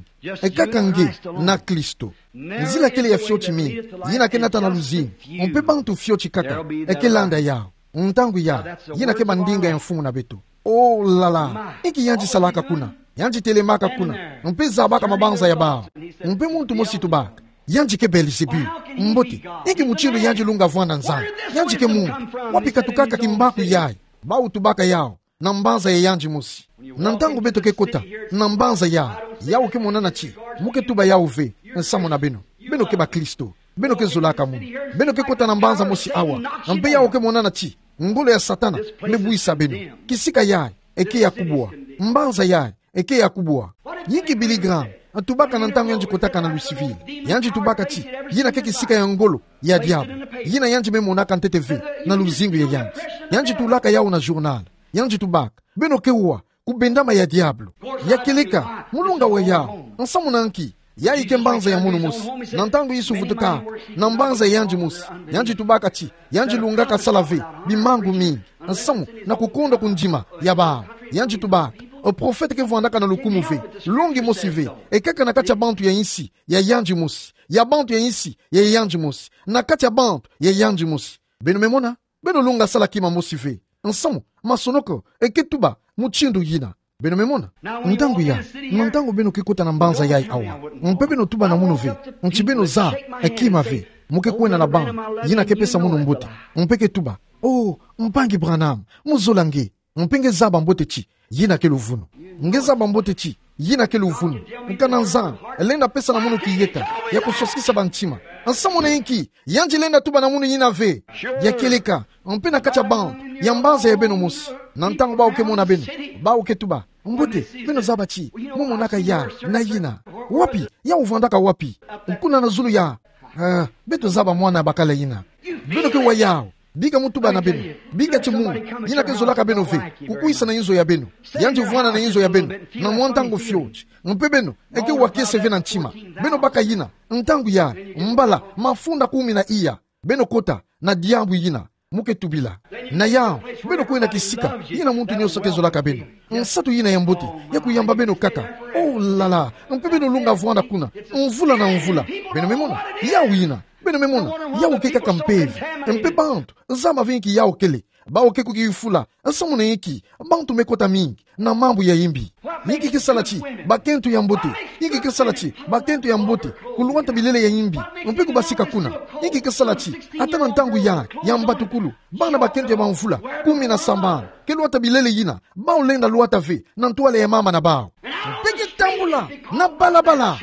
Kaka nge na Kristo. Nzila kele ya fioti mingi yina ke nata na luzingu, mpe bantu fioti kaka ke landa yawu. Ntangu yayi, yina ke bandinga ya Mfumu na beto. Oh là là, inki yandi salaka kuna? Yandi telemaka kuna mpe zabaka mabanza ya bawu. Mpe muntu mosi tubaka, yandi ke Beelzebul. Mbote, inki mutindu yandi lunga vwanda Nzambi? Yandi ke muntu. Wapi katukaka kimbaku yayi? Bawu tubaka yawu na mbanza ya yandi mosi. Na ntangu beto ke kota na mbanza yayi, yawu ke monana ti mu ke tuba yawu ve nsamu na beno. Beno ke bakristo. Beno ke zolaka munu. Beno ke kota na mbanza mosi awa. Mpe yawu ke monana ti ngolo ya Satana me bwisa beno. Kisika yayi ke ya kubwa. Mbanza yayi ke ya kubwa. Inki Billy Graham tubaka na ntangu yandi kotaka na Louisville? Yandi tubaka ti yina ke kisika ya ngolo ya diabulu, yina yandi me monaka ntete ve na luzingu ya yandi. Yandi tulaka yawu na journal. Yandi tubaka, beno ke wa kubendama ya diabulu. Ya kieleka, mu lunga wa yawu. Nsamu na nki? Yayi ke mbanza ya munu mosi. Na ntangu Yesu vutuka na mbanza ya yandi mosi, yandi tubaka ti yandi lungaka sala ve bimangu mingi nsamu na kukondwa kundima ya bawu. Yandi tubaka, o profete ke vwandaka na lukumu ve, longi mosi ve, kaka na kati ya bantu ya insi ya yandi mosi, ya bantu ya insi ya yandi mosi, na kati ya bantu ya yandi mosi. Beno me mona? Beno lunga sala kima mosi ve. Nsamu, masonoko ke tuba mutindu yina. Beno me mona? Ntangu yayi, na ntangu beno ke kota na mbanza yayi awa, mpe beno tuba na munu ve, nti beno zaba kima ve, mu ke kwenda na bantu, yina ke pesa munu mbote, mpe ke tuba, Oh, mpangi Branham, mu zola nge. Mpe nge zaba mbote ti yina ke luvunu. Nge zaba mbote ti yina ke luvunu. Nkana nzan lenda pesa na munu kiyeka ya kusosikisa bantima. Nsamu na inki? Yandi lenda tuba na munu yina ve. Ya kieleka, mpe na kati ya bantu ya mbaza ya beno mosi, na ntangu bawu ke mona beno, bawu ke tuba: Mbote, beno zaba ti mu monaka ya na yina. Wapi? Yawu vandaka wapi? Kuna na zulu ya. Ah, beto zaba mwana bakala yina. Beno ke wa yawu. Bika mu tuba na beno. Bika ti munu yina ke zolaka beno ve kukwisa na inzo ya beno. Yandi vwanda na inzo ya beno na mwa ntangu fioti. Mpe beno, eke wa kiese ve na ntima. Beno baka yina. Ntangu ya mbala mafunda kumi na iya, beno kota na diambu yina mu ke tubila. Na yawu, beno kwenda kisika yina muntu nyonso ke zolaka beno. Nsatu yina ya mbote ya kuyamba beno kaka. Oh là là, mpe beno lunga vwanda kuna mvula na mvula. Beno me mona? Yawu yina. Beno me mona? Yawu ke kaka mpeve. Mpe bantu zaba ve inki yawu kele. Bawu ke kukifula. Nsamu na inki? Bantu me kota mingi na mambu ya imbi. Inki ke sala ti bakento ya mbote? Inki ke sala ti bakento ya mbote kulwata bilele ya imbi mpe kubasika kuna? Inki ke sala ti ata na ntangu ya, ya mbatukulu, bana bakento ya bamvula kumi na sambanu ke lwata bilele yina bawu lenda lwata ve na ntwala ya mama na bawu? Mpe ke tambula na balabala.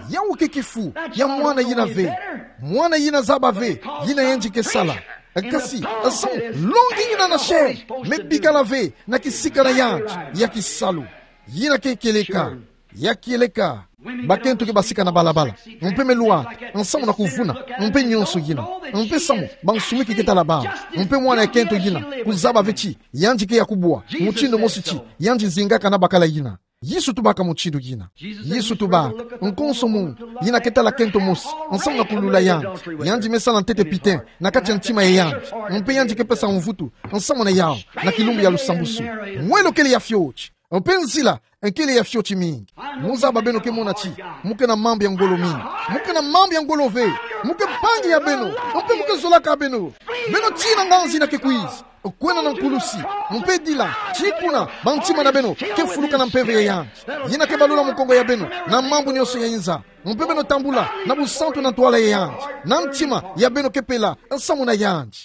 Yawu ke kifu ya mwana yina ve. Mwana yina zaba ve yina yandi ke sala. Kasi nsamu, longi yina na se me bikala ve na kisika na yandi ya kisalu. Yina ke kieleka. Ya kieleka. Bakento ke basika na balabala mpe me lwata nsamu na kuvuna mpe nyonso yina. Mpe samu bansumiki ke tala bawu. Mpe mwana ya kento yina kuzaba ve ti yandi ke ya kubwa mutindu mosi ti yandi zingaka na bakala yina. Yesu tubaka mutindu yina. Yesu tubaka: Nkonso muntu yina ke tala kento mosi nsamu na kulula yandi, yandi me sala ntete piten na kati ya ntima ya yandi, mpe yandi ke pesa mvutu nsamu na yawu na kilumbu ya lusambusu. Mwelo kele ya fioti, mpe nzila kele ya fioti mingi. Mu zaba beno ke mona ti mu ke na mambu ya ngolo mingi. Mu ke na mambu ya ngolo ve. Mu ke mpangi ya beno, mpe mu ke zolaka beno. Beno tina nganzi yina ke kwiza kwenda na nkulusi, mpe dila ti kuna bantima na beno ke fuluka na mpeve ya yandi, yina ke balula mukongo ya beno na mambu nyonso ya inza. Mpe beno tambula na busantu na ntwala ya yandi, na ntima ya beno ke pela nsamu na yandi.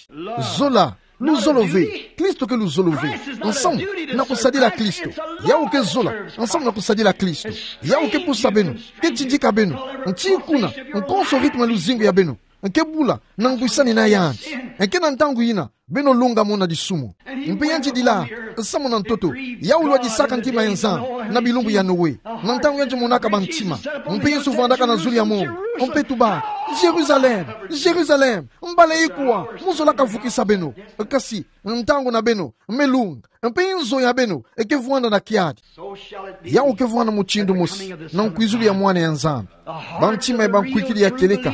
Zola, luzolo ve. Kristo ke luzolo ve nsamu na kusadila Kristo. Yawu ke zola nsamu na kusadila Kristo. Yawu ke pusa beno, ke tidika beno. Nti kuna, nkonso rythme ya luzingu ya beno ke bula na ngwisani na yandi. Ke na ntangu yina beno lunga mona disumu. Mpe yandi dila nsamu na ntoto. Yawu lwadisaka ntima ya Nzambi na bilumbu ya Noe, na ntangu yandi monaka bantima. Mpe Yesu vandaka na zulu ya mongo mpe tuba: Jérusalem, Jérusalem, mbala ikwa mu zolaka vukisa beno. Kasi ntangu na beno me lunga, mpe inzo ya beno ke vwanda na kiadi. Yawu ke vwanda mutindu mosi na nkwizulu ya Mwana ya Nzambi. Bantima ya bankwikidi ya kieleka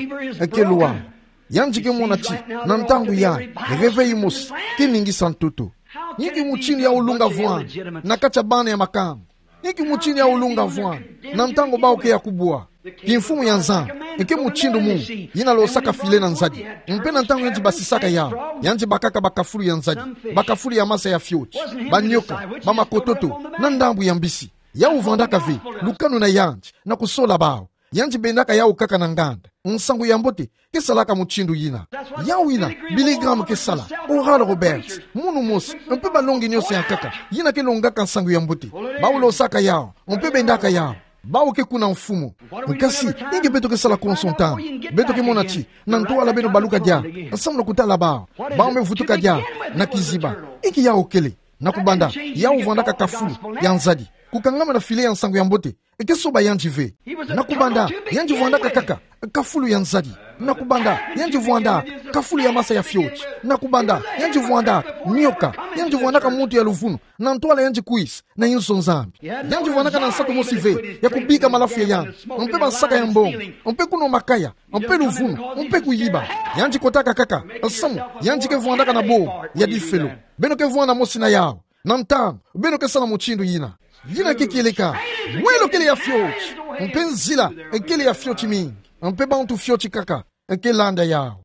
ke lwala. Yandi ke mona ti na ntangu yayi, réveil mosi ke ningisa ntoto. Inki mutindu yawu lunga vwanda na kati ya bana ya makangu? Inki mutindu yawu lunga vwanda na ntangu bawu ke ya kubwa? Kimfumu ya Nzambi, ke mutindu mu yina losaka filet na nzadi. Mpe na ntangu yandi basisaka yawu, yandi bakaka bakafulu ya nzadi, bakafulu ya masa ya fioti, banioka, bamakototo, na ndambu ya mbisi. Yawu vandaka ve lukanu na yandi na kusola bawu. Yandi bendaka yawu kaka na nganda. Nsangu ya mbote ke salaka mutindu yina. Yawu yina Billy Graham ke sala, Oral Roberts, munu mosi, mpe balongi nyonso ya nkaka yina ke longaka nsangu ya mbote. Bawu losaka yawu, mpe bendaka yawu. Bawu ke kuna mfumu. Kasi, inki beto ke sala konso ntangu? Beto ke mona ti na ntwala beno baluka diaka, nsamu na kutala bawu. Bawu me vutuka diaka na kiziba. Inki yawu kele? Na kubanda, yawu vandaka kafulu ya nzadi. Kukangama na filet ya nsangu ya mbote ke soba yandi ve. Na kubanda, yandi vandaka kaka kafulu ya nzadi. Na kubanda, yandi vwanda kafulu ya masa ya fioti. Na kubanda, yandi vwanda nioka. Yandi vwandaka muntu ya luvunu na ntwala yandi kwisa na inzo Nzambi. Yandi vwandaka na nsatu mosi ve ya kubika malafu ya yandi, mpe bansaka ya mbongo, mpe kunwa makaya, mpe luvunu, mpe kuyiba. Yandi kotaka kaka, nsamu yandi ke vwandaka na bo ya difelo. Beno ke vwanda mosi na yawu. Na ntangu beno ke sala mutindu yina, yina ke kieleka. Mwelo kele ya fioti, mpe nzila kele ya fioti mingi, mpe bantu fioti kaka ke landa yawu.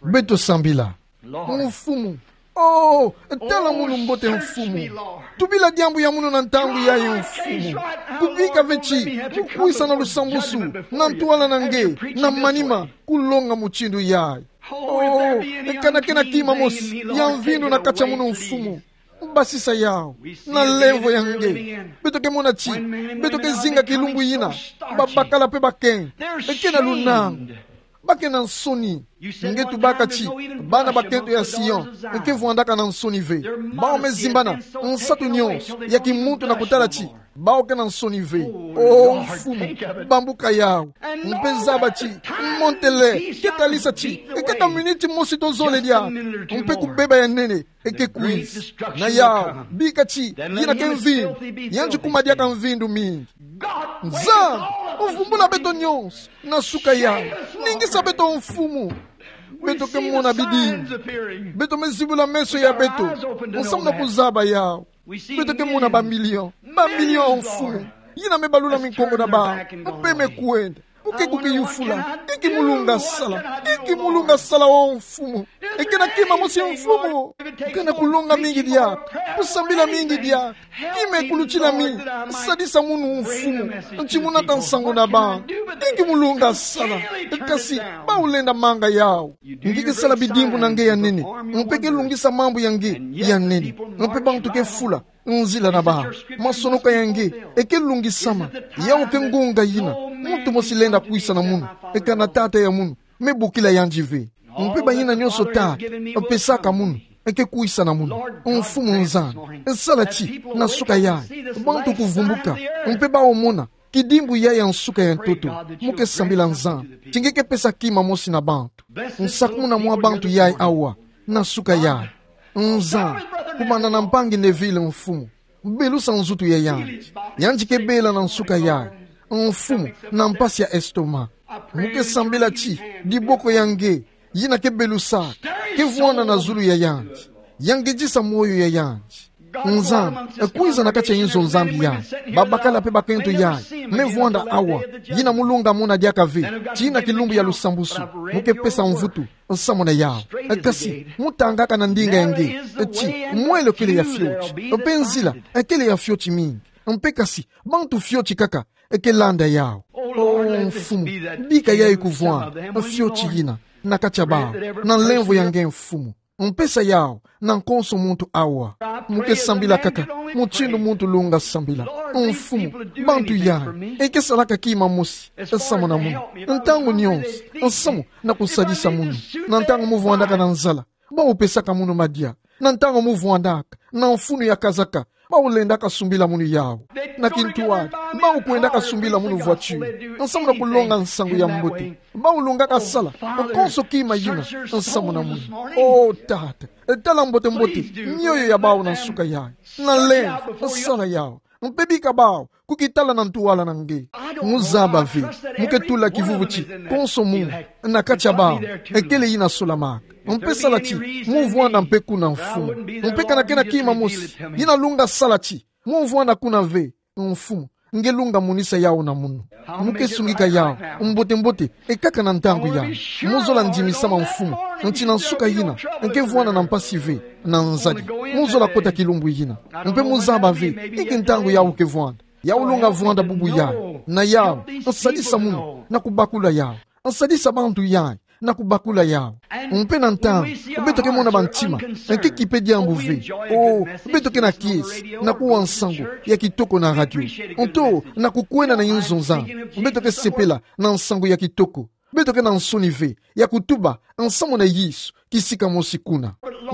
Beto sambila. Mfumu. Oh, tala munu mbote, Mfumu. Tubila diambu ya munu na ntangu yayi, Mfumu. Kubika ve ti mu kwisa na lusambusu na ntwala na nge na manima, kulonga mutindu yayi. Oh, Kana ke na kima mosi ya mvindu na kati ya munu, Mfumu. Basisa yau. Na nlemvo ya nge, beto ke mona ti beto ke zinga kilumbu yina babakala pe bakento ke na lunangu, ba ke na nsoni. Nge tubaka ti bana bakento ya Sion ke vwandaka na nsoni ve. Bau me zimbana nsatu nyonso ya kimuntu na kutala ti bau ke na nsoni ve. O Mfumu, bambuka yau. Mpe zaba ti monte le ke talisa ti kaka miniti mosi to zole diaka, mpe kubeba ya nene ke kwiza. Na yau, bika ti yina ke mvindu, yandi kuma diaka mvindu mingi. Nzambi, vumbula beto nyonso na suka yai. Ningisa beto, Mfumu. Beto ke mona bidimbu. Beto me zibula meso ya beto nsamu na kuzaba yau. Beto ke mona bamilion, bamilion, Mfumu, yina me balula minkongo na bau mpe me kwenda. Mbo ke kukiyufula: Inki mu lunga sala? Inki mu lunga sala, o Mfumu? Ke na kima mosi, Mfumu. Ke na kulonga mingi diaka, kusambila mingi diaka. Kima ekulutila mi. Sadisa munu, Mfumu, ti mu nata nsangu na bau. Inki mu lunga sala? Kasi bau lenda manga yau. Nge ke sala bidimbu na nge ya nene, mpe ke lungisa mambu ya nge ya nene. Mpe bantu ke fula nzila na bau. Masonoka ya nge ke lungisama. Yau ke ngunga yina muntu mosi lenda kwisa na munu, kana Tata ya munu me bokila yandi ve. Mpe bayina nyonso Tata pesaka munu ke kwisa na munu. Mfumu Nzambi, sala ti na suka yai bantu kuvumbuka, mpe bau mona kidimbu yai ya nsuka ya ntoto. Mu ke sambila, Nzambi, ti nge ke pesa kima mosi na bantu. Nsakumuna mwa bantu yai awa na suka yai. Nzambi, kumana na mpangi Neville, Mfumu, belusa nzutu ya yandi. Yandi ke bela na nsuka yai, Mfumu, na mpasi ya estomac. Mu ke sambila ti diboko ya nge yina ke belusaka ke vwanda na zulu ya yandi, ya ngedisa moyo ya yandi. Nzambi, kwiza na kati ya inzo Nzambi yai. Babakala mpe bakento yai me vwanda awa, yina mu lunga mona diaka ve ti yina kilumbu ya lusambusu. Mu ke pesa mvutu nsamu na yau. Kasi mu tangaka na ndinga ya nge ti mwelo kele ya fioti, mpe nzila kele ya fioti mingi, mpe kasi bantu fioti kaka ke landa yau. O Mfumu, bika yai kuvwanda fioti yina na kati ya bau, na nlemvo ya nge, Mfumu. Mpesa yau na konso muntu awa. Mu ke sambila kaka mutindu muntu lunga sambila. Mfumu, bantu yai ke salaka kima mosi nsamu na munu. Ntangu nyonso nsamu na kusadisa munu. Na ntangu mu vwandaka na nzala, bau pesaka munu madia. Na ntangu mu vwandaka na mfunu ya kazaka, bau lendaka sumbila munu yau. Na kintwadi, bau kwendaka sumbila munu voiture nsamu na kulonga nsangu ya mbote. Bau lungaka sala konso kima yina nsamu na munu. O Tata, tala mbote-mbote mioyo ya bau na nsuka yai. Na lemvo sala yau, mpe bika bau kukitala na ntwala na nge. Mu zaba ve, mu ke tula kivuvu ti konso muntu na kati ya bau kele yina solamaka. Mpe sala ti mu vwanda mpe kuna, Mfumu. Mpe kana ke na kima mosi yina lunga sala ti mu vwanda kuna ve, Mfumu, nge lunga monisa yau na munu. Mu ke sungika yau mbote-mbote kaka na ntangu yai. Mu zola ndimisama, Mfumu, ti na nsuka yina ke vwanda na mpasi ve, na nzadi. Mu zola kota kilumbu yina. Mpe mu zaba ve inki ntangu yau ke vwanda. Yau lunga vwanda bubu yai. Na yau, nsadisa munu na kubakula yau. Nsadisa bantu yai na kubakula yau. Mpe na ntangu beto ke mona bantima ke kipe diambu ve, o, beto ke na kiese na kuwa nsangu ya kitoko na radio, nto na kukwenda na inzo Nzambi, beto ke sepela na nsangu ya kitoko. Beto ke na nsoni ve ya kutuba nsamu na Yesu kisika mosi kuna.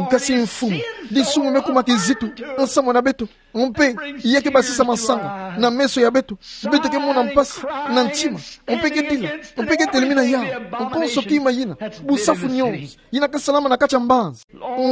Kasi Mfumu, disumu me kuma kizitu nsamu na beto. Mpe ya ke basisa masanga na meso ya beto. Beto ke mona mpasi na ntima. Mpe ke dila. Mpe ke telemina yau konso kima yina, busafu nyonso yina ke salama na kati ya mbanza.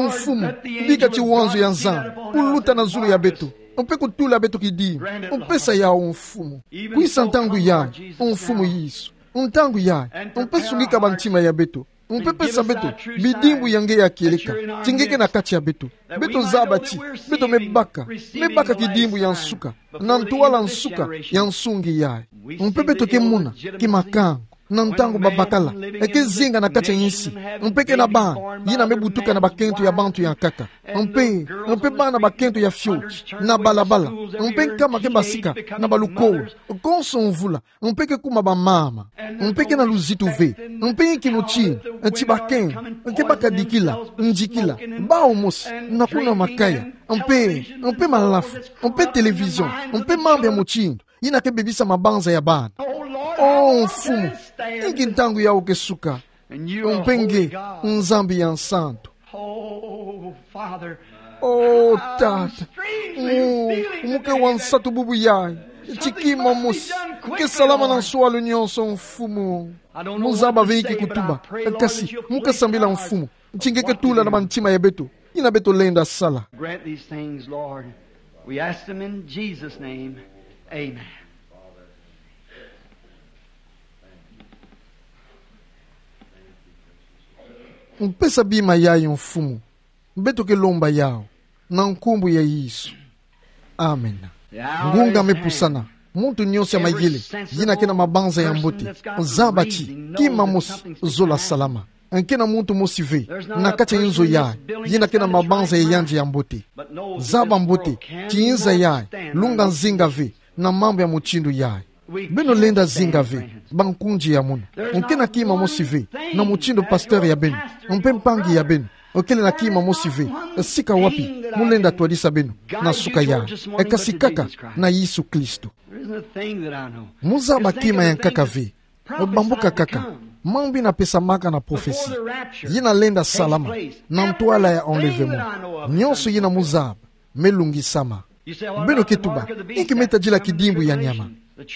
Mfumu, bika ti wanzo ya Nzambi kuluta na zulu ya beto, mpe kutula beto kidimbu. Mpesa yau, Mfumu. Kwisa ntangu yai, Mfumu Yesu. Ntangu yai, mpe sungika bantima ya beto. Mpe pesa beto bidimbu ya nge ya kieleka, ti nge ke na kati ya beto. Beto zaba ti beto me baka, me baka kidimbu ya nsuka, na ntwala nsuka ya nsungi yai. Mpe beto ke mona kimakango Na ntangu babakala, e ke zinga na kati a nsi, mpe e ke na bana, yina me butuka na bakento ya bantu ya nkaka. Mpe, mpe bana bakento ya fioti, na balabala, mpe nkama ke basika, na balukola, konso mvula, mpe ke kuma bamama, mpe ke na luzitu ve, mpe inki mutindu, ti bakento, ke baka dikila, ndikila, bawu mosi, na kuna makaya, mpe, mpe malafu, mpe télévision, mpe mambu ya mutindu, yina ke bebisa mabanza ya bana. O Mfumu, inki ntangu yawu ke suka, mpe nge, Nzambi ya nsantu. Oh, Father, O Tata, mu, mu ke wa nsatu bubu yayi, ti kima mosi ke salama na nswalu nyonso, Mfumu. Mu zaba ve inki kutuba, kasi mu ke sambila, Mfumu, ti nge ke tula na bantima ya beto yina beto lenda sala. Grant these things, Lord. We ask them in Jesus' name. Amen. Mpesa bima yayi, Mfumu. Beto ke lomba yawu na nkumbu ya Yesu. Amen. Ngunga me pusana. Muntu nyonso ya mayele, yina ke na mabanza ya mbote, zaba ti kima mosi, zola salama. Nge ke na muntu mosi ve na kati a inzo yayi, yina ke na mabanza ya yandi ya mbote. Zaba mbote ti inza yayi, lunga zinga ve na mambu ya mutindu yayi. Beno lenda zinga ve, bankunzi ya munu. Nge ke na kima mosi ve na mutindu pasteur ya beno, mpe mpangi ya beno. Nge kele na kima mosi ve, sika wapi mu lenda twadisa beno na suka yayi, e kasi kaka na Yesu Kristo. Mu zaba kima ya nkaka ve. Bambuka kaka, mambu yina pesamaka na prophetie, yina lenda salama na ntwala ya enlèvement. Nyonso yina mu zaba me lungisama. Beno ke tuba, inki me tadila kidimbu ya nyama?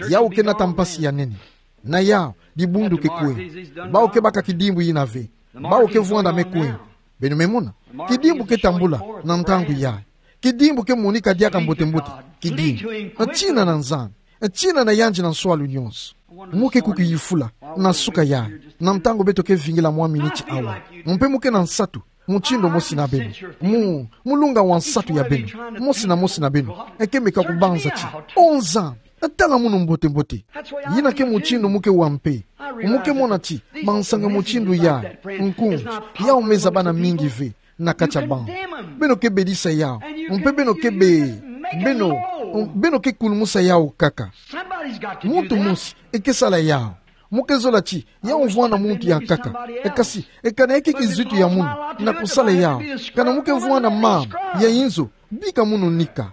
Yawu ke nata mpasi ya nene. Na yawu, dibundu ke kwenda. Bawu ke baka kidimbu yina ve, bawu ke vwanda me kwenda. Beno me mona, kidimbu ke tambula na ntangu yayi. Kidimbu ke monika diaka mbote-mbote. Kidimbu, tina na Nzambi, tina na yandi na nswalu nyonso. Mu ke kukiyifula na suka yayi, na ntangu beto ke vingila mwa miniti awa. Mpe mu ke na nsatu mutindu mosi na beno. Mu, mu lunga wa nsatu ya beno, mosi na mosi na beno. Nge ke meka kubanza ti: O Nzambi, tala munu mbote-mbote. Yina ke mutindu mu ke wa mpe. Mu ke mona ti bansangu mutindu yayi, nkunzi, yawu me za bana mingi ve na kati a bantu. Beno ke bedisa yawu. Mpe beno ke be, beno, beno ke kulumusa yawu kaka. Muntu mosi e ke sala yawu. Mu ke zola ti yawu vwanda muntu ya nkaka. Kasi, kana nge ke kizitu ya munu na kusala yawu, kana mu ke vwanda mama ya inzo, bika munu nika.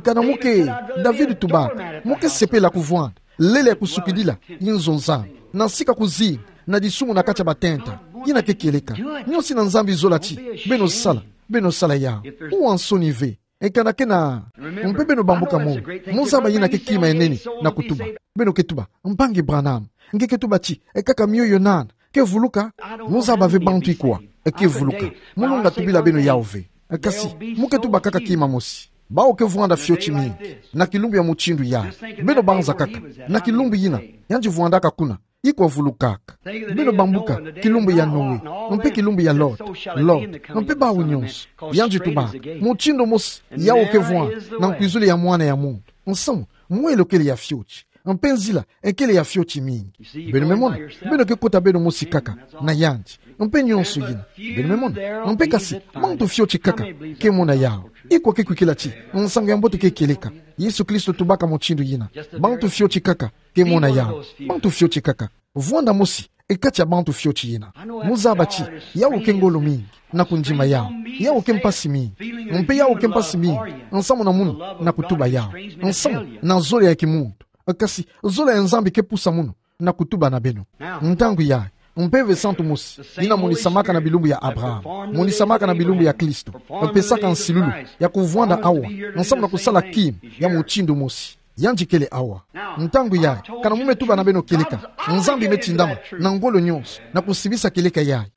Kana mu ke, David tubaka, mu ke sepela kuvwanda lele ya kusukidila inzo Nzambi, na sika kuzinga na disumu na kati a batenta. Yina ke kieleka. Nyonso yina Nzambi zola ti beno sala, beno sala yawu. Uwa nsoni ve. Kana ke na, mpe beno bambuka mo, mu zaba yina ke kima ya nene na kutuba. Beno ke tuba: Mpangi Branham, nge ke tuba ti kaka mioyo nana ke vuluka? Mu zaba ve bantu ikwa ke vuluka. Mu lunga tubila beno yawu ve. Kasi, mu ke tuba kaka kima mosi: Bawu ke vwanda fioti mingi na kilumbu ya mutindu yayi. Beno banza kaka, na kilumbu yina, yandi vwandaka kuna, ikwa vulukaka. Beno bambuka kilumbu ya Noe, mpe kilumbu ya Lot. Lot, mpe bawu nyonso. Yandi tubaka mutindu mosi yawu ke vwanda na nkwizulu ya Mwana ya muntu. Nsamu, mwelo kele ya fioti, mpe nzila kele ya fioti mingi. Beno me mona, beno ke kota beno mosi kaka na yandi, mpe nyonso yina. Beno me mona, mpe kasi, bantu fioti kaka ke mona yawu. Ikwa ke kwikila ti nsangu ya mbote ke kieleka? Yesu Kristo tubaka mutindu yina. Bantu fioti kaka ke mona yawu. Bantu fioti kaka. Vwanda mosi kati ya bantu fioti yina. Mu zaba ti yawu ke ngolo mingi na kundima yawu. Yawu ke mpasi mingi. Mpe yawu ke mpasi mingi nsamu na munu na kutuba yawu. Nsamu na zola ya kimuntu. Kasi zola ya Nzambi ke pusa munu na kutuba na beno. Ntangu yayi, mpeve santu mosi yina monisamaka na bilumbu ya Abraham, monisamaka na bilumbu ya Kristo, pesaka nsilulu ya kuvwanda awa nsamu na kusala kima ya mutindu mosi. Yandi kele awa. Ntangu yayi, kana mu me tuba na beno kieleka, Nzambi me tindama na ngolo nyonso na kusibisa kieleka yayi.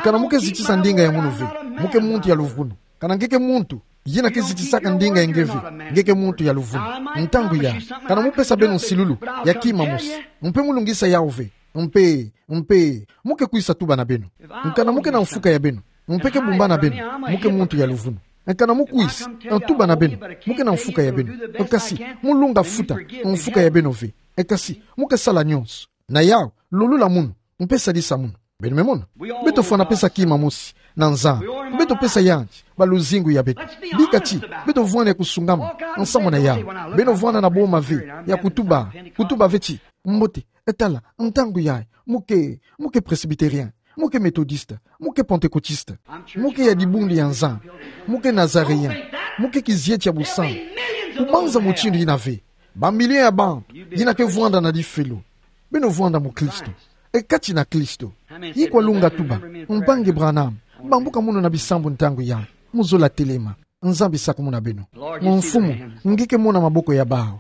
Kana mu ke zitisa ndinga ya munu ve, mu ke muntu ya luvunu. Kana nge ke muntu yina ke zitisaka ndinga ya nge ve, nge ke muntu ya luvunu. Ntangu yayi, kana mu pesa beno nsilulu ya kima mosi, mpe mu lungisa yawu ve, mpe, mpe mu ke kwisa tuba na beno. Kana mu ke na mfuka ya beno, mpe ke bumba na beno, mu ke muntu ya luvunu. Kana mu kwisa tuba na beno, mu ke na mfuka ya beno. Kasi mu lunga futa mfuka ya beno ve. Kasi mu ke sala nyonso. Na yawu, Lolula munu, mpe sadisa munu. Beno me mona. Beto fwana pesa kima mosi na Nzambi. Beto pesa yandi baluzingu ya beto. Bika ti, beto vwani ya kusungama nsamu na yawu. Beno vwanda na boma ve ya kutuba, kutuba ve ti: Mbote, tala, ntangu yayi, mo ke, mo ke presbytérien, mo ke méthodiste, mo ke pentecôtiste, mo ke ya dibundu ya Nzambi, mo ke nazaréen, mo ke kizieti ya busantu. Kubanza mutindu yina ve, bamilio ya bantu yina ke vwanda na difelo. Beno vwanda mu Kristo. E kati na Kristo. Yi kwa lunga tuba: Mpangi Branham, bambuka munu na bisambu ntangu yayi. Muzola telema. Nzambi sakumuna beno. Mfumu, nge ke mona maboko ya bawu.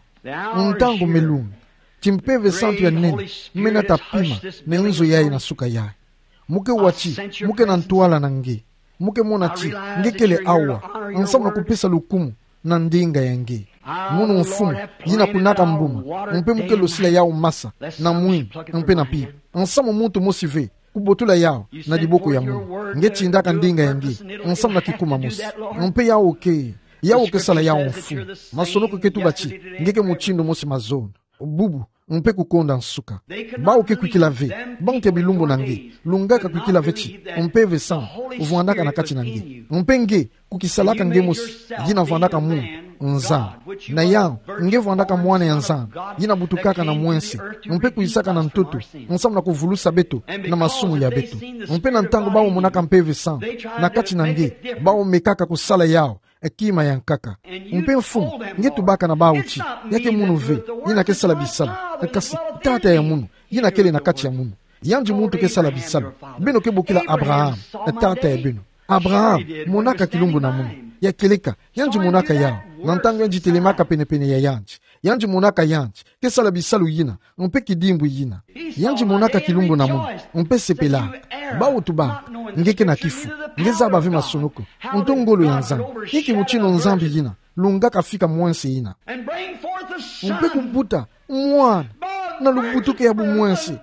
Ntangu me lungi. Ti Mpeve Santu ya nene me nata pima na nzo yayi na suka yayi. Mo ke wa ti, mo ke na ntwala na nge. Mo ke mona ti nge kele awa, nsamu na kupesa lukumu na ndinga ya nge. Mono Mfumu, yina kunaka mbuma, mpe mo ke losila yawu masa, na mwingi, mpe na mpimpa. Nsamu muntu mosi ve kubotula yawu na diboko ya munu. Nge tindaka ndinga ya nge nsamu na kikuma mosi. Mpe yawu ke, yawu ke sala yawu, Mfumu. Masonoko ke tuba ti nge ke mutindu mosi mazono, bubu, mpe kukonda nsuka. Bawu ke kwikila ve, bantu ya bilumbu na nge, lungaka kwikila ve ti Mpeve Santu vwandaka na kati na nge. Mpe nge, ku kisalaka nge mosi, yina vwandaka munu, Nzambi. Na yawu, nge vwandaka mwana ya Nzambi, yina butukaka na mwense, mpe kwisaka na ntoto, nsamu na kuvulusa beto na masumu ya beto. Mpe na ntangu bawu monaka Mpeve Santu na kati na nge, bawu mekaka kusala yawu, e kima ya nkaka. Mpe Mfumu, nge tubaka na bawu ti ya ke munu ve yina ke sala bisalu, kasi Tata ya munu, yina kele na kati ya munu. Yandi muntu ke sala bisalu. Beno ke bokila Abraham tata ya beno. Abraham monaka kilumbu na munu. Ya kieleka, yandi monaka yawu. Na ntangu yandi telemaka penepene ya yandi, yandi monaka yandi ke sala bisalu yina, mpe kidimbu yina. Yandi monaka kilumbu na munu, mpe sepelaka. Bawu tubaka: Nge ke na kifu, nge zaba ve masonoko, nto ngolo ya Nzambi. Inki mutindu Nzambi yina lungaka fika mwense yina, mpe kubuta mwana na lubutuki ya bumwense,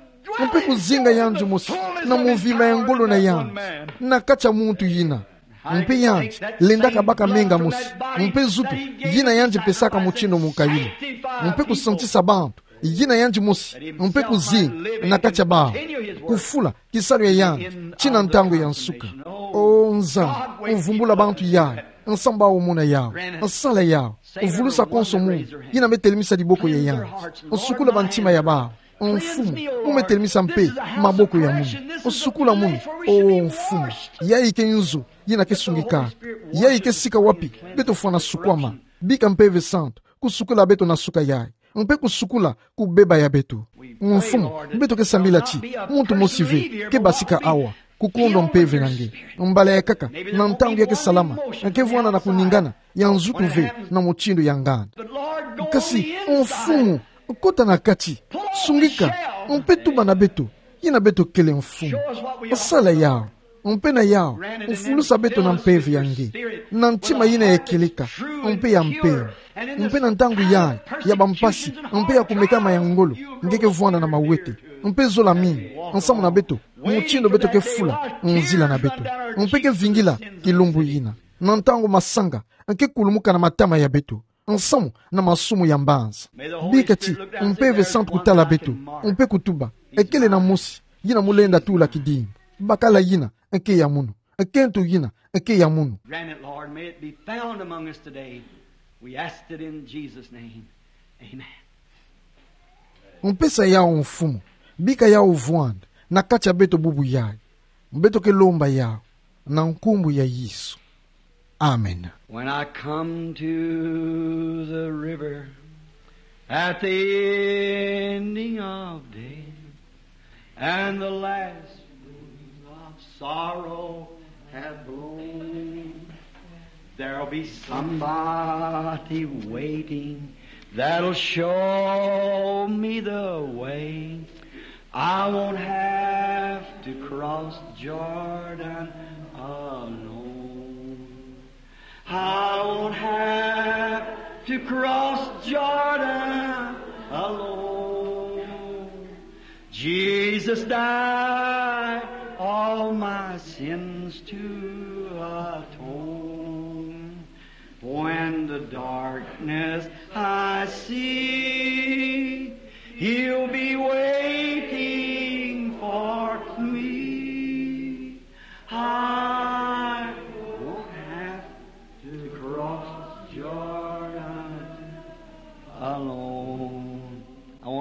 mpe kuzinga yandi mosi na mvimba ya ngolo na yandi na kati ya muntu yina. Mpe yandi lendaka baka menga mosi, mpe nzutu yina yandi pesaka mutindu mukayilu, mpe kusantisa bantu yina yandi mosi, mpe kuzinga na kati ya bawu, kufula kisalu ya yandi ti na ntangu ya nsuka. O Nzambi, vumbula bantu yayi, nsamu bawu mona yawu, sala yawu, vulusa konso munu yina me telemisa diboko ya yandi. Sukula bantima ya bawu. Mfumu, mo me telemisa mpe maboko ya munu. Sukula munu. O Mfumu, yayi ke nzo yina ke sungikaka. Yayi ke sika wapi beto fwana sukwama. Bika Mpeve Santu kusukula beto na suka yayi, mpe kusukula kubeba ya beto. Mfumu, beto ke sambila ti muntu mosi ve ke basika awa kukondwa mpeve na nge. Mbala ya nkaka, na ntangu ya ke salama, ke vwanda na kuningana ya nzutu ve na mutindu ya nganda. Kasi Mfumu, kota na kati, sungika, mpe tuba na beto yina beto kele, Mfumu. Sala yawu, mpe na yawu, vulusa beto na mpeve ya nge, na ntima yina ya kieleka, mpe ya mpeve. Mpe na ntangu yayi ya bampasi, mpe ya kumekama ya ngolo, nge ke vwanda na mawete, mpe zola mingi nsamu na beto, mutindu beto ke fula nzila na beto, mpe ke vingila kilumbu yina. Na ntangu masanga ke kulumuka na matama ya beto nsamu na masumu ya mbanza. Bika ti Mpeve Santu kutala beto, mpe kutuba: Kele na mosi yina mo lenda tula kidimbu. Bakala yina ke ya munu. Kento yina ke ya munu. Grant it, Lord. May it be found among us today. We ask it in Jesus' name. Amen. Mpesa yawu, Mfumu. Bika yawu vwanda na kati ya beto bubu yayi. Beto ke lomba yawu na nkumbu ya Yesu. Amen. When I come to the river at the ending of day, and the last winds of sorrow have blown, there'll be somebody waiting that'll show me the way. I won't have to cross Jordan alone. I won't have to cross Jordan alone. Jesus died all my sins to atone. When the darkness I see, he'll be waiting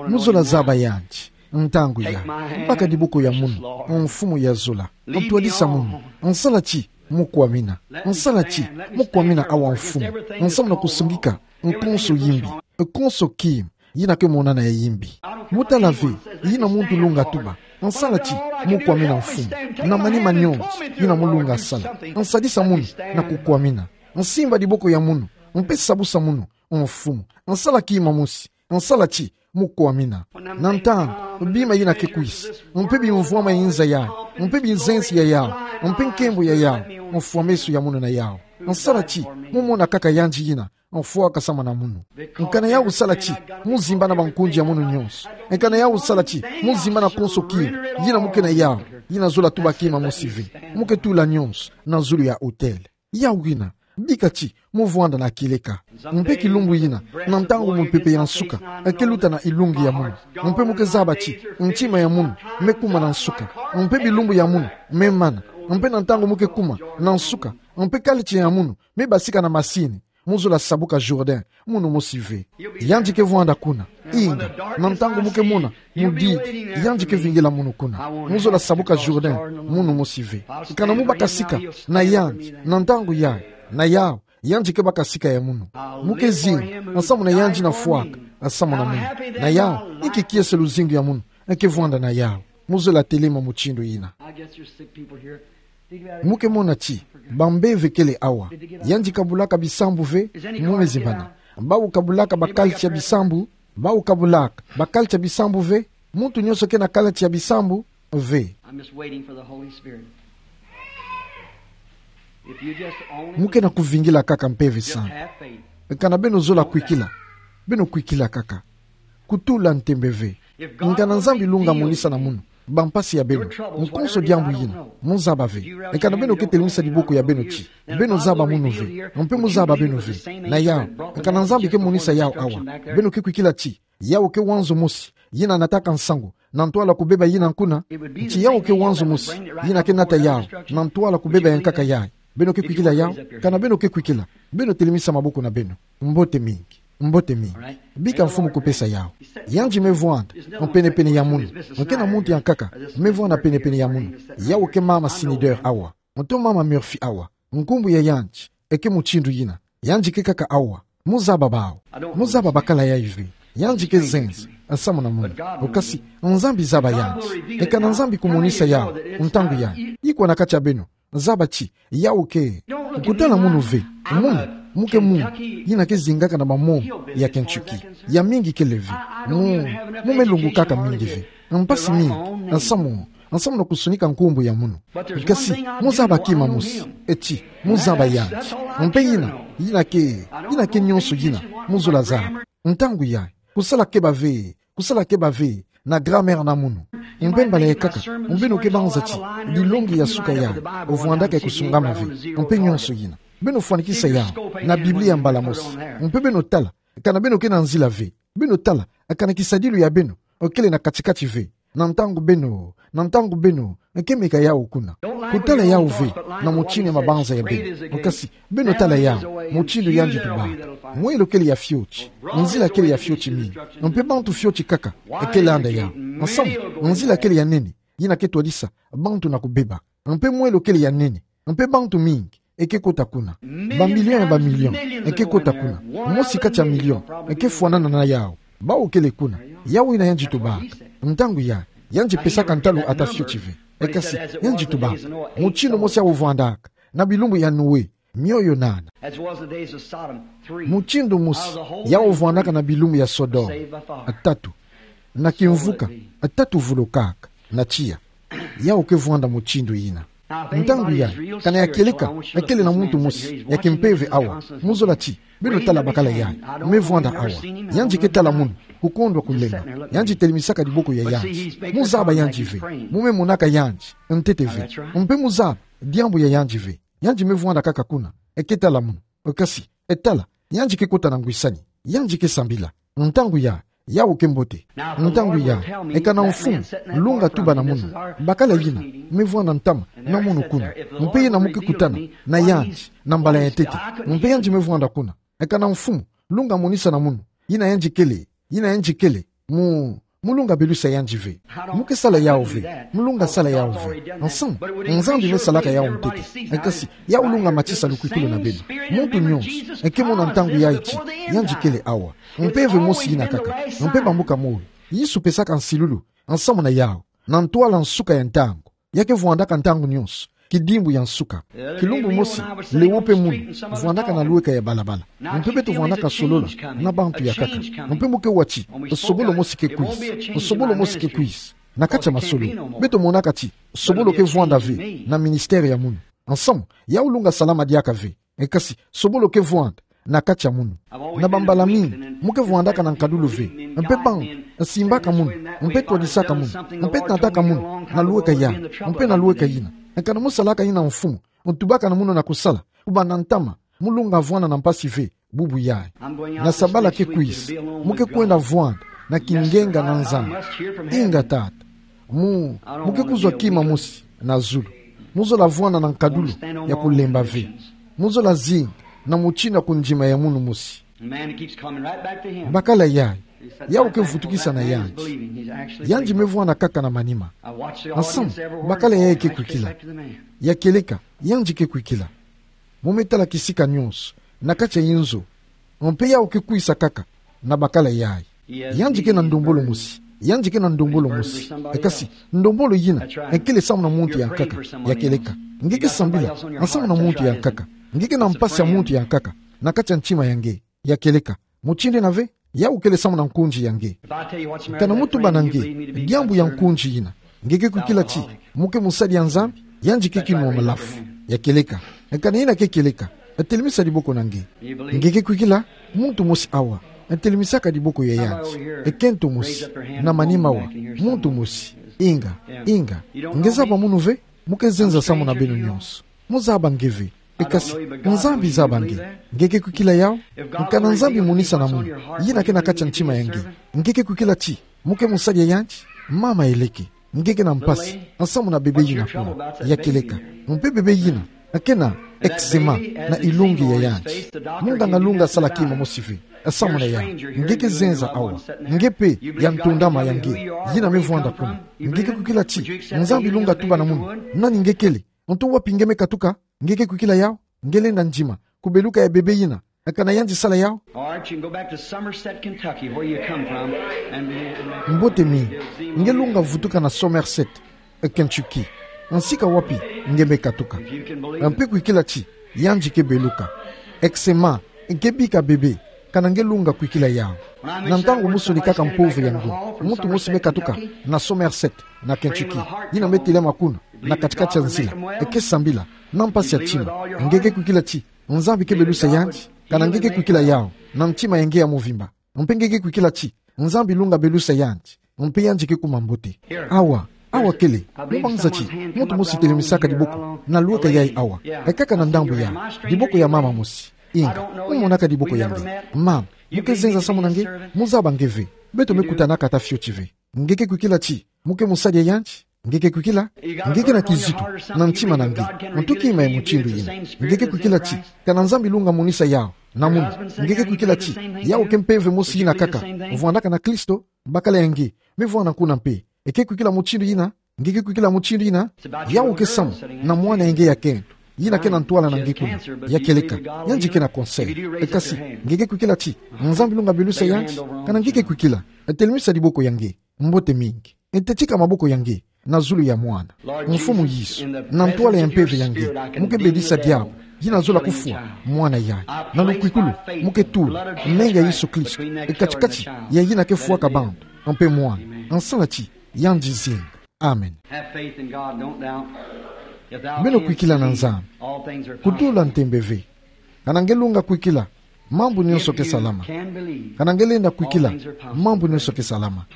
Mu zola zaba yandi. Ntangu ya. Baka diboko ya munu. Mfumu ya zola. Ntwadisa munu. Nsala ti mu kwamina. Nsala ti mu kwamina awa mfumu. Nsamu na kusungika. Nkonso yimbi. Nkonso kima. Yina ke monana ya yimbi. Mu tala ve, yina muntu lunga tuba. Nsala ti mu kwamina mfumu. Na manima nyonso, yina mu lunga sala. Nsadisa munu, na kukwamina. Nsimba diboko ya munu, mpe sabusa munu, mfumu. Nsala kima mosi, nsala ti mu kwamina. Na ntangu, bima yina ke kwisa. Mpe bimvwama ya nza ya, mpe bizenzi ya yau, mpe nkembo ya yau, mfwameso ya munu na yau. Nsala ti mu mona kaka yandi yina, mfwaka samu na munu. Nkana yau sala ti mu zimbana bankundi ya munu nyonso. Nkana yau sala ti mu zimbana konso kima, yina mu ke na yau, yina zola tuba kima mosi ve. Mu ke tula nyonso na zulu ya autel. Yau yina, bika ti mu vwanda na kieleka. Mpe kilumbu yina, na ntangu mupepe ya nsuka eke luta na ilungi ya munu, mpe mu ke zaba ti ntima ya munu me kuma na nsuka, mpe bilumbu ya munu me mana, mpe na ntangu mu ke kuma na nsuka, mpe kalitia ya munu me basika na masini, mu zola sabuka Jourdain, munu mosi ve. Yandi ke vwanda kuna. Inga, na ntangu mu ke mona mudidi, yandi ke vingila munu kuna. Mu zola sabuka Jourdain, munu mosi ve. Nkana mu baka sika na yandi, na ntangu yayi, na yau, yandi ke baka sika ya munu. Mu ke zinga, nsamu na yandi na fwaka samu na munu. Na yau, inki kiese luzingu ya munu ke vwanda na yau? Mu zola telema mutindu yina. Mu ke mona ti bambeve kele awa. Yandi kabulaka bisambu ve? Mu me zimbana. Bawu kabulaka bakalitia bisambu? Bawu kabulaka bakalitia bisambu ve? Muntu nyonso ke na kalitia bisambu ve? I'm just waiting for the Holy Spirit. If you just only Mu ke na kuvingila kaka Mpeve Santu. Nkana beno zola kwikila, beno kwikila kaka. Kutula ntembe ve. Nkana Nzambi lunga monisa na munu bampasi ya beno, nkonso diambu yina, mu zaba ve. Nkana beno ke telemisa diboko ya beno ti beno zaba munu ve, mpe mu zaba beno ve. Na yau, nkana Nzambi ke monisa yau awa, beno ke kwikila ti yau ke wanzo mosi yina nataka nsangu na ntwala kubeba yina kuna? Ti yau ke wanzo mosi yina ke nata yau na ntwala kubeba ya nkaka yayi. Beno ke kwikila yau? Kana beno ke kwikila, beno telemisa maboko na beno. Mbote mingi. Mbote mingi. Bika Mfumu kupesa yau. Yandi me vwanda penepene ya munu. Nke na muntu ya nkaka me vwanda penepene ya munu. Yau ke mama Snider awa, nto mama Murphy awa. Nkumbu ya yandi eke mutindu yina. Yandi ke kaka awa. Mu zaba bawu. Mu zaba bakala yayi ve. Yandi ke zenza samu na munu. Okasi, Nzambi zaba yandi. Nkana Nzambi kumonisa yau ntangu yayi, ikwa na kati ya beno? Zaba ti yau ke. Kutala munu ve. Munu, mu ke munu yina ke zingaka na bamombo ya Kentucky. Ya mingi kele ve. Mu, mu me lungukaka mingi ve. Mpasi mingi samu, samu na kusonika nkumbu ya munu. Kasi mu zaba kima mosi, e ti mu zaba yandi. Mpe yina, yina ke, yina ke nyonso yina mu zola zaba. Ntangu yayi, kusala keba ve, kusala keba ve na grammaire na munu. Mpe mbala ya nkaka, beno ke banza ti bilongi ya suka yayi vwandaka ya kusungama ve, mpe nyonso yina. Beno fwanikisa yau na Biblia mbala mosi. Mpe beno tala kana beno ke na nzila ve. Beno tala kana kisadilu ya beno kele na kati-kati ve. Na ntangu beno, na ntangu beno ke meka yau kuna. Kutala yau ve na mutindu ya mabanza ya beno. Kasi beno tala yau mutindu yandi tubaka. Mwelo kele ya fioti, nzila kele ya fioti mingi. Mpe bantu fioti kaka ke landa yau. Samu nzila kele ya nene yina ke twadisa bantu na kubeba. Mpe mwelo kele ya nene. Mpe bantu mingi ke kota kuna. Ba million ya ba million ke kota kuna. Mosi kati ya million ke fwanana na yau. Bawu kele kuna. Yau yina yandi tubaka. Ntangu yayi, yandi pesaka ntalu ata fioti ve. Kasi yandi tubaka. Mutindu mosi yau vwandaka na bilumbu ya Noe, mioyo nana. Mutindu mosi yau vwandaka na bilumbu ya Sodome. Tatu. Na kimvuka, tatu vulukaka na tiya. Yau ke vwanda mutindu yina. Ntangu yayi, kana ya kieleka kele na muntu mosi ya kimpeve awa, mu zola ti beno tala bakala yayi me vwanda awa. Yandi ke tala munu, kukondwa kulemba. Yandi telemisaka diboko ya yandi. Mu zaba yandi ve. Mu me monaka yandi ntete ve. Mpe mu zaba diambu ya yandi ve. Yandi me vwanda kaka kuna, ke tala munu. Kasi tala, yandi ke kota na ngwisani. Yandi ke sambila. Ntangu yayi, yau ke mbote. Ntangu yayi, kana mfumu lunga tuba na munu bakala yina me vwanda ntama na munu kuna, mpe yina mu ke kutana na yandi na mbala ya ntete, mpe yandi me vwanda kuna, kana mfumu lunga monisa na munu yina yandi kele, yina yandi kele Mu, mu lunga belusa yandi ve. Mu ke sala yawu ve. Mu lunga sala yawu ve. Nsan, Nzambi me salaka yawu ntete. Kasi, yawu lunga matisa lukwikulu na beno. Muntu nyonso, e ke mona ntangu yayi ti, yandi kele awa. Mpeve mosi ina kaka. Mpe bambuka moyo. Yesu pesaka nsilulu. Nsamu na yawu. Na ntwala nsuka ya ntangu. Ya ke vwandaka ntangu nyonso, kidimbu ya nsuka. Kilumbu mosi, lewo mpe munu, vwandaka na lweka ya balabala. Mpe beto vwandaka solola na bantu ya nkaka. Mpe mu ke wa ti, nsobolo mosi ke kwiza. Nsobolo mosi ke kwiza. Na kati ya masolo, beto monaka ti, nsobolo ke vwanda ve na ministère ya munu. Nsamu, yawu lunga salama diaka ve. E kasi, nsobolo ke vwanda na kati ya munu. Na bambala mingi, mu ke vwandaka na nkadulu ve. Mpe bantu, simbaka munu, mpe twadisaka munu, mpe nataka munu, na lweka yai, mpe na lweka yina. Kana mu salaka yina mfumu, mu tubaka na munu na kusala, kubanda ntama, mu lunga vwanda na mpasi ve, bubu yai. Na sabala ke kwiza, mu ke kwenda vwanda na kingenga na Nzambi. Inga tata. Mu, mu ke kuzwa kima mosi na zulu. Mu zola vwanda na nkadulu ya kulemba ve. Mu zola zinga na mutindu ya kundima ya munu mosi. Bakala yai, yawu ke vutukisa na yandi. Yandi me vwanda kaka na manima. Nsamu, bakala yai ke kwikila. Ya kieleka, yandi ke kwikila. Mu me tala kisika nyonso, na kati ya inzo. Mpe yawu ke kwisa kaka, na bakala yai. Yandi ke na ndombolo mosi, yandi ke na ndombolo mosi. E kasi, ndombolo yina, e kele samu na muntu ya nkaka, ya kieleka. Nge ke sambila, nsamu na muntu ya nkaka. Nge ke na mpasi ya muntu ya nkaka, na kati ya ntima ya nge, ya kieleka. Mutindu yina ve, yawu kele samu na nkunzi ya nge. Kana mu tuba na nge, diambu ya nkunzi yina. Nge ke kwikila ti, mu ke musadi ya Nzambi, yandi ke kinu wa malafu. Ya kieleka. Kana yina ke kieleka. Telemisa diboko na nge. Nge ke kwikila, muntu mosi awa. Telemisaka diboko ya yandi. Kento mosi. Na manima wa. Muntu mosi. Inga. Inga. Nge zaba munu ve, mu ke zenza samu na beno nyonso. Mu zaba nge ve. E kasi, Nzambi zaba nge. Nge ke kwikila yawu. Kana Nzambi monisa na munu yina ke na kati ya ntima ya nge. Nge ke kwikila ti, mu ke musadi ya yandi. Mama eleke. Nge ke na mpasi. Nsamu na bebe yina kuna. Ya kieleka. Mpe bebe yina. Ke na eczéma na ilungi ya yandi. Munganga lunga sala kima mosi ve. Nsamu na yawu. Nge ke zenza awa. Nge mpe ya ntondama ya nge. Yina me vwanda kuna. Nge ke kwikila ti, Nzambi lunga tuba na munu. Nani nge kele. Nto wapi nge me katuka, nge ke kwikila yawu, nge lenda ndima, kubeluka ya bebe yina, kana yandi sala yawu. All right, you can go back to Somerset, Kentucky, where you come from, and, and Mbote mingi, nge lunga vutuka na Somerset, Kentucky. Nsika wapi, nge me katuka. If you can believe it. Mpe kwikila ti, yandi ke beluka. Eczéma, ke bika bebe, kana nge lunga kwikila yawu. Na ntangu mu sonikaka mpove ya ngo, muntu mosi me katuka, na Somerset, na Kentucky. Yina me telama kuna, na kati-kati ya nzila, e ke sambila, na mpasi ya ntima. Nge ke kwikila ti, Nzambi ke belusa yandi, kana nge ke kwikila yawu, na ntima ya nge ya mvimba. Mpe nge ke kwikila ti, Nzambi lunga belusa yandi, mpe yandi ke kuma mbote. Awa, awa kele, mu banza ti, muntu mosi telemisaka diboko, na lweka yayi awa, e kaka na ndambu yayi, diboko ya mama mosi. Inga, mu monaka diboko ya nge. Mama, mu ke zenza samu na nge, mu zaba nge ve. Beto me kutanaka ata fioti ve. Nge ke kwikila ti, mu ke musadi ya yandi, nge ke kwikila, nge ke na kizito, na ntima na nge, nto kima ya mutindu yina. Nge ke kwikila ti, kana Nzambi lunga monisa yawu, na munu, nge ke kwikila ti, yawu ke mpeve mosi yina kaka, vwandaka na Kristo, bakala ya nge, me vwanda kuna mpe, e ke kwikila mutindu yina, nge ke kwikila mutindu yina, yawu ke samu, na mwana ya nge ya kento, yina ke na ntwala na nge kuna, ya kieleka, yandi ke na cancer. E kasi, nge ke kwikila ti, Nzambi lunga belusa yandi, kana nge ke kwikila, telemisa diboko ya nge, mbote mingi, e tetika maboko ya nge, na zulu ya mwana. Mfumu Yesu, na ntwala ya mpeve ya nge, mu ke bedisa diabu, yina zola kufwa, mwana yayi, na lukwikulu, mu ke tula, menga ya Yesu Kristo, e kati-kati, ya yina ke fwaka bantu, mpe mwana, nsala ti, yandi zinga. Amen. Have faith in God, don't doubt. If thou Beno canst kwikila na believe, Nzambi. All things are possible. Kutula ntembe ve. Kana nge lunga kwikila, mambu nyonso ke salama. If you can believe, Kana nge lenda kwikila, all things are possible. Mambu nyonso ke salama.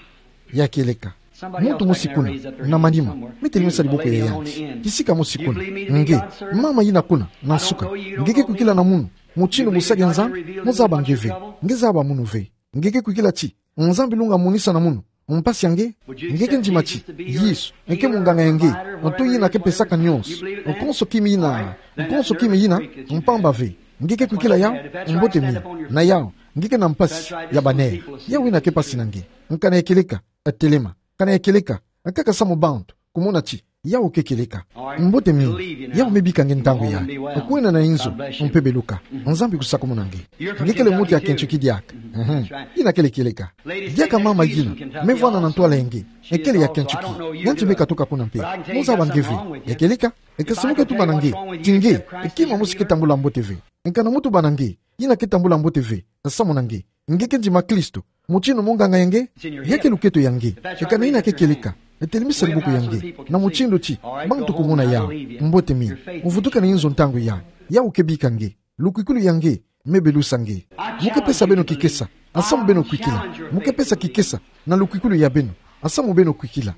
Ya kieleka. Somebody else, muntu mosi kuna, na manima, me telemisa diboko ya yandi. Kisika mosi kuna, nge, mama yina kuna, na nsuka, nge ke kwikila na munu, mutindu musadi ya Nzambi, mu zaba nge ve, nge zaba munu ve. Nge ke kwikila ti, Nzambi lunga monisa na munu, mpasi ya nge, nge ke ndima ti, Yesu, e ke munganga ya nge, nto yina ke pesaka nyonso, konso kima yina, konso kima yina, mpamba ve, nge ke kwikila yawu, mbote mingi, na yawu, nge ke na mpasi, ya ba nerfs, yawu yina ke mpasi na nge, Nkana ya kieleka, telema. Nkana ya kieleka, kaka samu bantu kumona ti yau ke kieleka. Mbote mingi. Yau me bika nge ntangu yayi. Kwena na inzo, mpe beluka. Nzambi kusakumuna nge. Nge kele muntu ya Kentucky diaka. Mhm. Ina kele kieleka. Diaka mama yina me vwanda na ntwala ya nge, ekele ya Kentucky. Yandi me katuka kuna mpe. Mo zaba nge ve. Ya kieleka. Eka si mo ke tuba na nge ti nge, kima mosi ke tambula mbote ve. Nkana mo tuba na nge, ina ke tambula mbote ve, samu na nge, nge ke ndima Kristo, mutindu munganga ya nge, ya ke luketo ya nge. Eka na ina ke kieleka, telimisa luboko ya nge na mutindu ti bantu kumona yau. Mbote mingi. Mo vutuka na inzo ntangu yayi. Yau ke bika nge. Lukwikwilu ya nge me belusa nge. Mo ke pesa beno kikesa, samu beno kwikila. Mo ke pesa kikesa na lukwikwilu ya beno, samu beno kwikila.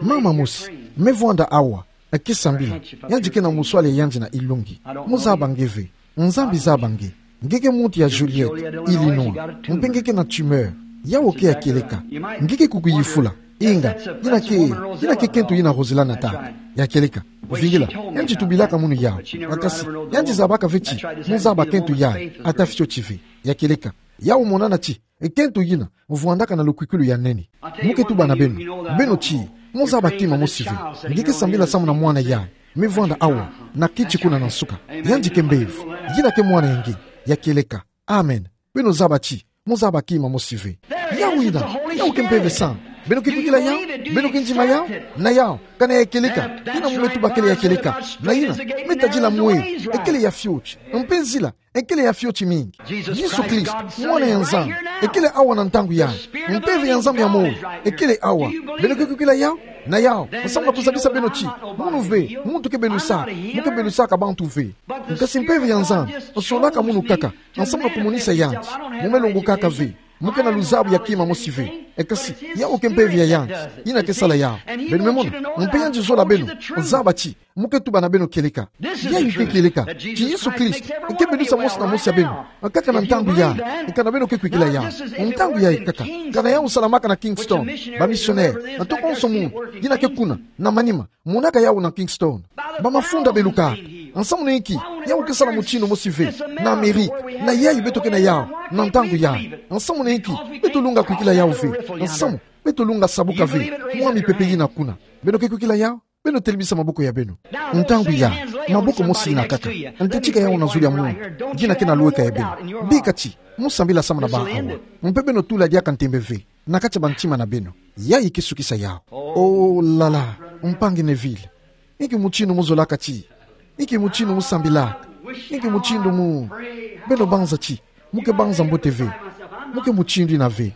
Mama mosi me vwanda awa, ke sambila. Yandi ke na muswali ya yandi na ilungi. Mo zaba nge ve. Nzambi zaba nge. Nge ke muntu ya Joliet, Illinois. Mpe nge ke na tumeur. Yau ke ya kieleka. Nge ke kukuyifula. Inga, ina ke, ina ke kento yina Rosela nataka. Ya kieleka. Vingila. Yandi tubilaka munu yau. Bakasi, yandi zabaka ve ti mo zaba kento yayi, ata fioti ve. Ya kieleka. Yau monana ti kento yina vwandaka na lukwikwilu ya nene. Mo ke tuba na beno, beno ti mo zaba kima mosi ve. Nge ke sambila samu na mwana yayi me vwanda awa na kiti kuna na nsuka. Yandi ke mpeve. Yina ke mwana ya nge. Ya kieleka. Amen. Beno zaba ti mo zaba kima mosi ve. Yau ina, yau ke mpeve sana. Beno ke kwikila yau? Beno ke ndima yau? Na yau, kana ya kieleka. Ina mo me tuba kele ya kieleka. Na ina, me tadila mwe, ekele ya fioti. Mpe nzila, ekele ya fioti mingi. Yesu Kristo, mwana ya Nzambi, ekele awa na ntangu yayi. Mpeve ya Nzambi ya moyo, ekele awa. Beno ke kwikila yau? Na yau, samu na kuzabisa beno ti mono ve muntu ke belusaka, mo ke belusaka bantu ve. Kasi mpeve ya Nzambi, solaka munu kaka, samu na kumonisa yandi. Mo me longokaka ve. Mo ke na luzabu ya kima mosi ve. Eka si, yau ke mpeve ya yandi. Ina ke sala yau. Beno me mona, mpe yandi zola beno. Zaba ti mo ke tuba na beno kieleka. Yayi ke kieleka. Ti Yesu Kristo ke belusa mosi na mosi ya beno. Kaka na ntangu yayi. Eka na beno ke kwikila yau. Ntangu yayi kaka. Kana yau salamaka na Kingston. Ba missionnaire, na toko nso munu, yina ke kuna na manima, monaka yau na Kingston. Ba mafunda beluka. Samu na inki yau ke sala mutindu mosi ve na Amerika? Na yayi beto ke na yau na ntangu yayi. Samu na inki beto lunga kwikila yau ve? Samu beto lunga sabuka ve mwa mipepe yina kuna. Beno ke kwikila yau? Beno telimisa maboko ya beno. Ntangu yayi, maboko mosi yina kaka, nte tika yau na zulu ya munu yina ke na lweka ya beno. Bika ti mo sambila samu na ba awa. Mpe beno tula diaka ntembe ve na kati ya ba ntima na beno. Yayi ke sukisa yau. Oh là là, mpangi Neville. Inki mutindu mo zolaka ti, inki mutindu mo sambilaka, inki mutindu mo, beno banza ti mo ke banza mbote ve. Mo ke mutindu yina ve.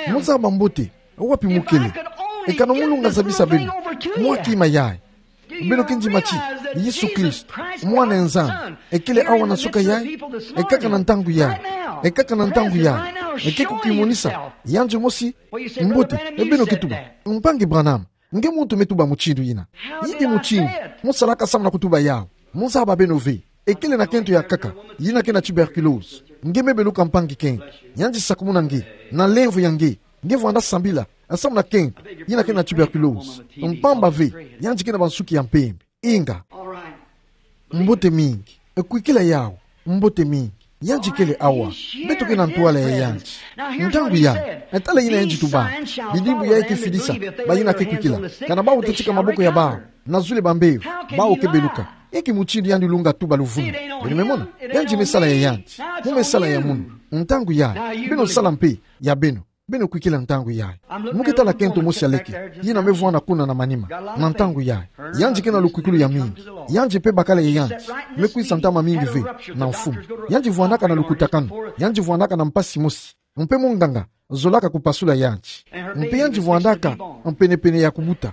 Mo zaba mbote wapi mo kele. Eka na mo lunga zabisa beno mwa kima yayi. Beno ke ndima ti Yesu Kristo, mwana ya Nzambi, ekele awa na nsuka yayi. Ekaka na ntangu yayi. Ekaka na ntangu yayi. Eke kukimonisa yandi mosi mbote. Beno ke tuba, mpangi Branham, nge muntu me tuba mutindu yina. Inki mutindu mo salaka samu na kutuba yau? Mo zaba beno ve. Ekele na kento ya nkaka yina ke na tuberculose. Nge me beluka mpangi kento. Yandi sakumuna nge na lemvo ya nge. Nge vwanda sambila samu na kento yina ke na tuberculose. Mpamba ve yandi ke na bansuki ya mpembe. Inga. Mbote mingi. Kwikila yau. Mbote mingi. Yandi kele awa. Beto ke na ntwala ya yandi. Ntangu yayi, tala yina yandi tuba. Bidimbu yayi ke fidisa bayina ke kwikila. Kana bau tetika maboko ya bau na zulu ba mbevo, bau ke beluka. Inki mutindu yandi lunga tuba luvunu? Beno me mona, yandi me sala ya yandi. Mo me sala ya munu. Ntangu yayi, beno sala mpe ya beno. Beno kwikila ntangu yayi. Mo ke tala kento mosi ya leke yina me vwanda kuna na manima na ntangu yayi. Yandi ke na lukwikulu ya mingi. Yandi mpe bakala ya yandi me kwisa ntama mingi ve na mfumu. Yandi vwandaka na lukutakanu. Yandi vwandaka na mpasi mosi. Mpe munganga zolaka kupasula yandi. Mpe yandi vwandaka mpene-pene ya kubuta.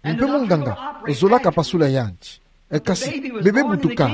Mpe munganga zolaka pasula yandi. E, kasi bebe butuka.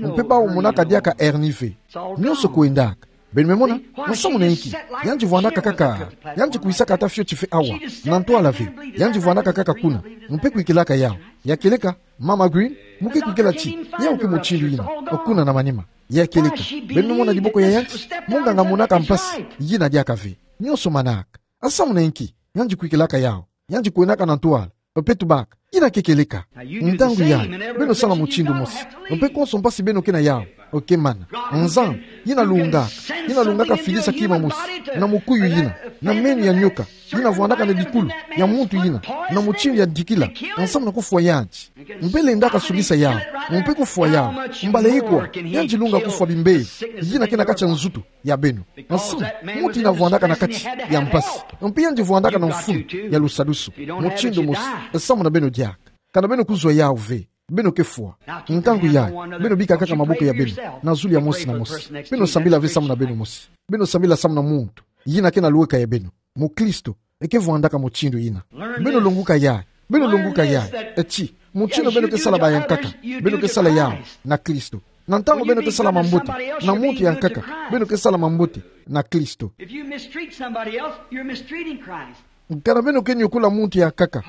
Mpe bau monaka diaka hernie ve. Nionso kwendaka. Beno me mona, nsamu na inki? Yandi vwandaka kaka, yandi kwisaka ata fioti ve awa na ntwala ve. Yandi vwandaka kaka kuna, mpe kwikilaka yau. Ya kieleka, Mama Green, mo ke kwikila ti yau ke mutindu yina, kuna na manima. Ya kieleka, beno me mona diboko ya yandi, munganga monaka mpasi yina diaka ve. Nionso manaka. Nsamu na inki? Yandi kwikilaka yau. Yandi kwenaka na ntwala, mpe tubaka. Yina ke kieleka. Ntangu yayi, beno sala mutindu mosi. Mpe konso mpasi beno ke na yau, Oke mana. Nzambi, yina lungaka. Yina lungaka filisa kima mosi. Na mukuyu yina. Na meni ya nyoka. Yina vwandaka na dikulu ya muntu yina. Na mutindu ya dikila. Nsamu na kufwa yandi. Mpe lendaka sukisa yawu. Mpe kufwa yawu. Mbala ikwa. Yandi lunga kufwa bimbevo. Yina ke na kati ya nzutu ya beno. Nsamu, muntu yina vwandaka na kati ya mpasi. Mpe yandi vwandaka na mfunu ya lusadusu. Mutindu mosi. Nsamu na beno diaka. Kana beno kuzwa yawu ve. Beno ke fwa. Ntangu yayi, beno bika kaka maboko ya beno na zulu ya mosi na mosi. Beno sambila ve samu na beno mosi. Beno sambila samu na muntu yina ke na lueka ya beno. Mukristo eke vwandaka mutindu yina. Beno longuka yayi. Beno longuka yayi. Eti, mutindu beno ke sala bayankaka, beno ke sala yawu na Kristo. Na ntangu beno ke sala mambote na muntu ya nkaka, beno ke sala mambote na Kristo. If you mistreat somebody else, you're mistreating Christ. Kana beno ke nyokula muntu ya nkaka,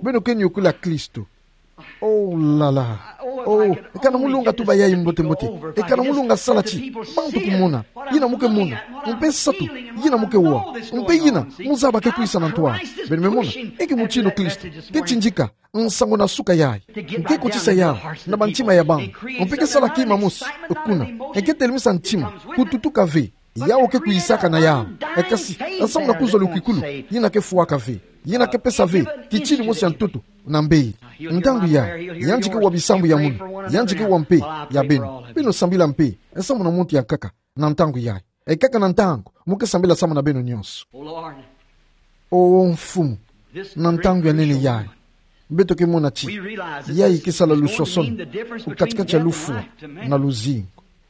beno ke nyokula Kristo. Oh la la. Oh, kana mu lunga tuba yayi mbote mbote. E kana mu lunga sala ti bantu kumona yina mu ke mona. Mpe nsatu yina mu ke wa. Mpe yina mu zaba ke kwisa na ntu a. Beno me mona. Eke mutindu Kristo ke tindika nsangu na suka yayi. Nge ke kotisa yawu na bantima ya bantu. Mpe ke sala kima mosi. Kuna nge ke telemisa ntima kututuka ve. Yawu ke kwisaka na yawu. E kasi, nsamu na kuzwa lukwikulu, yina ke fwaka ve. Yina ke pesa ve kitini mosi ya ntoto na mbeli. Ntangu yayi, yandi ke wa bisambu ya munu. Yandi ke wa mpe ya beno. Beno sambila mpe nsamu na muntu ya nkaka na ntangu yayi. E kaka na ntangu mu ke sambila samu na beno nyonso. O Mfumu, na ntangu ya nene yayi, beto ke mona ti yayi ke sala luswaswanu o kati-kati ya lufwa na luzingu,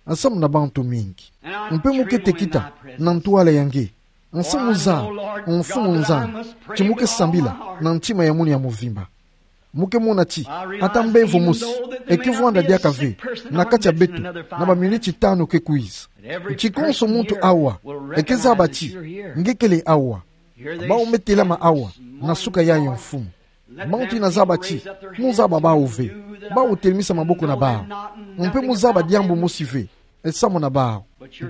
nsamu na bantu mingi. Mpe mu ke tekita na ntwala ya nge. Nsamu zaba, Mfumu Nzambi, ti mu ke sambila na ntima ya munu ya mvimba. Mu ke mona ti ata mbevo mosi eke vwanda diaka ve na kati ya beto na baminiti tanu ke kwiza. Ti konso muntu awa eke zaba ti nge kele awa. Bawu me telama awa na suka yayi, Mfumu. Bantu yina zaba ti mu zaba bawu ve. Bawu telemisa maboko na bawu. Mpe mu zaba diambu mosi ve nsamu na bawu.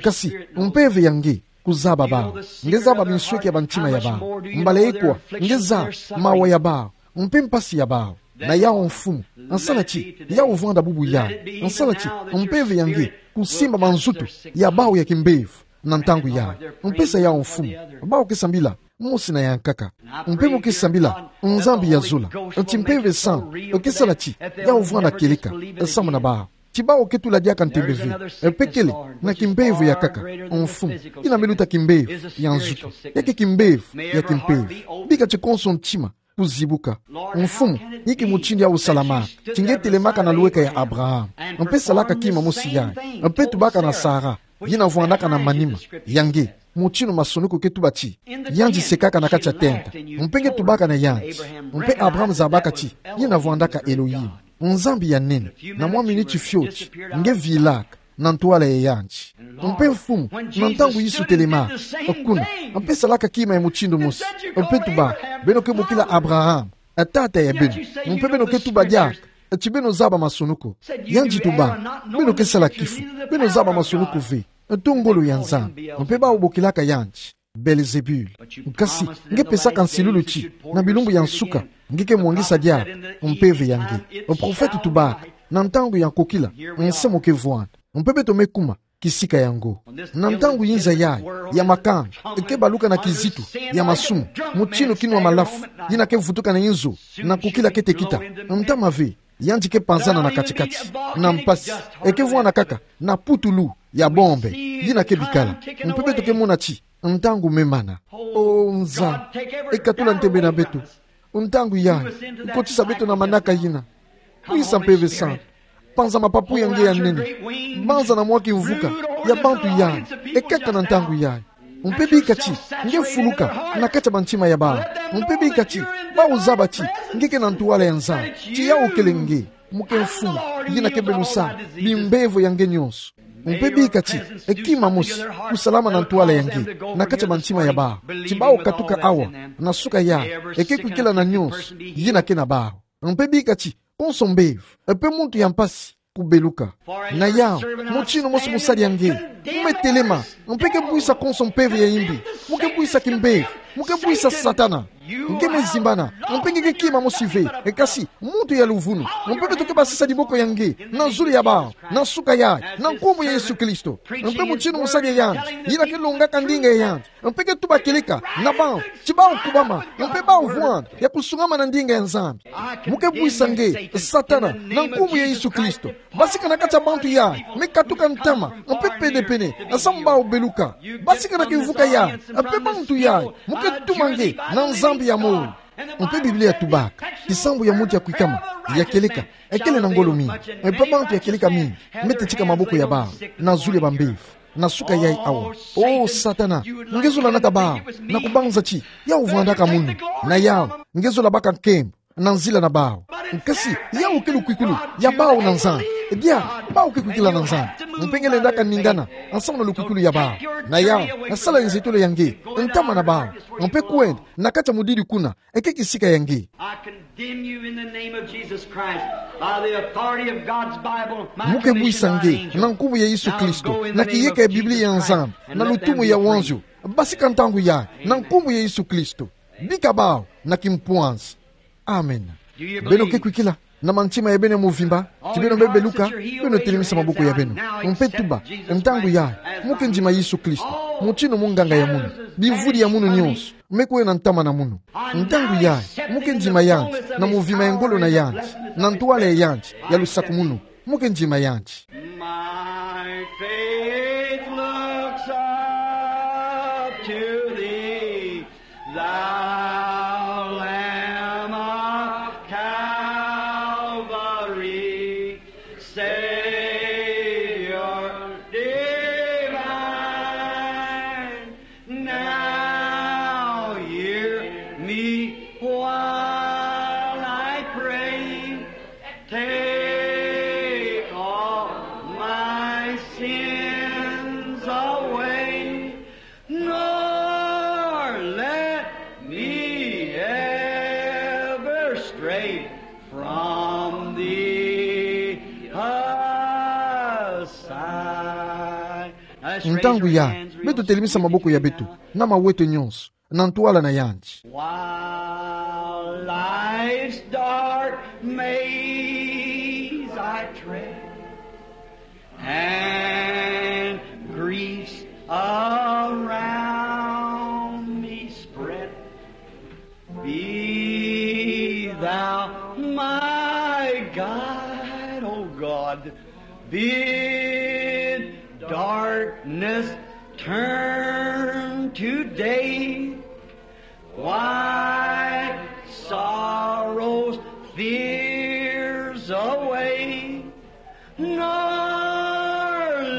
Kasi Mpeve ya nge kuzaba bawu. Nge zaba binsweki ya bantima ya bawu. Mbala ikwa nge zaba mawa ya bawu mpe mpasi ya bawu. Na yawu, Mfumu, nsala ti yawu vwanda bubu yayi. Nsala ti Mpeve ya nge kusimba manzutu ya bawu ya kimbevo na ntangu yayi. Mpesa yawu, Mfumu, bawu ke sambila mosi na ya nkaka. Mpe mu ke sambila, Nzambi ya zola, ti Mpeve Santu ke sala ti yawu vwanda kieleka nsamu na bawu. Ti bawu ke tula diaka ntembe ve, mpe kele na kimbevo ya nkaka, Mfumu, yina me luta kimbevo ya nzutu, ya ke kimbevo ya kimpeve. Bika ti konso ntima kuzibuka. Mfumu, inki mutindu yawu salamaka? Ti nge telemaka na lueka ya Abraham, mpe salaka kima mosi yayi, mpe tubaka na Sara, yina vwandaka na manima ya nge, mutindu masonoko ke tuba ti yandi sekaka na kati ya tenta. Mpe nge tubaka na yandi. Mpe Abraham zabaka ti yina vwandaka Elohim, Nzambi ya nene. Na mwa miniti fioti nge vilaka na ntwala ya yandi. Mpe, Mfumu, na ntangu Yesu telemaka kuna, mpe salaka kima ya mutindu mosi, mpe tuba: Beno ke bokila Abraham tata ya beno. Mpe beno ke tuba diaka ti beno zaba masonoko. Yandi tuba: Beno ke sala kifu, beno zaba masonoko ve, tongolo ya Nzambi. Mpe bawu bokilaka yandi Belzebul. Kasi nge pesaka nsilulu ti na bilumbu ya nsuka nge ke mwangisa diaka Mpeve ya nge. Profete tubaka: Na ntangu ya nkokila, nse mo ke vwanda, mpe beto me kuma kisika yango. Na ntangu yinza yayi ya makanga ke baluka na kizitu ya masumu, mutindu kinwa malafu yina ke vutuka na inzo na nkokila kete kita, ntama ve, yandi ke panzana na kati-kati na mpasi. E ke vwanda kaka na putulu ya bombe yina ke bikala. Mpe beto ke mona ti ntangu me mana. O Nzambi, e katula ntembe na beto. Ntangu yayi, kotisa beto na manaka yina. Kwisa, Mpeve Santu, panza mapapu ya nge ya nene, banza na mwa kimvuka ya bantu yayi, e kaka na ntangu yayi. Mpe bika ti nge fuluka na kati ya bantima ya bawu. Mpe bika ti bawu zaba ti nge ke na ntwala ya Nzambi, ti yawu kele nge, muke Mfumu, yina ke belusa bimbevo ya nge nyonso. Mpe bika ti kima mosi kusalama na ntwala ya nge na kati ya bantima ya bawu, ti bawu katuka awa na suka yawu, e ke kwikila na nyonso yina ke na bawu. Mpe bika ti konso mbevo, mpe muntu ya mpasi kubeluka. Na yawu, mutindu mosi musadi ya nge, mu me telema, mpe ke bwisa konso mpeve ya imbi, mu ke bwisa kimbevo Mo ke buisa Satana. Nge me zimbana, mpe nge ke kima mo sive, e kasi, muntu ya luvunu, mpe beto ke basisa diboko ya nge, na zulu ya bawu, na suka yayi, na nkumbu ya Yesu Kristo. Mpe mutinu mosali ya yandi, yina ke longaka ndinga ya yandi, mpe ke tuba kieleka, na bawu, ti bawu kubama, mpe bawu vwanda, ya kusungamana na ndinga ya Nzambi. Mo ke buisa nge, Satana, na nkumbu ya Yesu Kristo. Basika na kati ya bantu yayi, me katuka ntama, mpe pedepene, samu bawu beluka. Basika na kivuka yayi, mpe bantu yayi, mo ke tuma nge, na Nzambi ya moyo. Mpe Biblia yatubaka, kisambu ya muntu ya kwikama, ya kieleka, ekele na ngolo mingi. Mpe bantu ya kieleka mingi, me tetika maboko ya bawu, na zulu ya bambevo, na suka yayi awa. O Satana, nge zola nata bawu, na kubanza ti, yawu vwandaka munu, na yawu, nge zola baka nkembo, na nzila na bawu. Kasi, yawu ke lukwikulu ya bawu na Nzambi. Ebia, bawu ke kwikila na Nzambi. Mpe nge lendaka ningana, samu na lukwikulu ya bawu. Na yawu, sala nzetolo ya nge, ntama na bawu. Mpe kwenda, na kati ya mudidi kuna, eke kisika ya nge. I condemn you in the name of Jesus Christ, by the authority of God's Bible, my commission, our angel. Mo ke buisa nge, na nkumbu ya Yesu Kristo, na kiyeka ya Biblia ya Nzambi, na lutumu ya wanzio. Basika ntangu yayi, na nkumbu ya Yesu Kristo. Bika bawu, na kimpwanzi. Amen. Beno ke kwikila, na mantima ya beno ya muvimba, ti beno be beluka, beno telemisa maboko ya beno. Mpe tuba, ntangu yayi, mo ke ndima Yesu Kristo, mutinu munganga ya munu, bivudi ya munu nyonso, me kwena ntama na munu. Ntangu yayi, mo ke ndima yandi, na muvimba ya ngolo na yandi, na ntwala ya yandi, ya lusakumunu, mo ke ndima yandi. My faith looks up to thee, thou Lamb of Calvary, Savior divine. Now hear me while I pray. Take all my sins away, nor let me ever stray from thee aside. Ntangu yayi, beto telemisa maboko ya beto, na maweto nyonso, na ntwala na yandi. While life's dark maze I tread, and griefs around me spread, be thou my guide, O God, bid darkness turn to day. Wipe sorrows, fears away, nor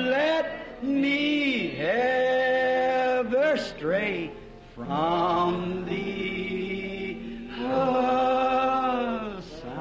let me ever stray from thee aside.